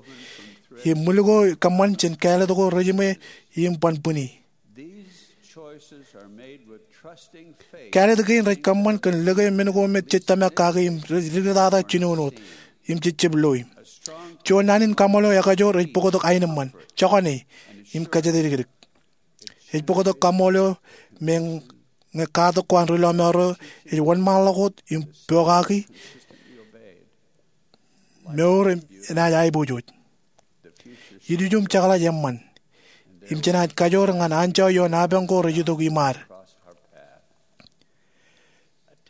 im ṃwil ko kōṃṃan jān kāālōt ko rejiṃwe im ban bwini. Kāālōt kein rej kōṃṃan kōn lōke men ko me jej tōmak kake im rej diktata jinoin wōt. im jejjab loe. Juon naan in kaṃṃoolol eo ekajoor ej bōktok aenōṃṃan, jokane, im kōjatdikdik. Ej bōktok kaṃṃoolol eo me ñe katak ko an ri lọmọọr eo ej wōnṃaanḷọk wōt im pokake mour enaaj aiboojoj. Ilju im jekḷaj eṃṃan im jenaaj kajoor ñan anjọ ioon apañ ko rej itok iṃaad.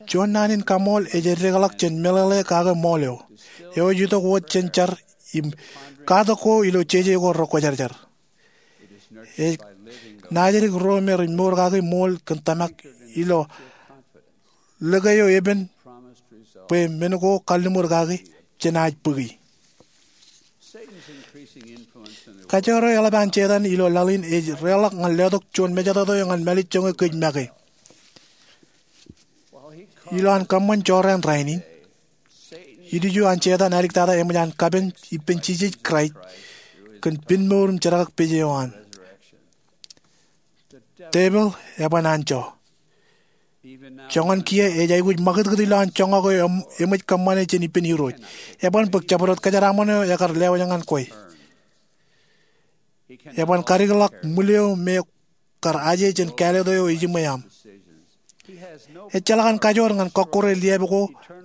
Juon naan in kaṃṃoolol ej eddekḷọk jān meḷeḷe kake ṃool eo. Eo ej itok wōt jān jar im katak ko ilo jeje ko rekwōjarjar. Ej naajdik ro me rej mour kaki ṃool kōn tōmak ilo lōke eo epen bwe men ko kalliṃur kaki jenaaj bōki. Kajoor eo eḷap an Setan ilo laḷ in ej reḷọk ñan letok juon mejatoto eo ñan mālejjoñe kōj make. Ilo an kōṃṃan jorrāān rainin, ilju an Setan āliktata eṃōj an kapen ippān Jisōs Kraist kōn pinmour im jerkakpeje eo an. Tepil eban anjọ. Joñan kiiō ej aikuj ṃakūtkūt ilowaan joñak eo eṃōj kōṃṃane jān ippān Irooj. Eban bōk jabdewōt kōjeraaṃṃan eo ekar lewōj ñan kwe. Eban kadikḷọk ṃwil eo me kar aje jān kāālōt eo ejiṃwe aṃ. Ejjeḷọk an kajoor ñan kọkkure liab ko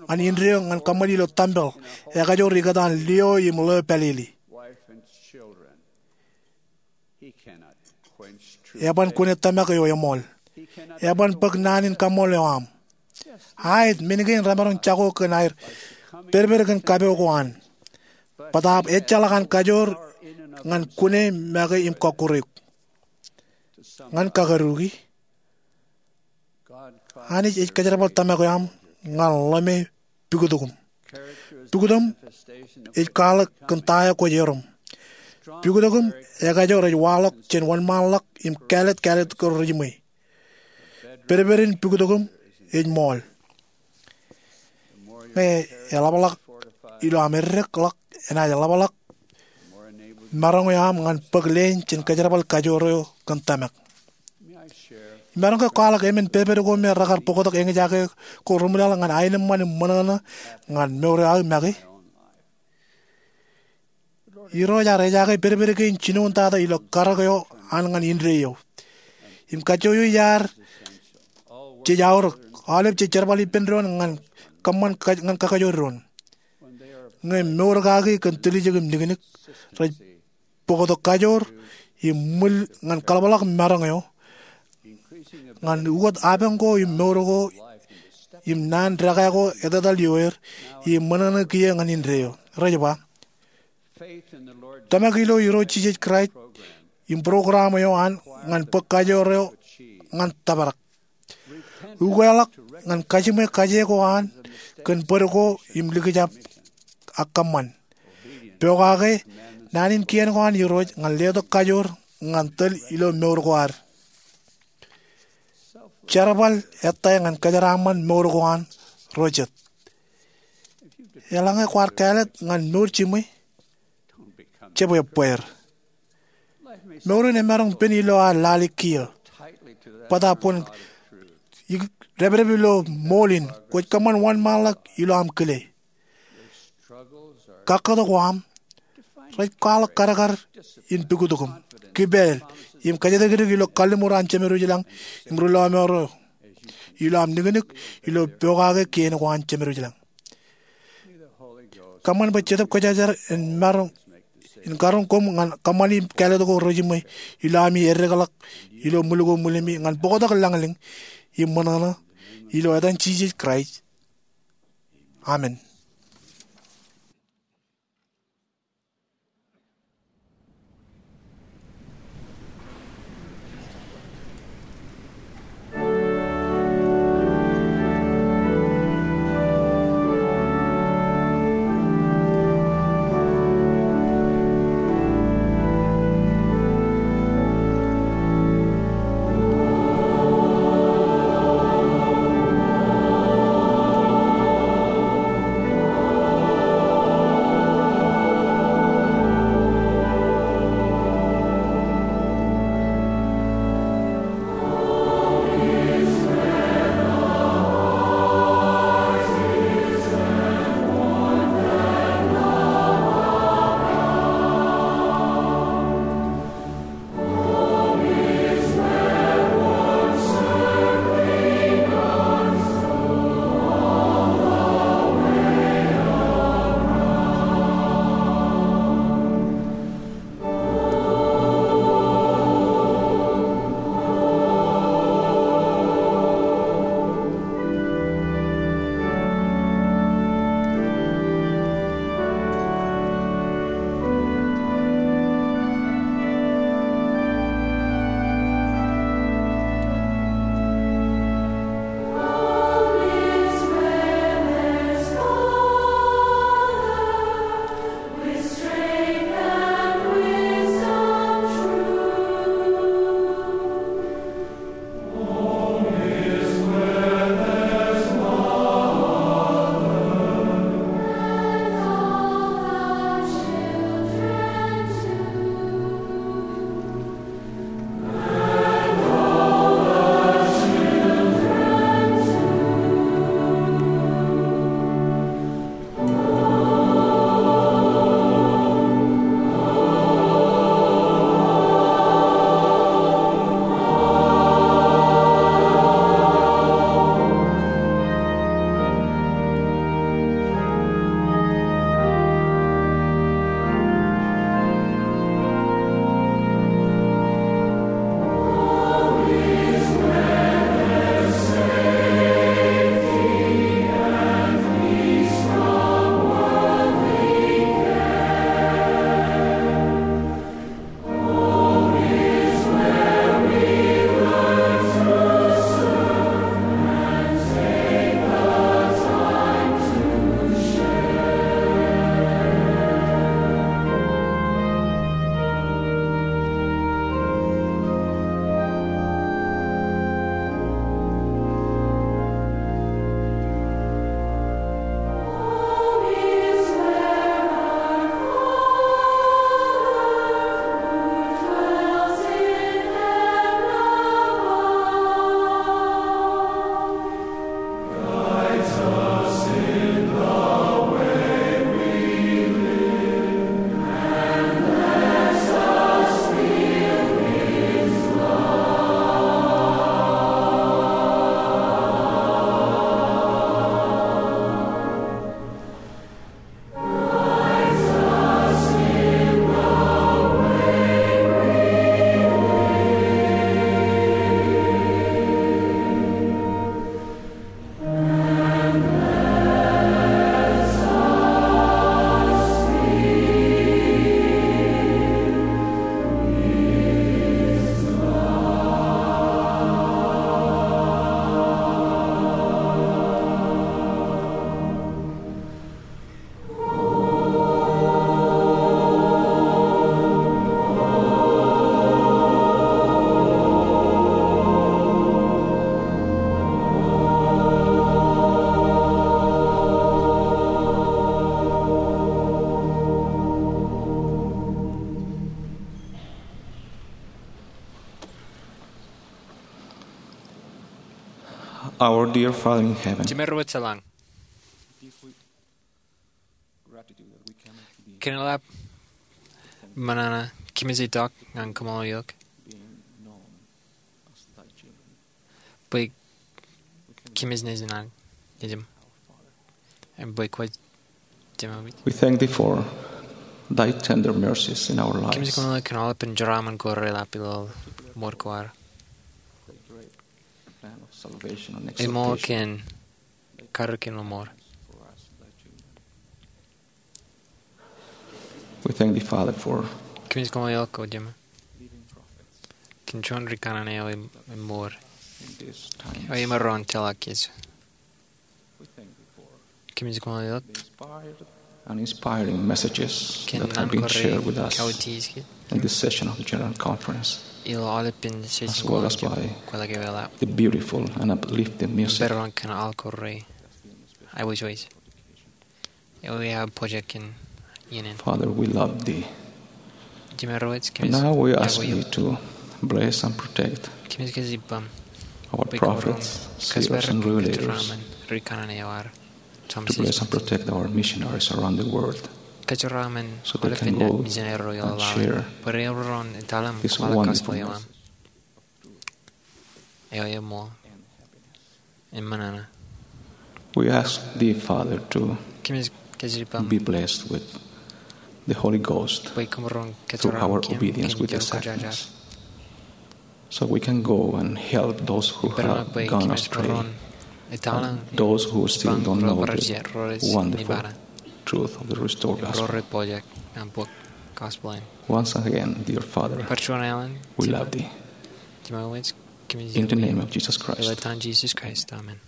ñan indeeo ñan kōṃṃan ilo tempel ekajoor ikōtaan lio im ḷeo pālele. Eban kune tōmak eo eṃool. Eban bōk naan in kaṃṃoolol eo aṃ. Aet, men kein remaroñ jako kōn aer pedped kōn kapeo ko an. Bōtaab ejjeḷọk an kajoor ñan kune make im kọkkure eok. Ñan kakaduki, Anij ej kōjerbal tōmak eo aṃ ñan ḷōme pukotōkōm. Pukotōm ej kwaḷọk kōn ta eo kwōj erom. Pukotōkōm ekajoor ej waḷọk jān wōnṃaanḷọk im kāālōt, kāālōt ko rejiṃwe. Pedped in pukotōkōm ej ṃool. Ñe eḷapḷọk ilo aṃ eddekḷọk, enaaj ḷapḷọk maroñ eo aṃ ñan bōk leen jān kōjerbal kajoor eo kōn tōmak. Imaroñ ke kwaḷọk emān pedped ko me rekar bōktok eñjake ko reṃwilaḷ ñan aenōṃṃan im ṃōṇōṇō ñan mour eo aō make? Irooj ear ejaake pedped kein jinoin tata ilo karōk eo an ñan indeeo. Im kajjojo iaad jej aorōk, aolep jej jerbal ippān doon ñan kōṃṃan kaj-, ñan kakajoor doon. Ñe mour kaki kōn tiljek im niknik, rej bōktok kajoor im ṃwil ñan kaḷapḷọk maroñ eo ñan ukot apañ ko im mour ko im naan dekā ko etetal ioer im ṃōṇōṇō kiiō ñan indeeo. Rej ba, tōmak ilo Irooj Jisōs Kraist im program eo an ñan bōk kajoor eo ñan tōprak. Ukeḷọk ñan kajiṃwe kaje ko an kōn bōd ko im likjab ak kōṃṃan. Pokake naan in kien ko an Irooj ñan letok kajoor ñan tōl ilo mour ko ad. Jerbal ettā ñan kōjeraaṃṃan mour ko an ro jet. Eḷaññe kwaar kāālōt ñan mour jiṃwe, jab ebbeer. Mour in emaroñ pen ilo ad lale kiiō. Bōtaab kwōn ik-, dāpdep ilo ṃool in, kwōj kōṃṃan wōnṃaanḷọk ilo aṃ kile. Kakkōt ko aṃ rej kwaḷọk kadkad in pukotōkōm, kipāāl, im kōjatdikdik ilo kalliṃur an Jemedwōj ilañ im ri lọmọọr eo, ilo aṃ niknik ilo pokake kien ko an Jemedwōj ilañ. Kōṃṃan bwe Jetōb Kwōjarjar en maroñ in karoñ koṃ ñan kōṃṃani kāālōt ko rejiṃwe ilo ami eddekḷọk ilo ṃwil ko ṃwilemi ñan bōktok lañlōñ im ṃōṇōṇō ilo etan Jisōs Kraist. Amen. Our dear Father in heaven, Jemān ro wōt jeḷā, kōmeḷeḷe, kōmij itok ñan kōṃṃan eok bwe kōmij nejin an, nejin, im bwe kwōj jemān. We thank thee for thy tender mercies in our lives. Kōmij kōmeḷeḷe kōn aolepān jeraaṃṃan ko reḷap ilo mour ko ad. Im ṃool kōn karōk in mour. We thank thee, Father, for kōmij kōmeḷeḷe eok, O Jemān, kōn juon ri kanaan eo im, im mour. Eo imaroñ jeḷā kōj. Kōmij kōmeḷeḷe eok and inspiring messages that have been shared with us in this session of the General Conference, ilo aolepān session, as well as by the beautiful and uplifting music. Im barāinwōt kōn aḷ ko re aiwōjwōj eo eaar pojak in iien in. Father, we love thee. Jemān ro wōt, kōmij, now we ask thee to bless and protect kōmij kōj ippaṃ our prophets, seers, and revelators, ri kanaan eo ad, to bless and protect our missionaries around the world, kōjeraaṃṃan aolepān misineri ilo laḷ, bwe reroñ etal im kwaḷọk gospel eo aṃ eo eṃṃool im ṃōṇōṇō. We ask thee, Father, to be blessed with the Holy Ghost through our obedience with the sacraments, so we can go and help those who have gone astray and those who still don't know the wonderful truth of the restored gospel. Once again, dear Father, we love thee. In the name of Jesus Christ. Amen.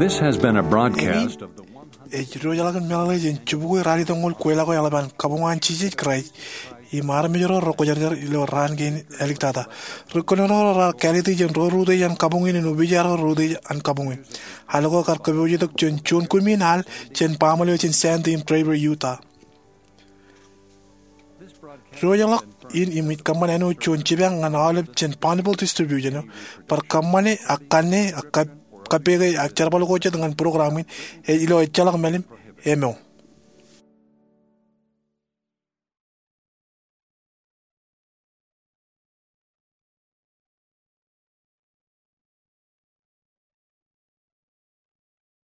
This has been a broadcast of the Ej diwōjḷọk in meḷeḷe jān jibukwi ralitōñoul kweilọk eo eḷap an Kabuñ an Jisōs Kraist im armej ro rekwōjarjar ilo raan kein āliktata. Ri kōnono ro raar kāāliti jān ro rūtto jān kabuñ in im opiij ro rūtto jān kabuñ in. Al ko kar kōpoojetok jān juon kumi in al jān baaṃle eo jān Sandy im Draper, Utah. Diwōjḷọk in im ij kōṃṃan āinwōt juon jipañ ñan aolep jān Bonneville Distribution eo bar kōṃṃane ak kanne ak kab-, kappeke ak jerbal ko jet ñan program in ej ilo ejjeḷọk mālim eo.